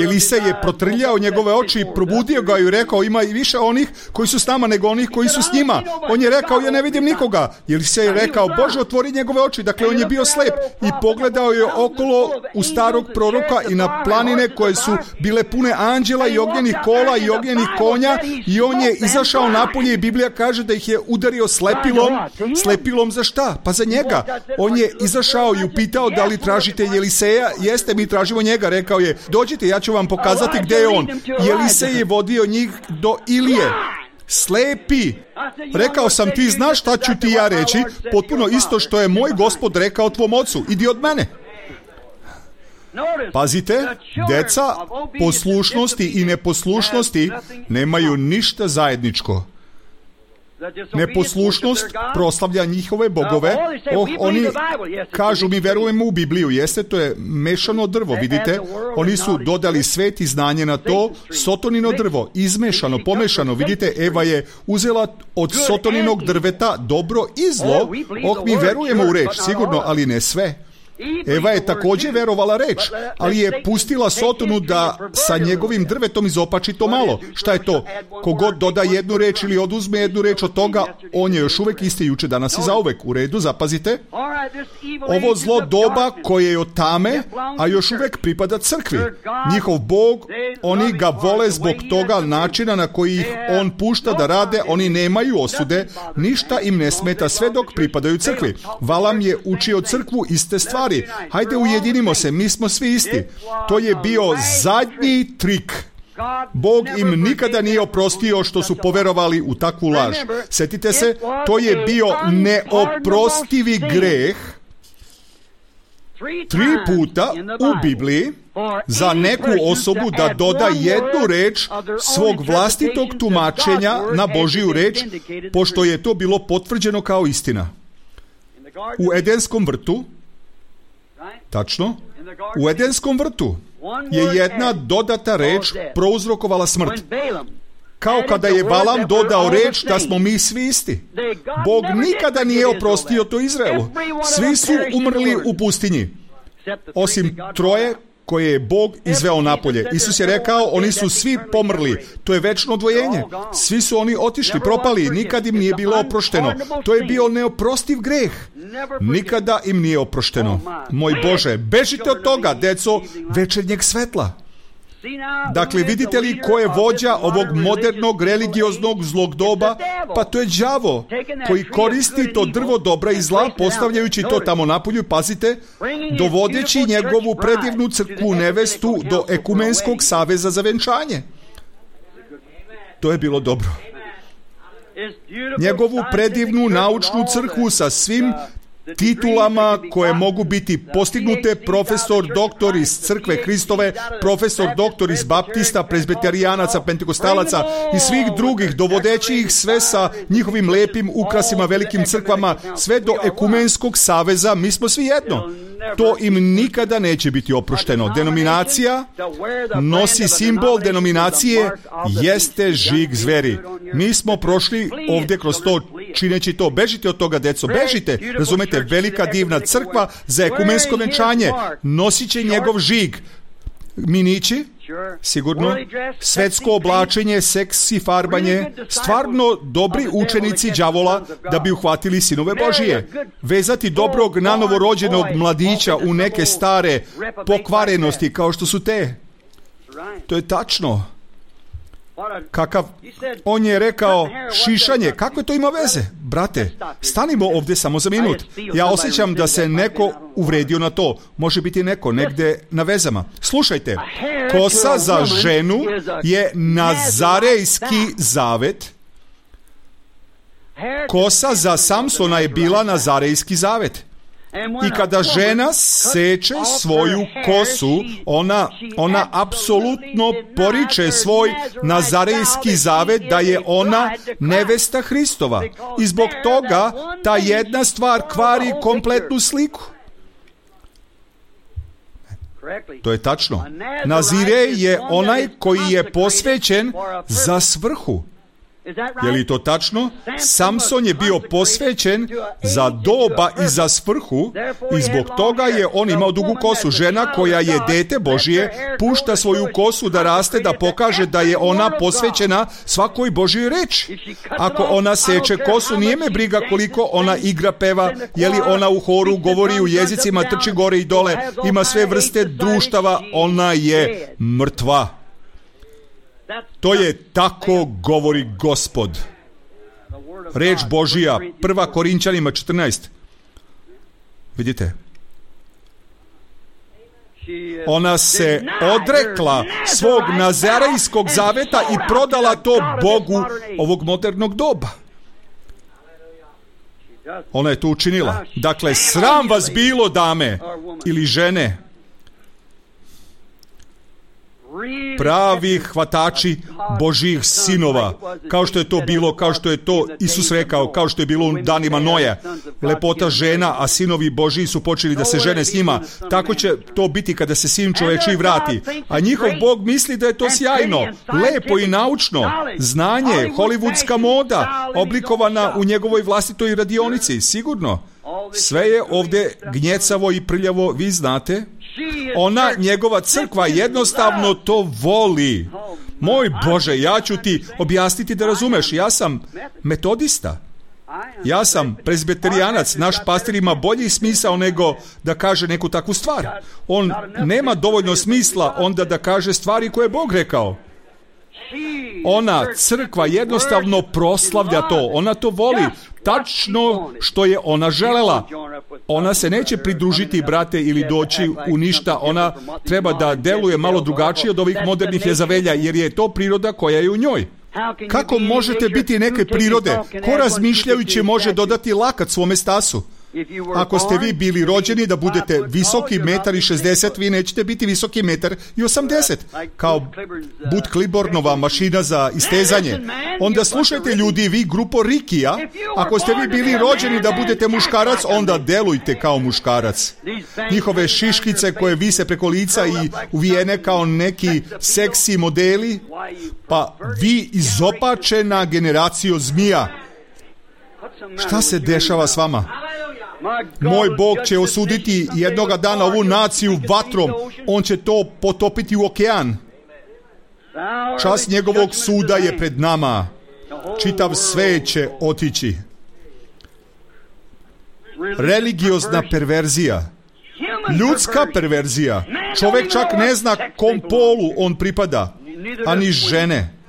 Elisej je protrljao njegove oči i probudio ga i rekao, ima i više onih koji su s nama nego onih koji su s njima. On je rekao, ja ne vidim nikoga. Elisej je rekao, Bože, otvori njegove oči. Dakle, on je bio slep i pogledao je okolo u starog proroka i na planine koje su bile pune anđela i ognjenih kola i ognjenih konja i on je izašao napolje i Biblija kaže da ih je udario slepilom. Slepilom za šta? Pa za njega. On je izašao i upitao da li tražite Eliseja. Jeste, mi tražimo njega. Rekao je, dođite, ja ću vam pokazati gdje je on. I Elisej je vodio njih do Ilije. Slepi. Rekao sam, ti znaš šta ću ti ja reći? Potpuno isto što je moj Gospod rekao tvom ocu. Idi od mene. Pazite, deca poslušnosti i neposlušnosti nemaju ništa zajedničko. Neposlušnost proslavlja njihove bogove. Oh, oni kažu, mi verujemo u Bibliju. Jeste, to je mešano drvo, vidite. Oni su dodali svet i znanje na to. Sotonino drvo, izmešano, pomešano. Vidite, Eva je uzela od sotoninog drveta dobro i zlo. Oh, mi verujemo u reč, sigurno, ali ne sve. Eva je također verovala reč, ali je pustila Sotonu da sa njegovim drvetom izopači to malo. Šta je to? Kogod doda jednu reč ili oduzme jednu reč od toga, on je još uvek isti juče, danas i zauvek. U redu, zapazite. Ovo zlo doba koje je od tame, a još uvek pripada crkvi. Njihov Bog, oni ga vole zbog toga načina na koji ih on pušta da rade, oni nemaju osude, ništa im ne smeta sve dok pripadaju crkvi. Valam je učio crkvu iste stvari. Hajde, ujedinimo se, mi smo svi isti. To je bio zadnji trik. Bog im nikada nije oprostio što su poverovali u takvu laž. Sjetite se, to je bio neoprostivi greh tri puta u Bibliji za neku osobu da doda jednu reč svog vlastitog tumačenja na Božiju reč, pošto je to bilo potvrđeno kao istina. U Edenskom vrtu, tačno, u Edenskom vrtu je jedna dodata reč prouzrokovala smrt. Kao kada je Balam dodao reč da smo mi svi isti. Bog nikada nije oprostio to Izraelu. Svi su umrli u pustinji, osim troje koje je Bog izveo napolje. Isus je rekao, oni su svi pomrli. To je večno odvojenje. Svi su oni otišli, propali, nikad im nije bilo oprošteno. To je bio neoprostiv greh. Nikada im nije oprošteno. Moj Bože, bežite od toga, deco večernjeg svetla. Dakle, vidite li ko je vođa ovog modernog religioznog zlog doba? Pa to je đavo koji koristi to drvo dobra i zla, postavljajući to tamo napolju, pazite, dovodeći njegovu predivnu crkvu nevestu do ekumenskog saveza za venčanje. To je bilo dobro. Njegovu predivnu naučnu crkvu sa svim titulama koje mogu biti postignute, profesor, doktor iz crkve Hristove, profesor, doktor iz baptista, prezbiterijanaca, pentekostalaca i svih drugih, dovodeći ih sve sa njihovim lepim ukrasima, velikim crkvama, sve do ekumenskog saveza. Mi smo svi jedno. To im nikada neće biti oprošteno. Denominacija nosi simbol denominacije, jeste žig zveri. Mi smo prošli ovdje kroz to, čineći to. Bežite od toga, deco, bežite. Razumete, velika divna crkva za ekumensko venčanje nosit će njegov žig. Minići, sigurno, svetsko oblačenje, seksi farbanje, stvarno dobri učenici đavola da bi uhvatili sinove Božije. Vezati dobrog nanovorođenog mladića u neke stare pokvarenosti kao što su te. To je tačno. Kakav, on je rekao šišanje, kako to ima veze? Brate, stanimo ovdje samo za minut. Ja osjećam da se neko uvredio na to. Može biti neko negdje na vezama. Slušajte, kosa za ženu je nazarejski zavet. Kosa za Samsona je bila nazarejski zavet. I kada žena seče svoju kosu, ona, ona apsolutno poriče svoj nazarejski zavet da je ona nevesta Hristova. I zbog toga ta jedna stvar kvari kompletnu sliku. To je tačno. Nazirej je onaj koji je posvećen za svrhu. Je li to tačno? Samson je bio posvećen za doba i za svrhu i zbog toga je on imao dugu kosu. Žena koja je dete Božije pušta svoju kosu da raste, da pokaže da je ona posvećena svakoj Božjoj reči. Ako ona seče kosu, nije me briga koliko ona igra, peva, je li ona u horu, govori u jezicima, trči gore i dole, ima sve vrste društava, ona je mrtva. To je tako govori Gospod. Reč Božija, prva Korinćanima četrnaest. Vidite? Ona se odrekla svog nazarejskog zaveta i prodala to Bogu ovog modernog doba. Ona je to učinila. Dakle, sram vas bilo, dame ili žene, pravi hvatači Božjih sinova, kao što je to bilo, kao što je to Isus rekao, kao što je bilo u danima Noja. Lepota žena, a sinovi Božji su počeli da se žene s njima. Tako će to biti kada se sin čovečiji vrati. A njihov Bog misli da je to sjajno, lepo i naučno. Znanje, hollywoodska moda, oblikovana u njegovoj vlastitoj radionici. Sigurno. Sve je ovdje gnjecavo i prljavo, vi znate. Ona, njegova crkva, jednostavno to voli. Moj Bože, ja ću ti objasniti da razumeš. Ja sam metodista. Ja sam prezbiterijanac. Naš pastir ima bolji smisao nego da kaže neku takvu stvar. On nema dovoljno smisla onda da kaže stvari koje je Bog rekao. Ona, crkva, jednostavno proslavlja to. Ona to voli. Tačno što je ona želela. Ona se neće pridružiti, brate, ili doći u ništa. Ona treba da deluje malo drugačije od ovih modernih Jezavelja, jer je to priroda koja je u njoj. Kako možete biti neke prirode? Ko razmišljajući može dodati lakat svome stasu? Ako ste vi bili rođeni da budete visoki metar i šezdeset, vi nećete biti visoki metar i osamdeset, kao Bud Clibbornova mašina za istezanje. Onda slušajte ljudi, vi grupo Rikija, ako ste vi bili rođeni da budete muškarac, onda delujte kao muškarac. Njihove šiškice koje vise preko lica i uvijene kao neki seksi modeli, pa vi izopačena generacijo zmija. Šta se dešava s vama? Moj Bog će osuditi jednoga dana ovu naciju vatrom. On će to potopiti u okean. Čas njegovog suda je pred nama. Čitav svet će otići. Religiozna perverzija. Ljudska perverzija. Čovjek čak ne zna kom polu on pripada, ani žene.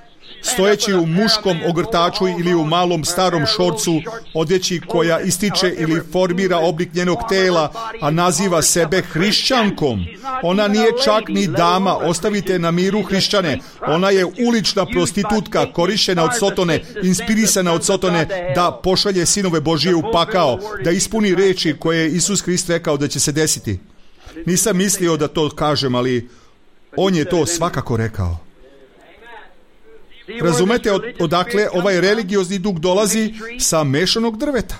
Stojeći u muškom ogrtaču ili u malom starom šorcu, odjeći koja ističe ili formira oblik njenog tela, a naziva sebe hrišćankom. Ona nije čak ni dama, ostavite na miru hrišćane. Ona je ulična prostitutka, korišćena od Sotone, inspirisana od Sotone da pošalje sinove Božije u pakao, da ispuni reči koje je Isus Hrist rekao da će se desiti. Nisam mislio da to kažem, ali on je to svakako rekao. Razumete od, odakle ovaj religiozni duh dolazi? Sa mešanog drveta.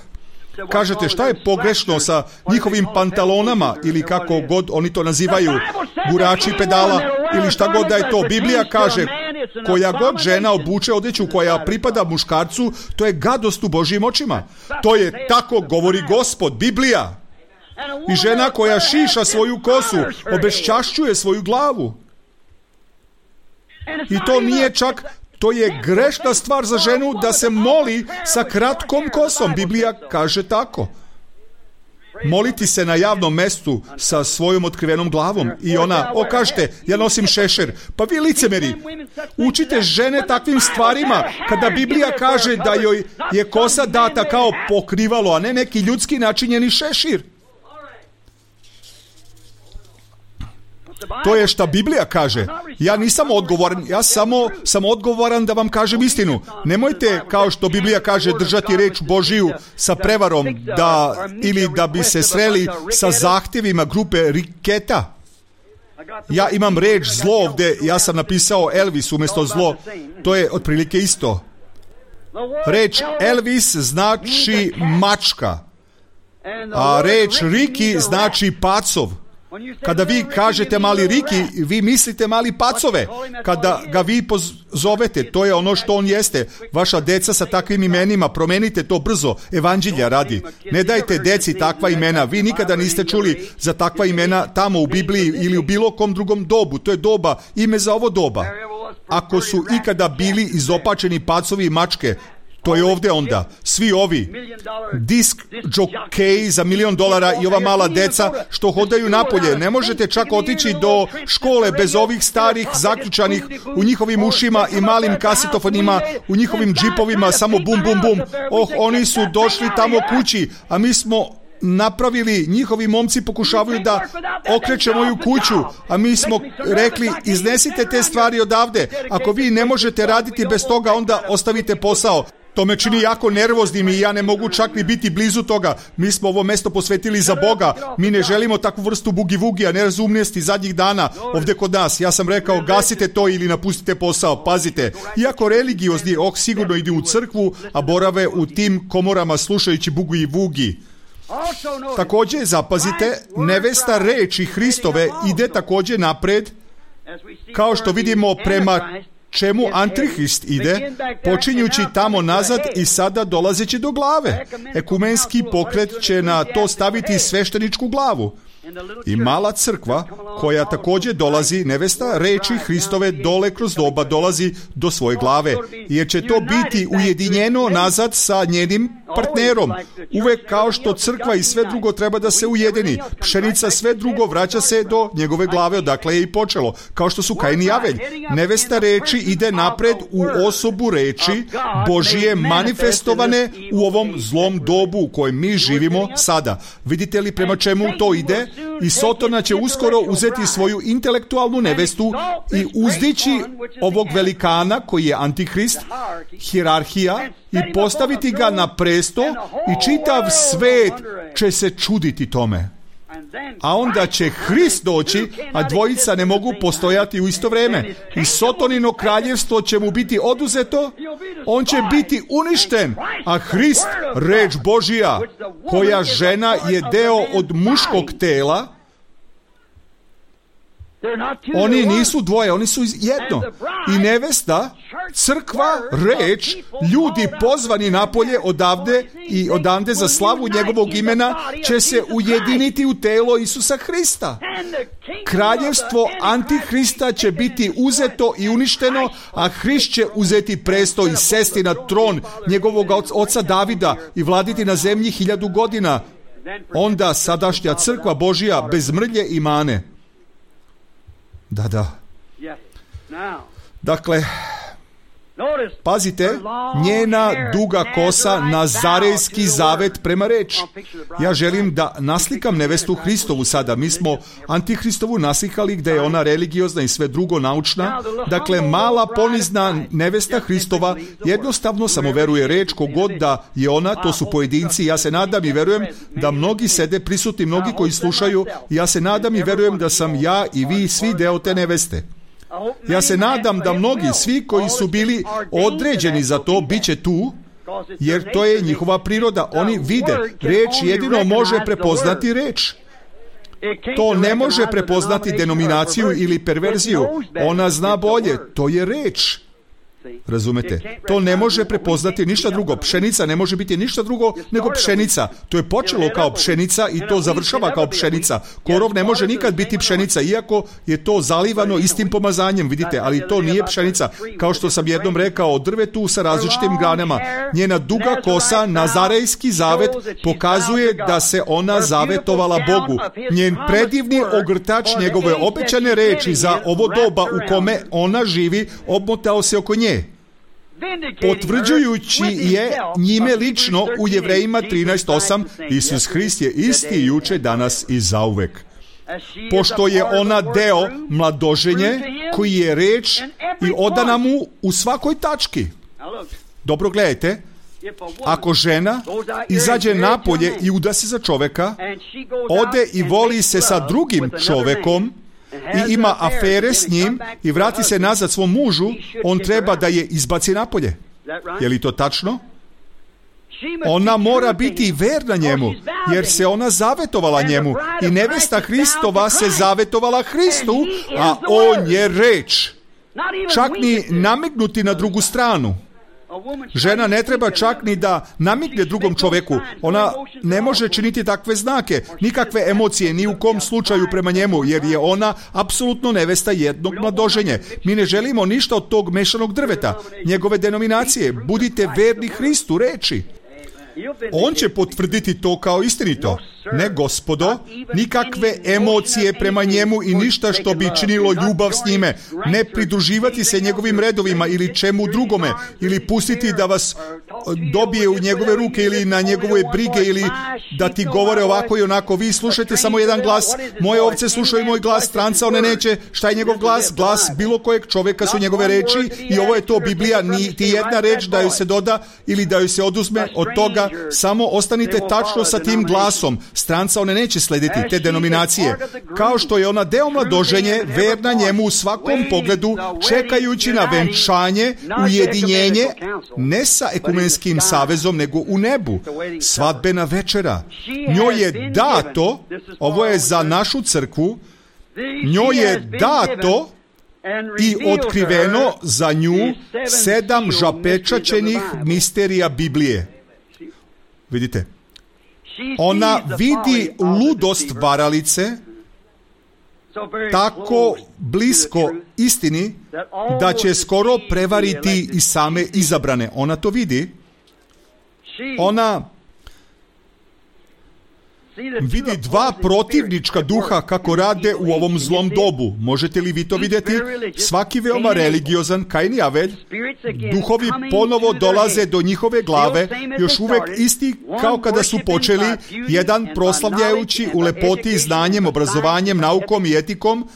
Kažete, šta je pogrešno sa njihovim pantalonama ili kako god oni to nazivaju, gurači pedala ili šta god da je to? Biblija kaže, koja god žena obuče odeću koja pripada muškarcu, to je gadost u Božjim očima. To je tako govori Gospod, Biblija. I žena koja šiša svoju kosu, obeščašćuje svoju glavu. I to nije čak, to je grešna stvar za ženu da se moli sa kratkom kosom. Biblija kaže tako. Moliti se na javnom mestu sa svojom otkrivenom glavom. I ona, o kažete, ja nosim šešir. Pa vi licemeri, učite žene takvim stvarima kada Biblija kaže da joj je kosa data kao pokrivalo, a ne neki ljudski načinjeni šešir. To je šta Biblija kaže. Ja nisam odgovoran, ja samo sam odgovoran da vam kažem istinu. Nemojte, kao što Biblija kaže, držati reč Božiju sa prevarom da, ili da bi se sreli sa zahtjevima grupe riketa. Ja imam reč zlo ovdje, ja sam napisao Elvis umjesto zlo. To je otprilike isto. Reč Elvis znači mačka, a reč Riki znači pacov. Kada vi kažete mali Riki, vi mislite mali pacove. Kada ga vi pozovete, to je ono što on jeste. Vaša deca sa takvim imenima, promenite to brzo, evanđelja radi. Ne dajte deci takva imena. Vi nikada niste čuli za takva imena tamo u Bibliji ili u bilo kom drugom dobu. To je doba, ime za ovo doba. Ako su ikada bili izopačeni pacovi i mačke, to je ovdje onda. Svi ovi disk džokeji za milion dolara i ova mala deca što hodaju napolje. Ne možete čak otići do škole bez ovih starih zaključanih u njihovim ušima i malim kasetofonima u njihovim džipovima, samo bum bum bum. Oh, oni su došli tamo kući, a mi smo napravili, njihovi momci pokušavaju da okreće moju kuću, a mi smo rekli, iznesite te stvari odavde. Ako vi ne možete raditi bez toga, onda ostavite posao. To me čini jako nervoznim i ja ne mogu čak ni biti blizu toga. Mi smo ovo mesto posvetili za Boga. Mi ne želimo takvu vrstu bugi-vugija, nerazumnosti zadnjih dana ovdje kod nas. Ja sam rekao, gasite to ili napustite posao. Pazite, iako religiozni, oh, sigurno idu u crkvu, a borave u tim komorama slušajući bugi-vugi. Također, zapazite, nevesta reči Hristove ide također napred, kao što vidimo prema čemu Antihrist ide, počinjući tamo nazad i sada dolazeći do glave. Ekumenski pokret će na to staviti svešteničku glavu. I mala crkva, koja također dolazi, nevesta reči Hristove dole kroz doba dolazi do svoje glave, jer će to biti ujedinjeno nazad sa njenim partnerom. Uvek kao što crkva i sve drugo treba da se ujedini. Pšenica sve drugo vraća se do njegove glave, odakle je i počelo. Kao što su Kain i Avelj. Nevesta reči ide napred u osobu reči Božije manifestovane u ovom zlom dobu u kojem mi živimo sada. Vidite li prema čemu to ide? I Sotona će uskoro uzeti svoju intelektualnu nevestu i uzdići ovog velikana koji je Antihrist, hijerarhija, i postaviti ga na presto i čitav svet će se čuditi tome. A onda će Hrist doći, a dvojica ne mogu postojati u isto vrijeme. I Sotonino kraljevstvo će mu biti oduzeto, on će biti uništen, a Hrist, reč Božija, koja žena je deo od muškog tela, oni nisu dvoje, oni su jedno. I nevesta, crkva, reč, ljudi pozvani napolje odavde i odande za slavu njegovog imena će se ujediniti u telo Isusa Hrista. Kraljevstvo Antihrista će biti uzeto i uništeno, a Hrist će uzeti presto i sesti na tron njegovog oca Davida i vladiti na zemlji hiljadu godina. Onda sadašnja crkva Božija bez mrlje i mane. Da, da. Dakle, pazite, njena duga kosa, nazarejski zavet prema reč. Ja želim da naslikam nevestu Hristovu sada. Mi smo Antihristovu naslikali gdje je ona religiozna i sve drugo naučna. Dakle, mala ponizna nevesta Hristova jednostavno samo veruje reč, kogod da je ona, to su pojedinci. Ja se nadam i verujem da mnogi sede prisutni, mnogi koji slušaju. Ja se nadam i verujem da sam ja i vi svi deo te neveste. Ja se nadam da mnogi, svi koji su bili određeni za to, bit će tu, jer to je njihova priroda. Oni vide, reč jedino može prepoznati reč. To ne može prepoznati denominaciju ili perverziju. Ona zna bolje, to je reč. Razumete? To ne može prepoznati ništa drugo. Pšenica ne može biti ništa drugo nego pšenica. To je počelo kao pšenica i to završava kao pšenica. Korov ne može nikad biti pšenica, iako je to zalivano istim pomazanjem, vidite, ali to nije pšenica. Kao što sam jednom rekao o drvetu sa različitim granama. Njena duga kosa, nazarejski zavet, pokazuje da se ona zavetovala Bogu. Njen predivni ogrtač, njegove obećane reči za ovo doba u kome ona živi, obmotao se oko nje, potvrđujući je njime lično u Jevrejima trinaest osam, Isus Hrist je isti juče, danas i zauvek. pošto je ona deo mladoženje koji je reč i odana mu u svakoj tački. Dobro gledajte, ako žena izađe napolje i uda se za čoveka, ode i voli se sa drugim čovekom i ima afere s njim i vrati se nazad svom mužu, on treba da je izbaci napolje. Je li to tačno? Ona mora biti verna njemu, jer se ona zavetovala njemu i nevesta Hristova se zavetovala Hristu, a on je reč. Čak ni namignuti na drugu stranu. Žena ne treba čak ni da namigne drugom čoveku. Ona ne može činiti takve znake, nikakve emocije, ni u kom slučaju prema njemu, jer je ona apsolutno nevesta jednog mladoženje. Mi ne želimo ništa od tog mešanog drveta, njegove denominacije. Budite verni Hristu reči. On će potvrditi to kao istinito. Ne, gospodo, nikakve emocije prema njemu i ništa što bi činilo ljubav s njime. Ne pridruživati se njegovim redovima ili čemu drugome, ili pustiti da vas dobije u njegove ruke ili na njegove brige ili da ti govore ovako i onako. Vi slušajte samo jedan glas. Moje ovce slušaju moj glas, stranca one neće. Šta je njegov glas? Glas bilo kojeg čovjeka su njegove reči i ovo je to Biblija. Niti jedna reč da joj se doda ili da joj se oduzme od toga. Samo ostanite tačno sa tim glasom. Stranca one neće slediti te denominacije. Kao što je ona deo mladoženje, verna njemu u svakom pogledu, čekajući na venčanje, ujedinjenje, ne sa ekumenskim savezom, nego u nebu. Svadbena večera. Njoj je dato, ovo je za našu crkvu, njoj je dato i otkriveno za nju sedam zapečaćenih misterija Biblije. Vidite, ona vidi ludost varalice tako blisko istini da će skoro prevariti i same izabrane. Ona to vidi. Ona vidi dva protivnička duha kako rade u ovom zlom dobu. Možete li vi to vidjeti? Svaki veoma religiozan, Kain i Avelj, duhovi ponovo dolaze do njihove glave, još uvek isti kao kada su počeli, jedan proslavljajući u lepoti znanjem, obrazovanjem, naukom i etikom,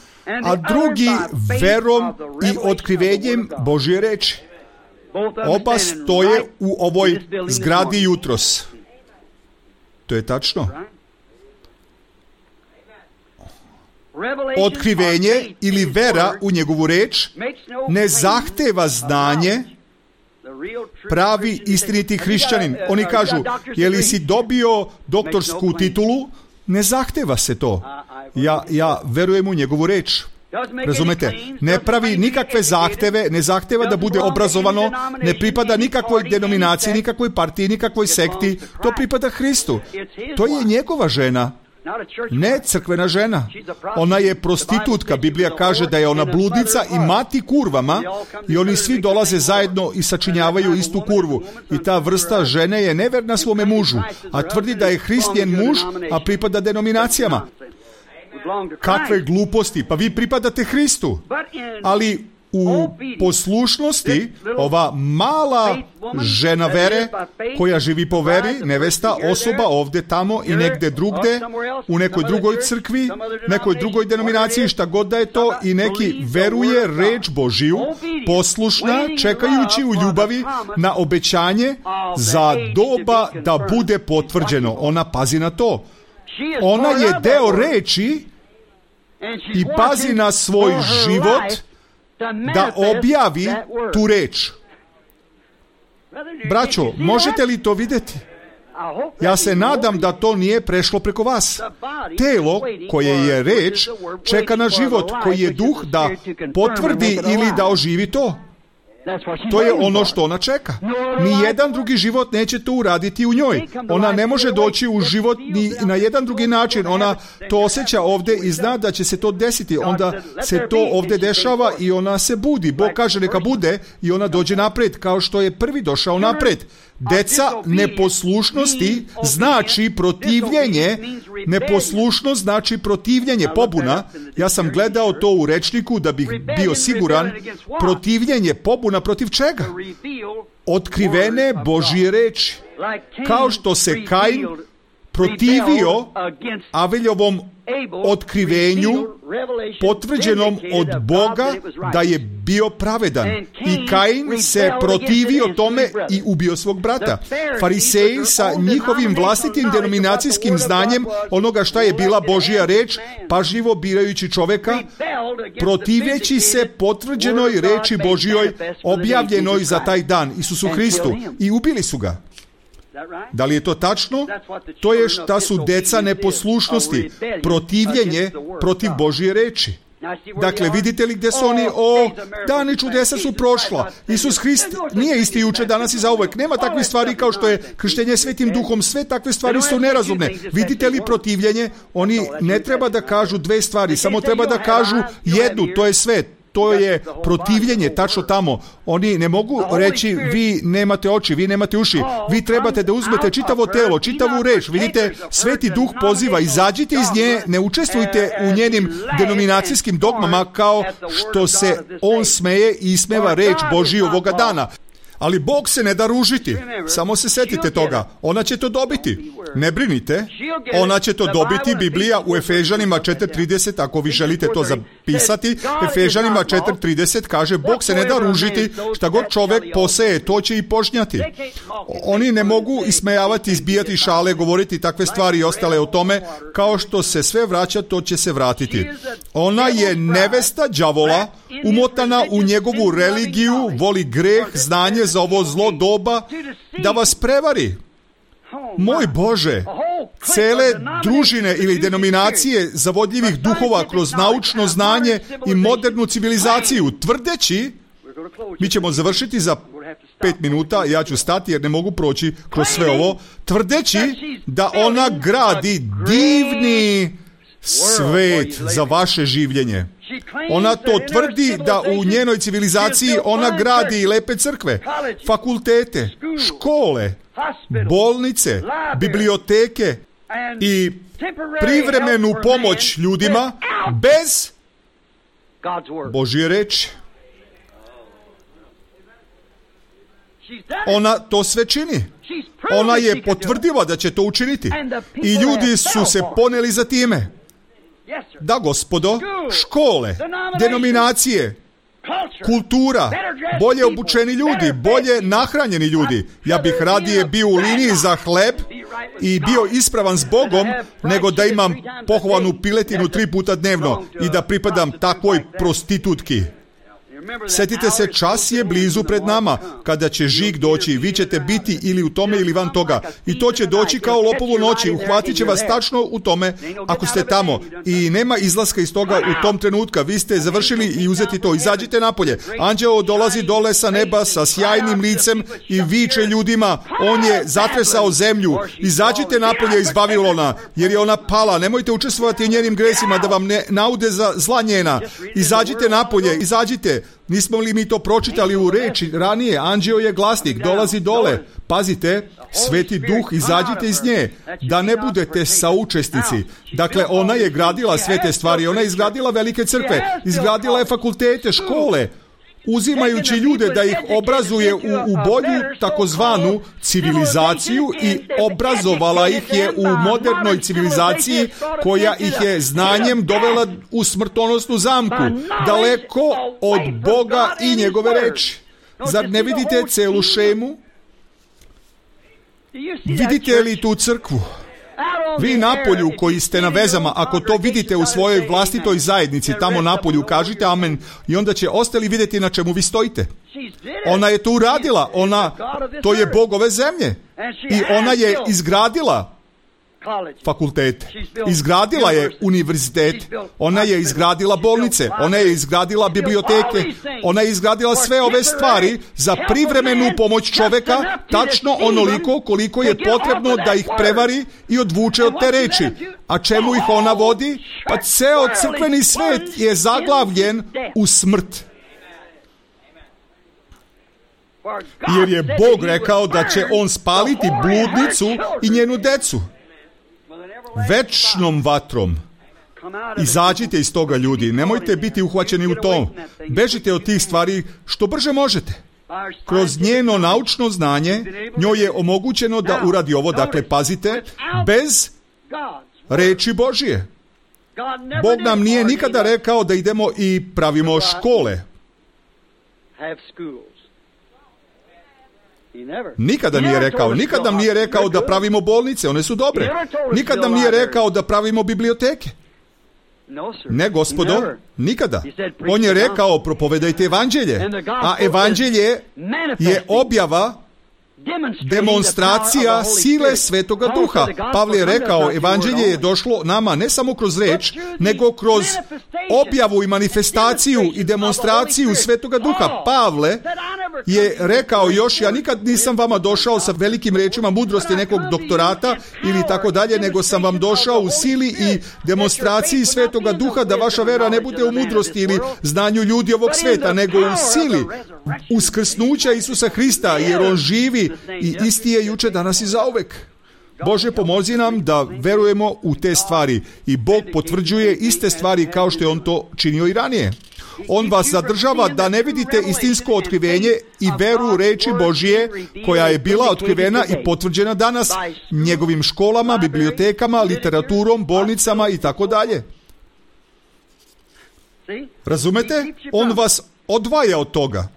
a drugi verom i otkrivenjem Božje reči. Oba stoje u ovoj zgradi jutros. To je tačno. Otkrivenje ili vera u njegovu reč ne zahteva znanje, pravi istiniti hrišćanin. Oni kažu, je li si dobio doktorsku titulu? Ne zahteva se to. Ja, ja verujem u njegovu reč. Razumete? Ne pravi nikakve zahteve, ne zahteva da bude obrazovano, ne pripada nikakvoj denominaciji, nikakvoj partiji, nikakvoj sekti. To pripada Hristu. To je njegova žena. Ne crkvena žena. Ona je prostitutka. Biblija kaže da je ona bludnica i mati kurvama i oni svi dolaze zajedno i sačinjavaju istu kurvu. I ta vrsta žene je neverna svome mužu, a tvrdi da je Hrist njen muž, a pripada denominacijama. Kakve gluposti, pa vi pripadate Hristu. Ali u poslušnosti ova mala žena vere koja živi po veri, nevesta, osoba ovdje, tamo i negdje drugde, u nekoj drugoj crkvi, nekoj drugoj denominaciji, šta god da je to, i neki veruje reč Božiju, poslušna, čekajući u ljubavi na obećanje za doba da bude potvrđeno. Ona pazi na to. Ona je deo reči i pazi na svoj život da objavi tu reč. Braćo, možete li to vidjeti? Ja se nadam da to nije prešlo preko vas. Telo koje je reč čeka na život koji je duh da potvrdi ili da oživi to. To je ono što ona čeka. Nijedan drugi život neće to uraditi u njoj. Ona ne može doći u život ni na jedan drugi način. Ona to osjeća ovdje i zna da će se to desiti. Onda se to ovdje dešava i ona se budi. Bog kaže neka bude i ona dođe napred kao što je prvi došao napred. Deca neposlušnosti znači protivljenje. Neposlušnost znači protivljenje, pobuna. Ja sam gledao to u rečniku da bih bio siguran. Protivljenje, pobuna protiv čega? Otkrivene Božje reči. Kao što se Kain protivio Aveljovom otkrivenju potvrđenom od Boga da je bio pravedan. I Kain se protivio tome i ubio svog brata. Fariseji sa njihovim vlastitim denominacijskim znanjem onoga šta je bila Božja reč, pažljivo birajući čoveka, protivjeći se potvrđenoj reči Božjoj objavljenoj za taj dan, Isusu Hristu, i ubili su ga. Da li je to tačno? To je šta su deca neposlušnosti, protivljenje protiv Božje reči. Dakle, vidite li gdje su oni? O, dani čudesa su prošla. Isus Hrist nije isti juče, danas i zauvek. Nema takvih stvari kao što je krštenje Svetim Duhom. Sve takve stvari su nerazumne. Vidite li protivljenje? Oni ne treba da kažu dve stvari, samo treba da kažu jednu, to je sve. To je protivljenje, tačno tamo. Oni ne mogu reći, vi nemate oči, vi nemate uši, vi trebate da uzmete čitavo telo, čitavu reč. Vidite, Sveti Duh poziva, izađite iz nje, ne učestvujte u njenim denominacijskim dogmama kao što se on smeje i ismeva reč Božiju ovoga dana. Ali Bog se ne da ružiti. Samo se setite toga. Ona će to dobiti. Ne brinite. Ona će to dobiti. Biblija u Efežanima četiri trideset, ako vi želite to zapisati, Efežanima četiri trideset kaže, Bog se ne da ružiti, šta god čovek poseje, to će i požnjati. Oni ne mogu ismejavati, izbijati šale, govoriti takve stvari i ostale o tome, kao što se sve vraća, to će se vratiti. Ona je nevesta đavola, umotana u njegovu religiju, voli greh, znanje za ovo zlo doba, da vas prevari. Moj Bože, cele družine ili denominacije zavodljivih duhova kroz naučno znanje i modernu civilizaciju, tvrdeći, mi ćemo završiti za pet minuta, ja ću stati jer ne mogu proći kroz sve ovo, tvrdeći da ona gradi divni svet za vaše življenje. Ona to tvrdi da u njenoj civilizaciji ona gradi lepe crkve, fakultete, škole, bolnice, biblioteke i privremenu pomoć ljudima bez Božje reči. Ona to sve čini. Ona je potvrdila da će to učiniti. I ljudi su se poneli za time. Da, gospodo, škole, denominacije, kultura, bolje obučeni ljudi, bolje nahranjeni ljudi. Ja bih radije bio u liniji za hleb i bio ispravan s Bogom, nego da imam pohvalnu piletinu tri puta dnevno i da pripadam takvoj prostitutki. Setite se, čas je blizu pred nama, kada će žig doći. Vi ćete biti ili u tome ili van toga. I to će doći kao lopovu noći. Uhvatit će vas tačno u tome ako ste tamo. I nema izlaska iz toga u tom trenutka. Vi ste završili i uzeti to. Izađite napolje. Anđeo dolazi dole sa neba sa sjajnim licem i viče ljudima. On je zatresao zemlju. Izađite napolje iz Vavilona, jer je ona pala. Nemojte učestvovati u njenim gresima da vam ne naude za zla njena. Izađite napolje. Izađite. Nismo li mi to pročitali u reči ranije? Anđeo je glasnik, dolazi dole. Pazite, Sveti Duh, izađite iz nje, da ne budete saučesnici. Dakle, ona je gradila sve te stvari, ona je izgradila velike crkve, izgradila je fakultete, škole, uzimajući ljude da ih obrazuje u, u bolju takozvanu civilizaciju i obrazovala ih je u modernoj civilizaciji koja ih je znanjem dovela u smrtonosnu zamku, daleko od Boga i njegove reči. Zar ne vidite celu šemu? Vidite li tu crkvu? Vi napolju koji ste na vezama, ako to vidite u svojoj vlastitoj zajednici, tamo napolju, kažite amen i onda će ostali vidjeti na čemu vi stojite. Ona je to uradila, ona, to je Bog ove zemlje i ona je izgradila fakultete, izgradila je univerzitet, ona je izgradila bolnice, ona je izgradila biblioteke, ona je izgradila sve ove stvari za privremenu pomoć čoveka, tačno onoliko koliko je potrebno da ih prevari i odvuče od te reči. A čemu ih ona vodi? Pa ceo crkveni svet je zaglavljen u smrt. Jer je Bog rekao da će on spaliti bludnicu i njenu decu večnom vatrom. Izađite iz toga, ljudi. Nemojte biti uhvaćeni u to. Bežite od tih stvari što brže možete. Kroz njeno naučno znanje njoj je omogućeno da uradi ovo, dakle pazite, bez reči Božije. Bog nam nije nikada rekao da idemo i pravimo škole. Nikada nije rekao, nikad nam nije rekao da pravimo bolnice, one su dobre. Nikad nam nije rekao da pravimo biblioteke. Ne, gospodo, nikada. On je rekao, propovedajte evanđelje, a evanđelje je objava, demonstracija sile Svetoga Duha. Pavle je rekao, evanđelje je došlo nama ne samo kroz reč, nego kroz objavu i manifestaciju i demonstraciju Svetoga Duha. Pavle je rekao još, ja nikad nisam vama došao sa velikim rečima mudrosti nekog doktorata ili tako dalje, nego sam vam došao u sili i demonstraciji Svetoga Duha, da vaša vera ne bude u mudrosti ili znanju ljudi ovog sveta, nego u sili uskrsnuća Isusa Hrista, jer on živi i isti je juče, danas i zauvek. Bože, pomozi nam da verujemo u te stvari i Bog potvrđuje iste stvari kao što je on to činio i ranije. On vas zadržava da ne vidite istinsko otkrivenje i veru u reči Božije koja je bila otkrivena i potvrđena danas njegovim školama, bibliotekama, literaturom, bolnicama i tako dalje. Razumete? On vas odvaja od toga.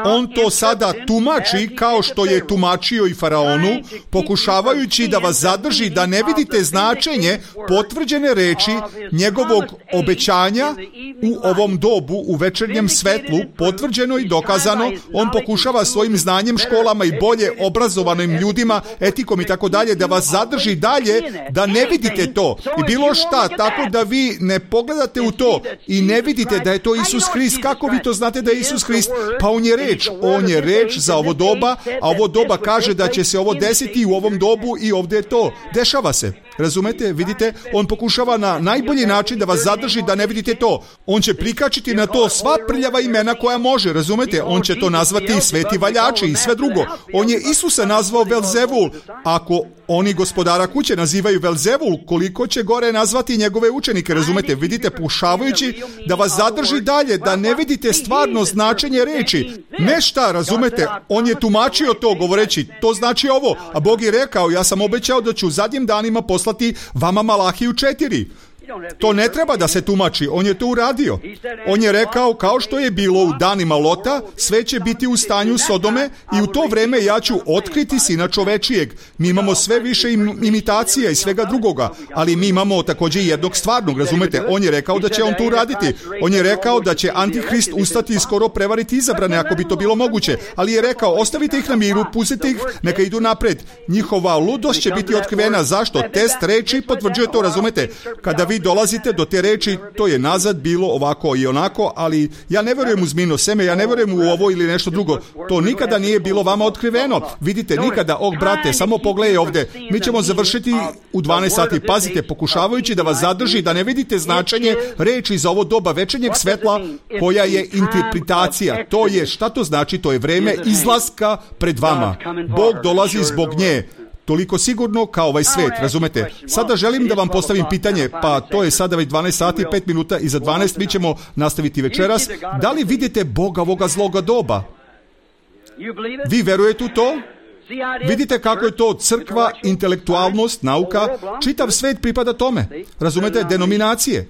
On to sada tumači kao što je tumačio i faraonu, pokušavajući da vas zadrži da ne vidite značenje potvrđene reči njegovog obećanja u ovom dobu, u večernjem svetlu, potvrđeno i dokazano. On pokušava svojim znanjem, školama i bolje obrazovanim ljudima, etikom i tako dalje, da vas zadrži dalje, da ne vidite to i bilo šta, tako da vi ne pogledate u to i ne vidite da je to Isus Hrist. Kako vi to znate da je Isus Hrist? Pa on je reč, on je reč za ovo doba, a ovo doba kaže da će se ovo desiti u ovom dobu i ovdje je to. Dešava se. Razumete? Vidite? On pokušava na najbolji način da vas zadrži da ne vidite to. On će prikačiti na to sva prljava imena koja može. Razumete? On će to nazvati sveti valjači i sve drugo. On je Isusa nazvao Velzevul. Ako oni gospodara kuće nazivaju Velzevul, koliko će gore nazvati njegove učenike? Razumete? Vidite? Pokušavajući da vas zadrži dalje, da ne vidite stvarno značenje reči. Ne šta, razumete? On je tumačio to govoreći, to znači ovo. A Bog je rekao, ja sam obećao da ću u zadnjim danima poslati vama Malahiju četiri. To ne treba da se tumači, on je to uradio. On je rekao, kao što je bilo u danima Lota, sve će biti u stanju Sodome i u to vreme ja ću otkriti Sina čovečijeg. Mi imamo sve više im, imitacija i svega drugoga, ali mi imamo također jednog stvarnog, razumete? On je rekao da će on to uraditi. On je rekao da će Antihrist ustati i skoro prevariti izabrane, ako bi to bilo moguće. Ali je rekao, ostavite ih na miru, pustite ih, neka idu napred. Njihova ludost će biti otkrivena. Zašto? Test reči potvrđuje to, razumete? Kada vi dolazite do te reči, to je nazad bilo ovako i onako, ali ja ne vjerujem u zmijino seme, ja ne vjerujem u ovo ili nešto drugo. To nikada nije bilo vama otkriveno. Vidite, nikada, oh brate, samo pogledaj ovdje. Mi ćemo završiti u dvanaest sati. Pazite, pokušavajući da vas zadrži, da ne vidite značenje reči za ovo doba večernjeg svetla, koja je interpretacija. To je, šta to znači? To je vreme izlaska pred vama. Bog dolazi zbog nje. Toliko sigurno kao ovaj svet, razumete? Sada želim da vam postavim pitanje, pa to je sada već dvanaest sati, pet minuta i za dvanaest mi ćemo nastaviti večeras. Da li vidite Boga ovoga zloga doba? Vi verujete u to? Vidite kako je to crkva, intelektualnost, nauka, čitav svet pripada tome. Razumete? Denominacije.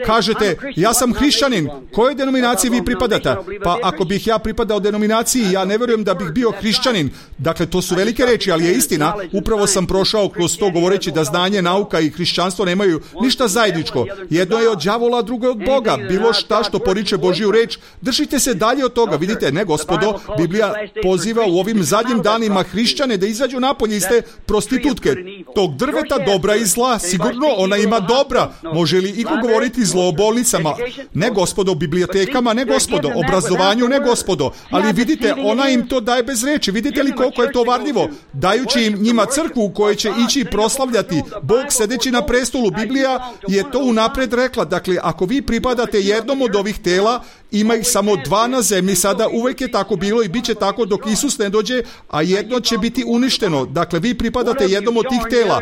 Kažete, ja sam hrišćanin, kojoj denominaciji vi pripadate? Pa ako bih ja pripadao denominaciji, ja ne vjerujem da bih bio hrišćanin. Dakle, to su velike reči, ali je istina. Upravo sam prošao kroz to govoreći da znanje, nauka i hrišćanstvo nemaju ništa zajedničko. Jedno je od đavola, drugo je od Boga. Bilo šta što poriče Božju reč, držite se dalje od toga. Vidite, ne gospodo, Biblija poziva u ovim zadnjim danima hrišćane da izađu napolje iz te prostitutke. Tog drveta dobra i zla, sigurno ona ima dobra. Može li iko govoriti zlo o bolnicama? Ne gospodo, bibliotekama, ne gospodo, obrazovanju, ne gospodo, ali vidite, ona im to daje bez reči. Vidite li koliko je to varljivo? Dajući im njima crkvu u kojoj će ići proslavljati Bog sedeći na prestolu. Biblija je to unapred rekla. Dakle, ako vi pripadate jednom od ovih tela ima ih samo dva na zemlji sada, uvek je tako bilo i bit će tako dok Isus ne dođe, a jedno će biti uništeno. Dakle, vi pripadate jednom od tih tela.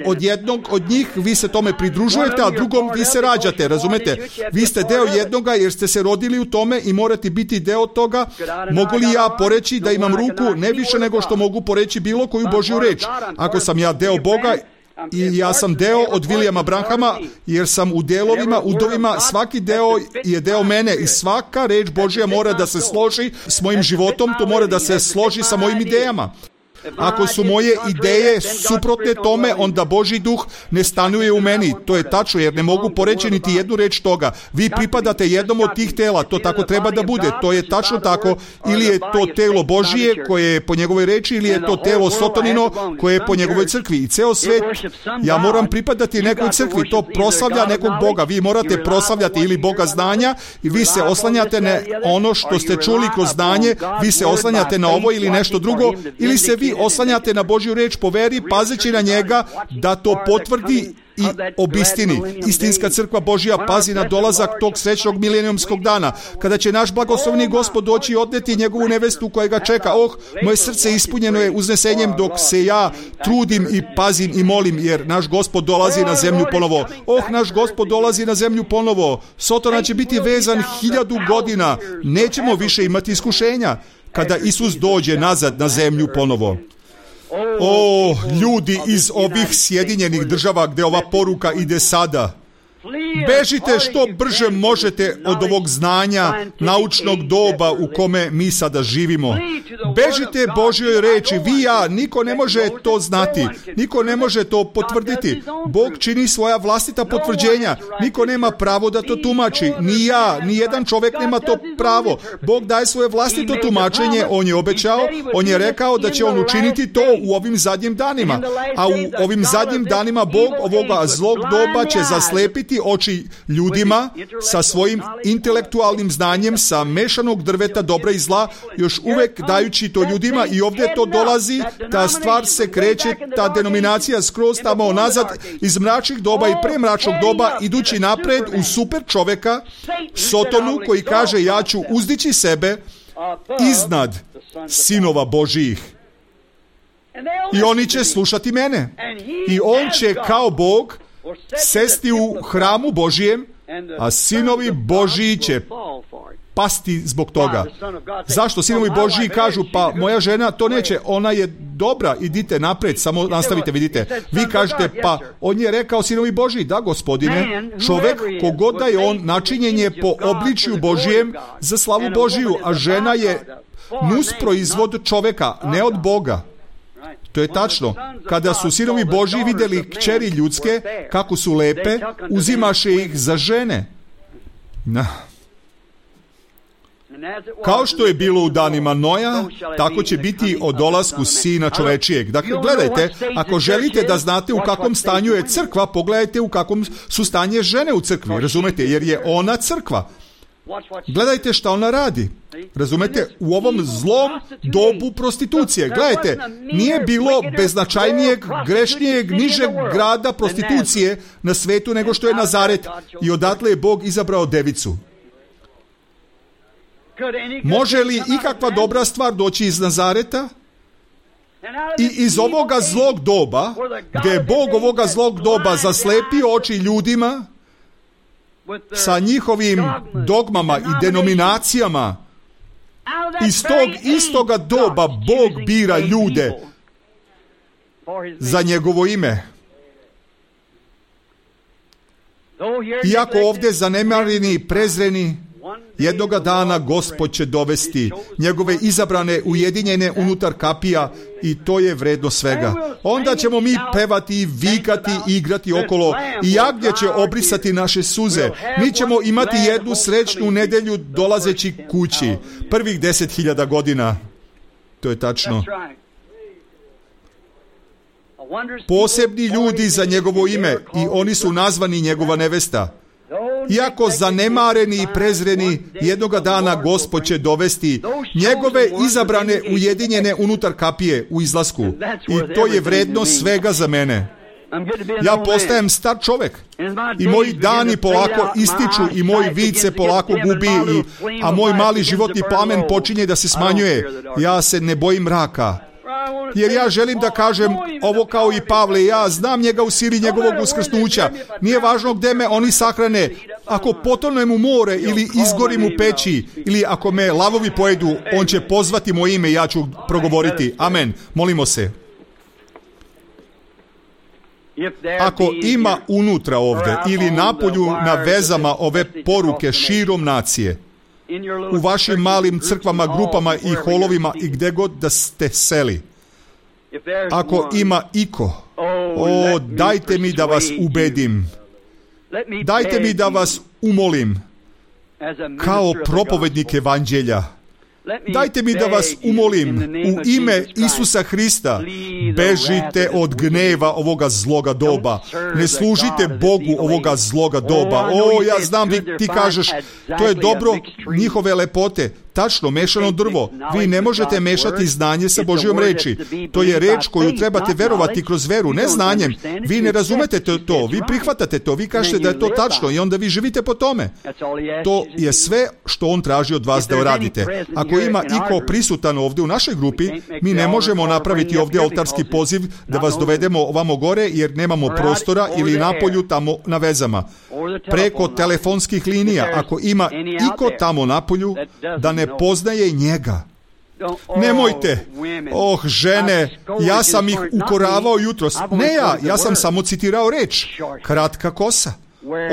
Od jednog od njih vi se tome pridružujete, a drugom vi se rađate, razumete? Vi ste deo jednoga jer ste se rodili u tome i morate biti deo toga. Mogu li ja poreći da imam ruku ne više nego što mogu poreći bilo koju Božju reč? Ako sam ja deo Boga, i ja sam deo od Williama Branhama, jer sam u delovima, udovima, svaki deo je deo mene i svaka reč Božja mora da se složi s mojim životom, to mora da se složi sa mojim idejama. Ako su moje ideje suprotne tome, onda Božji duh ne stanuje u meni. To je tačno, jer ne mogu poreći niti jednu reč toga. Vi pripadate jednom od tih tela, to tako treba da bude. To je tačno tako. Ili je to telo Božije koje je po njegovoj reči, ili je to telo Sotonino koje je po njegovoj crkvi. I ceo svet, ja moram pripadati nekoj crkvi, to proslavlja nekog Boga. Vi morate proslavljati ili Boga znanja i vi se oslanjate na ono što ste čuli kroz znanje, vi se oslanjate na ovo ili nešto drugo, ili se vi oslanjate na Božju reč po veri, pazeći na njega da to potvrdi i obistini. Istinska crkva Božja pazi na dolazak tog srećnog milenijumskog dana, kada će naš blagoslovni Gospod doći i odneti njegovu nevestu koja ga čeka. Oh, moje srce ispunjeno je uznesenjem dok se ja trudim i pazim i molim, jer naš Gospod dolazi na zemlju ponovo. Oh, naš Gospod dolazi na zemlju ponovo. Sotona će biti vezan hiljadu godina. Nećemo više imati iskušenja kada Isus dođe nazad na zemlju ponovo. O, ljudi iz ovih Sjedinjenih država gdje ova poruka ide sada, bežite što brže možete od ovog znanja naučnog doba u kome mi sada živimo. Bežite Božjoj reči. Vi, ja, niko ne može to znati. Niko ne može to potvrditi. Bog čini svoja vlastita potvrđenja. Niko nema pravo da to tumači. Ni ja, ni jedan čovjek nema to pravo. Bog daje svoje vlastito tumačenje. On je obećao, on je rekao da će on učiniti to u ovim zadnjim danima. A u ovim zadnjim danima Bog ovoga zlog doba će zaslepiti oči ljudima sa svojim intelektualnim znanjem, sa mešanog drveta dobra i zla, još uvek dajući to ljudima, i ovdje to dolazi, ta stvar se kreće, ta denominacija skroz tamo nazad iz mračnih doba i premračnog doba, idući napred u super čoveka, Sotonu, koji kaže ja ću uzdići sebe iznad sinova Božijih. I oni će slušati mene. I on će kao Bog sesti u hramu Božijem, a sinovi Božiji će pasti zbog toga. Zašto? Sinovi Božiji kažu, pa moja žena to neće, ona je dobra, idite napred, samo nastavite, vidite. Vi kažete, pa on je rekao sinovi Božiji, da gospodine, čovek, kogod da je on, načinjen je po obličju Božijem za slavu Božiju, a žena je nus proizvod čoveka, ne od Boga. To je tačno. Kada su sinovi Božji vidjeli kćeri ljudske, kako su lepe, uzimaše ih za žene. Na. Kao što je bilo u danima Noja, tako će biti o dolasku Sina čovečijeg. Dakle, gledajte, ako želite da znate u kakvom stanju je crkva, pogledajte u kakvom su stanje žene u crkvi, razumete, jer je ona crkva. Gledajte šta ona radi. Razumete, u ovom zlom dobu prostitucije. Gledajte, nije bilo beznačajnijeg, grešnijeg, nižeg grada prostitucije na svetu nego što je Nazaret, i odatle je Bog izabrao devicu. Može li ikakva dobra stvar doći iz Nazareta? I iz ovoga zlog doba, gdje je Bog ovoga zlog doba zaslepio oči ljudima sa njihovim dogmama i denominacijama, iz tog istoga doba Bog bira ljude za njegovo ime. Iako ovdje zanemareni i prezreni, jednoga dana Gospod će dovesti njegove izabrane ujedinjene unutar kapija, i to je vredno svega. Onda ćemo mi pevati i vikati, igrati okolo, i jagnje će obrisati naše suze. Mi ćemo imati jednu srećnu nedelju dolazeći kući. Prvih deset hiljada godina. To je tačno. Posebni ljudi za njegovo ime, i oni su nazvani njegova nevesta. Iako zanemareni i prezreni, jednoga dana Gospod će dovesti njegove izabrane ujedinjene unutar kapije u izlasku. I to je vredno svega za mene. Ja postajem star čovek i moji dani polako ističu i moj vid se polako gubi, i, a moj mali životni plamen počinje da se smanjuje. Ja se ne bojim mraka. Jer ja želim da kažem ovo kao i Pavle, ja znam njega u sili njegovog uskrsnuća. Nije važno gde me oni sahrane. Ako potonem u more ili izgorim u peći ili ako me lavovi pojedu, on će pozvati moje ime i ja ću progovoriti. Amen. Molimo se. Ako ima unutra ovde ili napolju na vezama ove poruke širom nacije, u vašim malim crkvama, grupama i holovima i gde god da ste seli, ako ima iko, o, dajte mi da vas ubedim, dajte mi da vas umolim, kao propovednik evanđelja, dajte mi da vas umolim u ime Isusa Hrista, bežite od gneva ovoga zloga doba. Ne služite Bogu ovoga zloga doba. O, ja znam, vi, ti kažeš, to je dobro njihove lepote. Tačno, mešano drvo. Vi ne možete mešati znanje sa Božjom reči. To je reč koju trebate verovati kroz veru, ne znanjem. Vi ne razumete to, vi prihvatate to, vi kažete da je to tačno i onda vi živite po tome. To je sve što on traži od vas da uradite. Ako ima iko prisutan ovdje u našoj grupi, mi ne možemo napraviti ovdje oltarski poziv da vas dovedemo ovamo gore jer nemamo prostora ili napolju tamo na vezama. Preko telefonskih linija, ako ima iko tamo napolju da ne poznaje njega. Nemojte. Oh, žene, ja sam ih ukoravao jutros. Ne ja, ja sam samo citirao reč. Kratka kosa.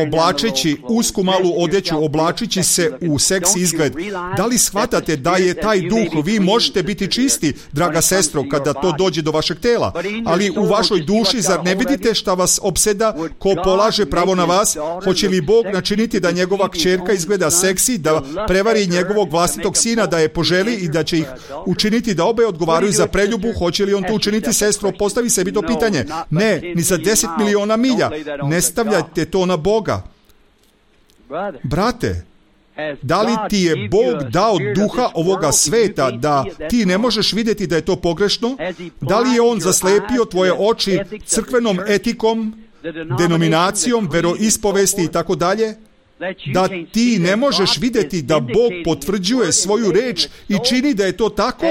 Oblačeći usku malu odeću, oblačići se u seksi izgled. Da li shvatate da je taj duh, vi možete biti čisti, draga sestro, kada to dođe do vašeg tela, ali u vašoj duši, zar ne vidite šta vas opseda, ko polaže pravo na vas? Hoće li Bog načiniti da njegova kćerka izgleda seksi, da prevari njegovog vlastitog sina, da je poželi i da će ih učiniti da obe odgovaraju za preljubu? Hoće li on to učiniti, sestro? Postavi sebi to pitanje. Ne, ni za deset miliona milja. Ne stavljajte to na Boga. Brate, da li ti je Bog dao duha ovoga sveta da ti ne možeš vidjeti da je to pogrešno? Da li je on zaslepio tvoje oči crkvenom etikom, denominacijom, veroispovesti i tako dalje? Da ti ne možeš vidjeti da Bog potvrđuje svoju reč i čini da je to tako?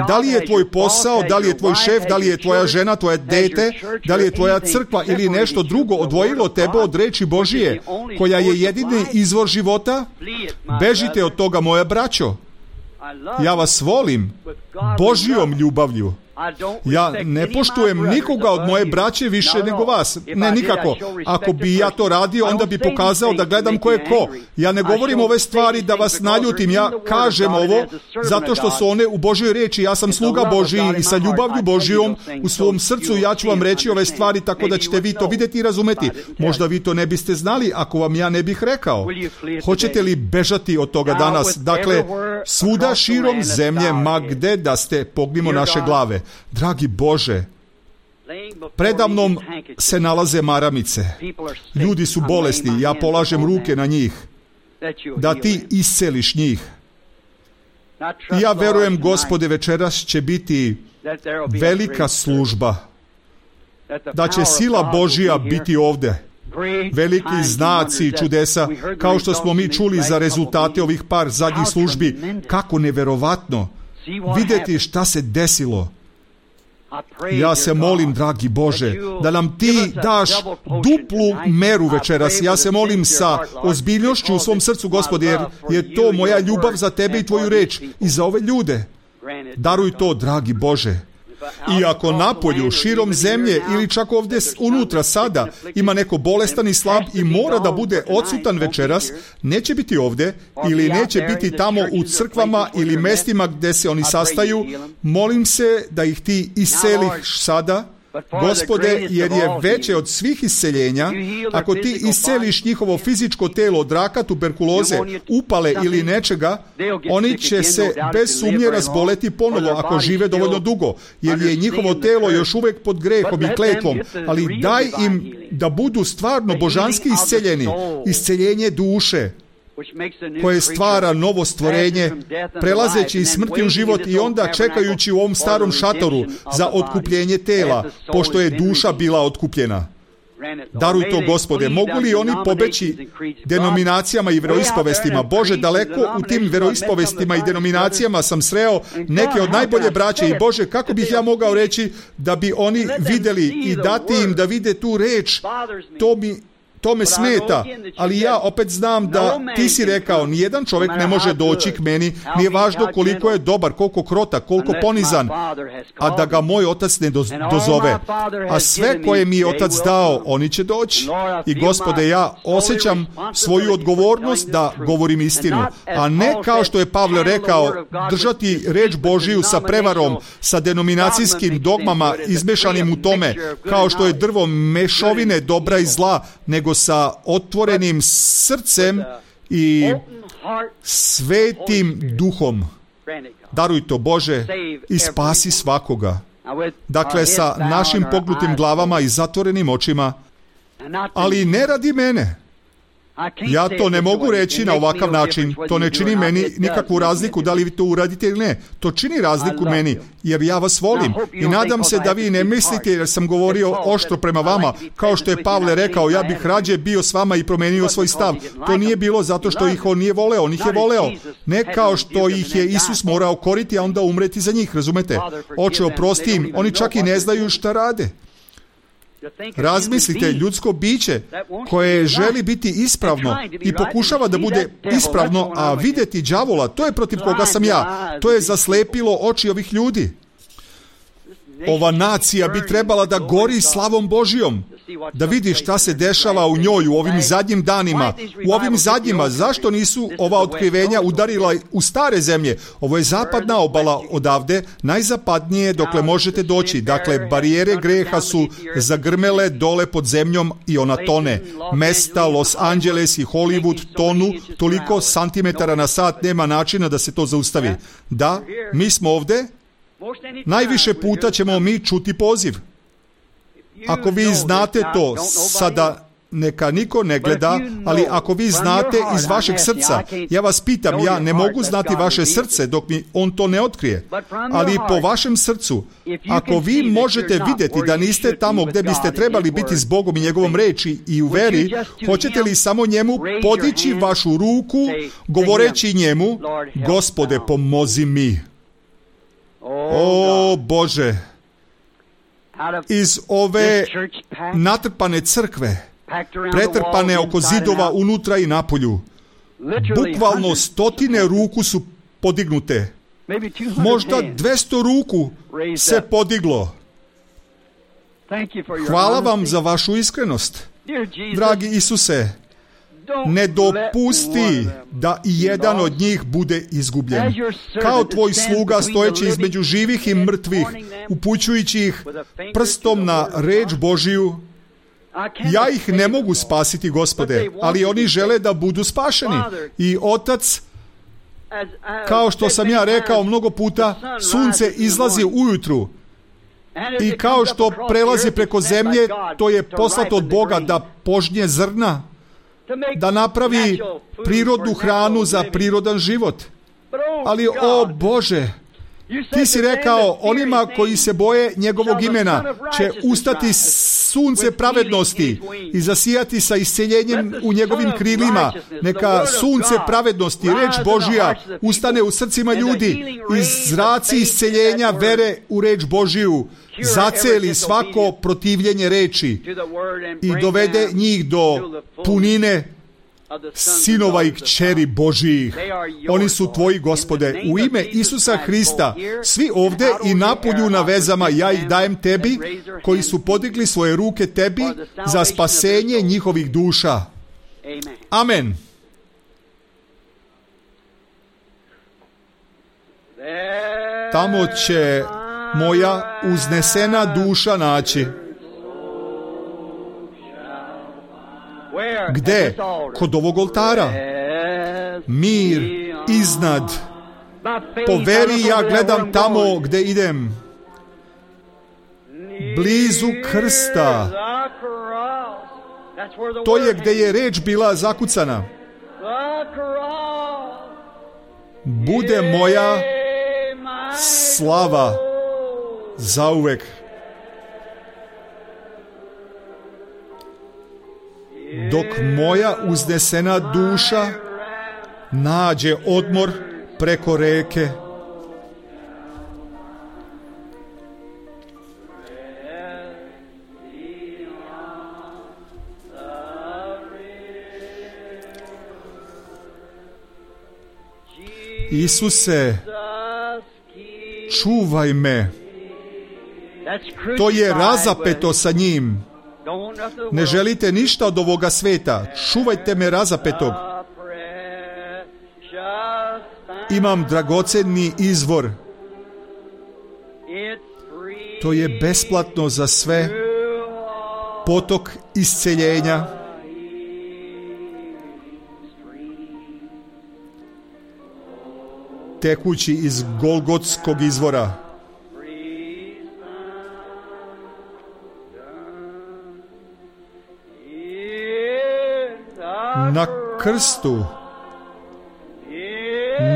Da li je tvoj posao, da li je tvoj šef, da li je tvoja žena, tvoje dete, da li je tvoja crkva ili nešto drugo odvojilo tebe od reči Božije, koja je jedini izvor života? Bežite od toga, moja braćo. Ja vas volim Božjom ljubavlju. Ja ne poštujem nikoga od moje braće više nego vas. Ne, nikako. Ako bi ja to radio, onda bi pokazao da gledam ko je ko. Ja ne govorim ove stvari da vas naljutim. Ja kažem ovo zato što su one u Božjoj reči. Ja sam sluga Božiji i sa ljubavlju Božijom u svom srcu ja ću vam reći ove stvari tako da ćete vi to vidjeti i razumeti. Možda vi to ne biste znali ako vam ja ne bih rekao. Hoćete li bežati od toga danas? Dakle, svuda širom zemlje, ma gde da ste, pognimo naše glave. Dragi Bože, predamnom se nalaze maramice. Ljudi su bolesni, ja polažem ruke na njih, da ti isceliš njih. I ja verujem, Gospode, večeras će biti velika služba, da će sila Božija biti ovde. Veliki znaci i čudesa, kao što smo mi čuli za rezultate ovih par zadnjih službi. Kako neverovatno vidjeti šta se desilo. Ja se molim, dragi Bože, da nam ti daš duplu meru večeras. Ja se molim sa ozbiljnošću u svom srcu, Gospode, jer je to moja ljubav za tebe i tvoju reč i za ove ljude. Daruj to, dragi Bože. I ako napolju, širom zemlje ili čak ovdje unutra sada ima neko bolestan i slab i mora da bude odsutan večeras, neće biti ovdje ili neće biti tamo u crkvama ili mestima gdje se oni sastaju, molim se da ih ti isceliš sada, Gospode, jer je veće od svih isceljenja. Ako ti isceliš njihovo fizičko telo od raka, tuberkuloze, upale ili nečega, oni će se bez sumnje razboleti ponovo ako žive dovoljno dugo, jer je njihovo telo još uvijek pod grehom i kletvom, ali daj im da budu stvarno božanski isceljeni, isceljenje duše, koje stvara novo stvorenje, prelazeći iz smrti u život i onda čekajući u ovom starom šatoru za otkupljenje tela, pošto je duša bila otkupljena. Daruj to, Gospode. Mogu li oni pobeći denominacijama i veroispovestima? Bože, daleko u tim veroispovestima i denominacijama sam sreo neke od najbolje braće i Bože, kako bih ja mogao reći da bi oni vidjeli i dati im da vide tu reč, to mi To me smeta, ali ja opet znam da ti si rekao, nijedan čovjek ne može doći k meni, nije važno koliko je dobar, koliko krotak, koliko ponizan, a da ga moj otac ne dozove. A sve koje mi je otac dao, oni će doći. I Gospode, ja osjećam svoju odgovornost da govorim istinu, a ne kao što je Pavle rekao, držati reč Božiju sa prevarom, sa denominacijskim dogmama izmešanim u tome, kao što je drvo mešovine dobra i zla, nego sa otvorenim srcem i svetim duhom. Daruj to, Bože, i spasi svakoga. Dakle, sa našim pognutim glavama i zatvorenim očima, ali ne radi mene. Ja to ne mogu reći na ovakav način. To ne čini meni nikakvu razliku da li vi to uradite ili ne. To čini razliku meni, jer ja vas volim. I nadam se da vi ne mislite, jer sam govorio oštro prema vama, kao što je Pavle rekao, ja bih rađe bio s vama i promenio svoj stav. To nije bilo zato što ih on nije voleo, on ih je voleo. Ne kao što ih je Isus morao koriti, a onda umreti za njih, razumete? Oče, oprosti im, oni čak i ne znaju šta rade. Razmislite, ljudsko biće koje želi biti ispravno i pokušava da bude ispravno, a vidjeti đavola, to je protiv koga sam ja. To je zaslepilo oči ovih ljudi. Ova nacija bi trebala da gori slavom Božijom, da vidi šta se dešava u njoj u ovim zadnjim danima. U ovim zadnjima, zašto nisu ova otkrivenja udarila u stare zemlje? Ovo je zapadna obala odavde, najzapadnije dokle možete doći. Dakle, barijere greha su zagrmele dole pod zemljom i ona tone. Mesta Los Angeles i Hollywood tonu, toliko santimetara na sat, nema načina da se to zaustavi. Da, mi smo ovde. Najviše puta ćemo mi čuti poziv. Ako vi znate to, sada neka niko ne gleda, ali ako vi znate iz vašeg srca, ja vas pitam, ja ne mogu znati vaše srce dok mi on to ne otkrije, ali po vašem srcu, ako vi možete vidjeti da niste tamo gdje biste trebali biti s Bogom i njegovom reči i u veri, hoćete li samo njemu podići vašu ruku, govoreći njemu, Gospode, pomozi mi. O Bože, iz ove natrpane crkve, pretrpane oko zidova unutra i napolju, bukvalno stotine ruku su podignute. Možda dvjesto ruku se podiglo. Hvala vam za vašu iskrenost. Dragi Isuse, ne dopusti da i jedan od njih bude izgubljen. Kao tvoj sluga stojeći između živih i mrtvih, upućujući ih prstom na reč Božiju, ja ih ne mogu spasiti, Gospode, ali oni žele da budu spašeni. I Otac, kao što sam ja rekao mnogo puta, sunce izlazi ujutru i kao što prelazi preko zemlje, to je poslato od Boga da požnje zrna, da napravi prirodnu hranu za prirodan život. Ali, o Bože, ti si rekao, onima koji se boje njegovog imena će ustati sunce pravednosti i zasijati sa isceljenjem u njegovim krilima. Neka sunce pravednosti, reč Božija, ustane u srcima ljudi i zraci isceljenja vere u reč Božiju zaceli svako protivljenje reči i dovede njih do punine sinova i kćeri Božijih. Oni su tvoji, Gospode. U ime Isusa Hrista, svi ovde i napolju na vezama, ja ih dajem tebi, koji su podigli svoje ruke tebi za spasenje njihovih duša. Amen. Tamo će moja uznesena duša naći. Gde? Kod ovog oltara. Mir iznad. Po veri ja gledam tamo gde idem. Blizu krsta. To je gde je reč bila zakucana. bude moja slava zauvek. Dok moja uznesena duša nađe odmor preko reke. Isuse, čuvaj me. To je razapeto sa njim. Ne želite ništa od ovoga sveta. Čuvajte me razapetog. Imam dragoceni izvor. To je besplatno za sve. Potok isceljenja. Tekući iz Golgotskog izvora. Na krstu,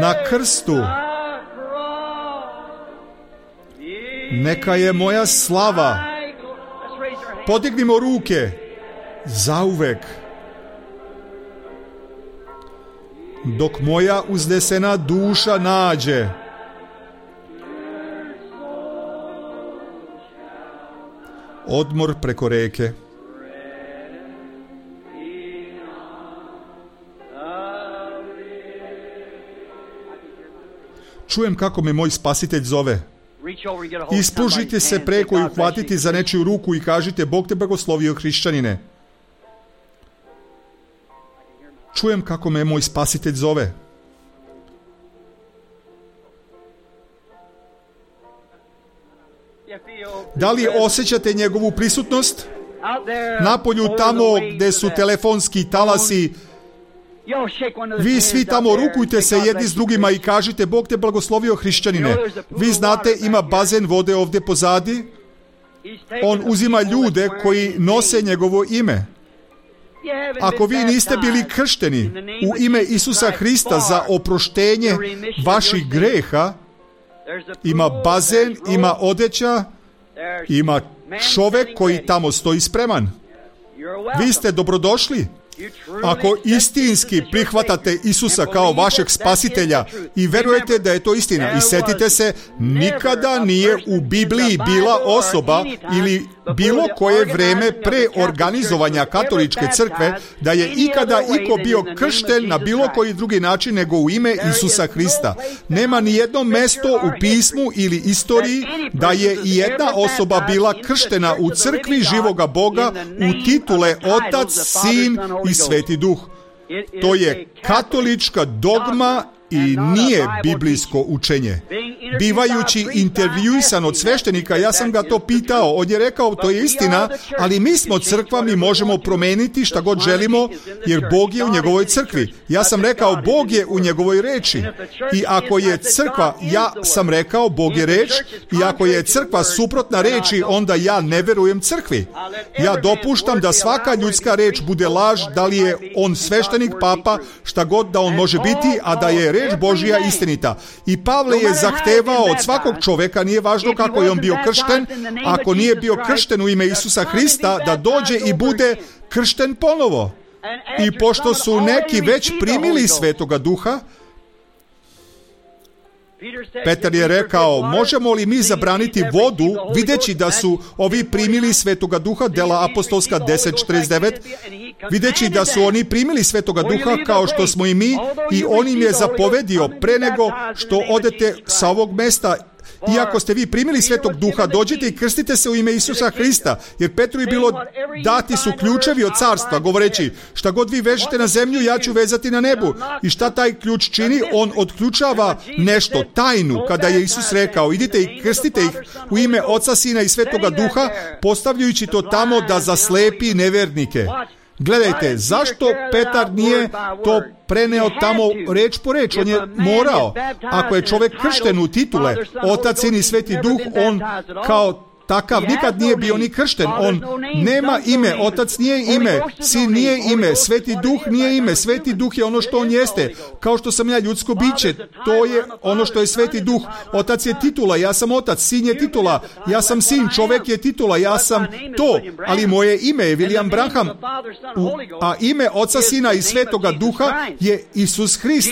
na krstu, neka je moja slava. Podignimo ruke zauvek. Dok moja uznesena duša nađe odmor preko reke. Čujem kako me moj spasitelj zove. Ispružite se preko i uhvatiti za nečiju ruku i kažite: Bog te blagoslovio, hrišćanine. Čujem kako me moj spasitelj zove. Da li osjećate njegovu prisutnost? Napolju, tamo gde su telefonski talasi, vi svi tamo rukujte se jedni s drugima i kažite: Bog te blagoslovio, hrišćanine. Vi znate, ima bazen vode ovdje pozadi. On uzima ljude koji nose njegovo ime. Ako vi niste bili kršteni u ime Isusa Hrista za oproštenje vaših greha, ima bazen, ima odeća, ima čovjek koji tamo stoji spreman. Vi ste dobrodošli. Ako istinski prihvatate Isusa kao vašeg spasitelja i verujete da je to istina, i setite se, nikada nije u Bibliji bila osoba ili bilo koje vreme pre organizovanja katoličke crkve da je ikada iko bio kršten na bilo koji drugi način nego u ime Isusa Hrista. Nema ni jedno mesto u pismu ili istoriji da je i jedna osoba bila krštena u crkvi živoga Boga u titule Otac, Sin i Sveti Duh. To je katolička dogma i nije biblijsko učenje. Bivajući intervjuisan od sveštenika, ja sam ga to pitao. On je rekao: to je istina, ali mi smo crkva, mi možemo promeniti šta god želimo, jer Bog je u njegovoj crkvi. Ja sam rekao: Bog je u njegovoj reči. I ako je crkva, ja sam rekao, Bog je reč, i ako je crkva suprotna reči, onda ja ne verujem crkvi. Ja dopuštam da svaka ljudska reč bude laž, da li je on sveštenik, papa, šta god da on može biti, a da je reč Božija istinita. I Pavle je zahtevao od svakog čoveka, nije važno kako je on bio kršten, ako nije bio kršten u ime Isusa Hrista, da dođe i bude kršten ponovo. I pošto su neki već primili Svetoga Duha, Petar je rekao: možemo li mi zabraniti vodu, videći da su ovi primili Svetoga Duha, Dela apostolska deset četrdeset devet, videći da su oni primili Svetoga Duha kao što smo i mi, i on im je zapovedio pre nego što odete sa ovog mesta: iako ste vi primili Svetog Duha, dođite i krstite se u ime Isusa Hrista, jer Petru je bilo dati su ključevi od carstva, govoreći: šta god vi vežete na zemlju, ja ću vezati na nebu. I šta taj ključ čini? On otključava nešto, tajnu. Kada je Isus rekao: idite i krstite ih u ime Oca, Sina i Svetoga Duha, postavljajući to tamo da zaslepi nevernike. Gledajte, zašto Petar nije to preneo tamo reč po reč? On je morao. Ako je čovjek kršten u titule Otac, Sin i Sveti Duh, on kao takav nikad nije bio ni kršten. On nema ime, Otac nije ime, Sin nije ime, Sveti Duh nije ime. Sveti Duh je ono što on jeste. Kao što sam ja ljudsko biće, to je ono što je Sveti Duh. Otac je titula, ja sam Otac. Sin je titula, ja sam Sin. Čovjek je titula, ja sam to. Ali moje ime je William Branham. A ime Oca, Sina i Svetoga Duha je Isus Hrist.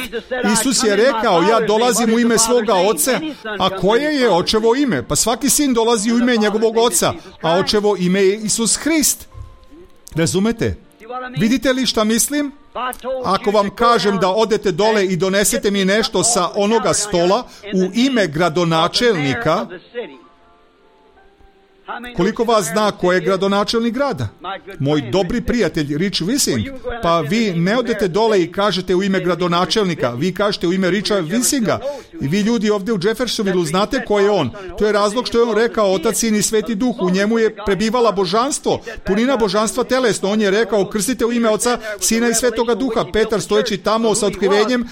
Isus je rekao, ja dolazim u ime svoga Oca. A koje je Očevo ime? Pa svaki sin dolazi u ime njegovog Oca, a Očevo ime je Isus Hrist. Razumete? Vidite li šta mislim? Ako vam kažem da odete dole i donesete mi nešto sa onoga stola u ime gradonačelnika, koliko vas zna ko je gradonačelnik grada? Moj dobri prijatelj Rich Wissing. Pa vi ne odete dole i kažete u ime gradonačelnika, vi kažete u ime Richa Wissinga. I vi ljudi ovdje u Jeffersonville znate ko je on. To je razlog što je on rekao Otac, Sin i Sveti Duh. U njemu je prebivala božanstvo, punina božanstva telesno. On je rekao krstite u ime Oca, Sina i Svetoga Duha. Petar stojeći tamo sa otkrivenjem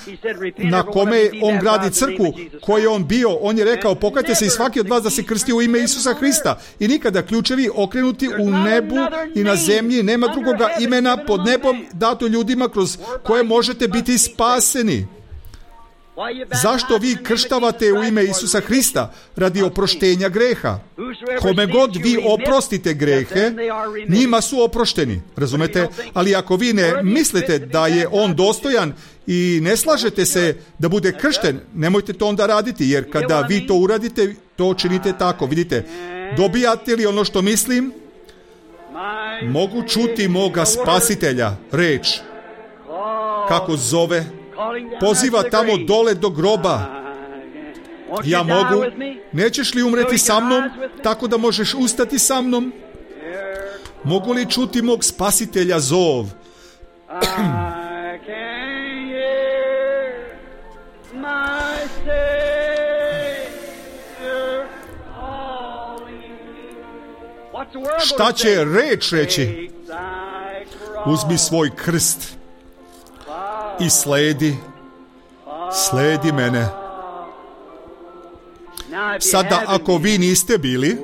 na kome on gradi crkvu, koji je on bio, on je rekao pokajte se i svaki od vas da se krsti u ime Isusa Hrista. I nikada ključevi okrenuti u nebu i na zemlji, nema drugoga imena pod nebom dato ljudima kroz koje možete biti spaseni. Zašto vi krštavate u ime Isusa Hrista? Radi oproštenja greha. Kome god vi oprostite grehe, njima su oprošteni. Razumete? Ali ako vi ne mislite da je on dostojan i ne slažete se da bude kršten, nemojte to onda raditi, jer kada vi to uradite, to činite tako. Vidite, dobijate li ono što mislim? Mogu čuti moga spasitelja, reč. Kako zove? Poziva tamo dole do groba. Ja mogu. Nećeš li umreti sa mnom, tako da možeš ustati sa mnom? Mogu li čuti mog spasitelja zov? Šta će reč reći? Uzmi svoj krst i sledi, sledi mene. Sada ako vi niste bili,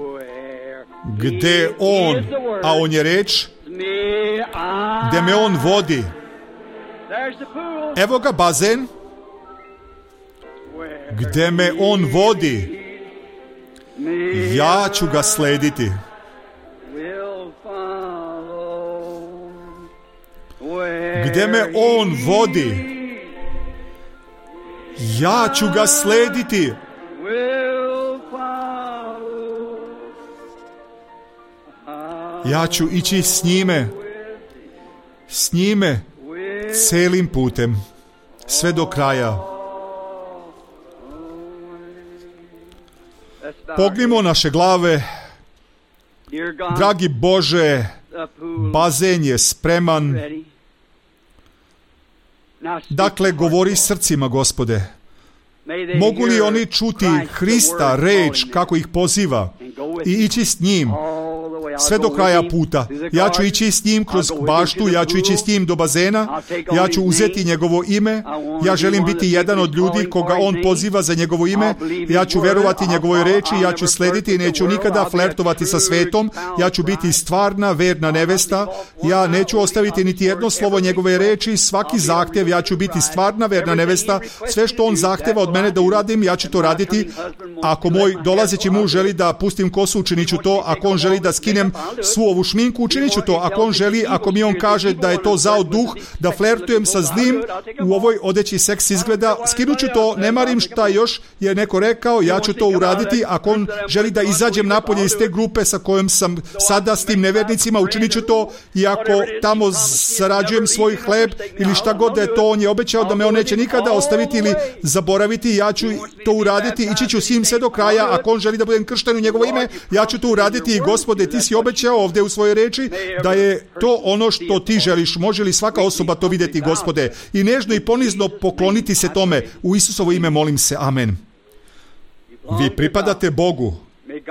gde on, a on je reč, gde me on vodi. Evo ga bazen, gde me on vodi. Ja ću ga slediti. Gde me on vodi, ja ću ga slediti. Ja ću ići s njime, s njime, celim putem, sve do kraja. Pognimo naše glave. Dragi Bože, bazen je spreman. Dakle, govori srcima, Gospode. Mogu li oni čuti Hrista, reč, kako ih poziva i ići s njim sve do kraja puta? Ja ću ići s njim kroz baštu, ja ću ići s njim do bazena, ja ću uzeti njegovo ime, ja želim biti jedan od ljudi koga on poziva za njegovo ime, ja ću verovati njegovoj reči, ja ću slediti i neću nikada flertovati sa svetom, ja ću biti stvarna, verna nevesta, ja neću ostaviti niti jedno slovo njegove reči, svaki zahtev, ja ću biti stvarna, verna nevesta, sve što on zahteva od mene da uradim, ja ću to raditi. Ako moj dolazeći muž želi da pustim kosu, učinit ću to. Ako on želi da skinem svu ovu šminku, učinit ću to. Ako on želi, ako mi on kaže da je to zao duh, da flertujem sa zlim, u ovoj odeći seks izgleda, skinut ću to, ne marim šta još je neko rekao, ja ću to uraditi. Ako on želi da izađem napolje iz te grupe sa kojom sam sada s tim nevernicima, učinit ću to. I ako tamo zarađujem svoj hleb ili šta god da je to, on je obećao da me on neće nikada ostaviti ili zaboraviti, ja ću to uraditi, ići ću s njim sve do kraja. Ako on želi da budem kršten u njegovo ime, ja ću to uraditi. I Gospode, ti si obećao ovdje u svojoj reči da je to ono što ti želiš. Može li svaka osoba to vidjeti, Gospode, i nežno i ponizno pokloniti se tome? U Isusovo ime molim se, amen. Vi pripadate Bogu.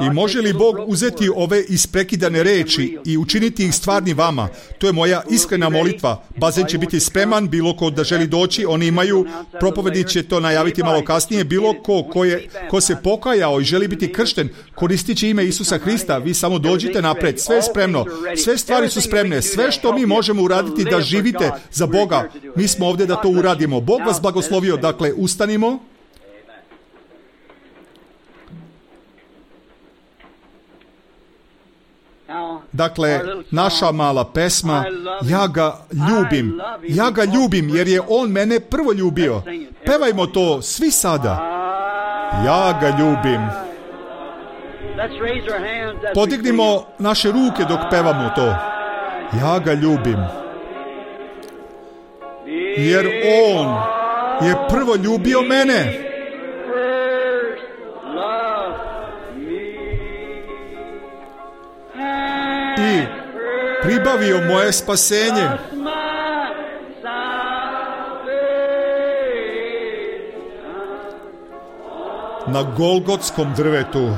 I može li Bog uzeti ove isprekidane reči i učiniti ih stvarni vama? To je moja iskrena molitva. Bazen će biti spreman, bilo ko da želi doći, oni imaju, propovednik će to najaviti malo kasnije, bilo ko, ko, je, ko se pokajao i želi biti kršten, koristit će ime Isusa Hrista, vi samo dođite napred, sve je spremno, sve stvari su spremne, sve što mi možemo uraditi da živite za Boga, mi smo ovdje da to uradimo. Bog vas blagoslovio, dakle, ustanimo. Dakle, naša mala pesma, ja ga ljubim, ja ga ljubim jer je on mene prvo ljubio. Pevajmo to svi sada. Ja ga ljubim. Podignimo naše ruke dok pevamo to. Ja ga ljubim. Jer on je prvo ljubio mene. I pribavio moje spasenje. Na Golgotskom drvetu.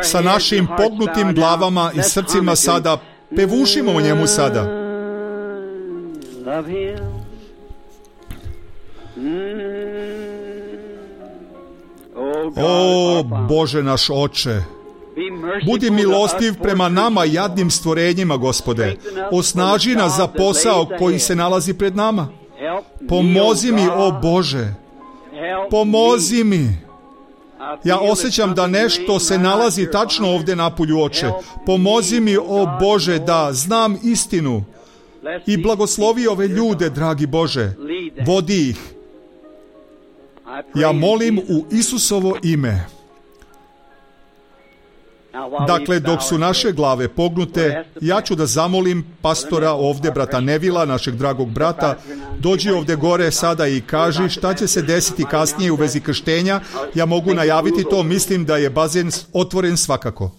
Sa našim pognutim glavama i srcima sada pevušimo o njemu sada. O Bože naš Oče, budi milostiv prema nama jadnim stvorenjima, Gospode. Osnaži nas za posao koji se nalazi pred nama. Pomozi mi, o Bože, pomozi mi. Ja osjećam da nešto se nalazi tačno ovdje napolju, Oče. Pomozi mi, o Bože, da znam istinu. I blagoslovi ove ljude, dragi Bože. Vodi ih. Ja molim u Isusovo ime. Dakle, dok su naše glave pognute, ja ću da zamolim pastora ovdje, brata Nevila, našeg dragog brata, dođi ovdje gore sada i kaži šta će se desiti kasnije u vezi krštenja. Ja mogu najaviti to, mislim da je bazen otvoren svakako.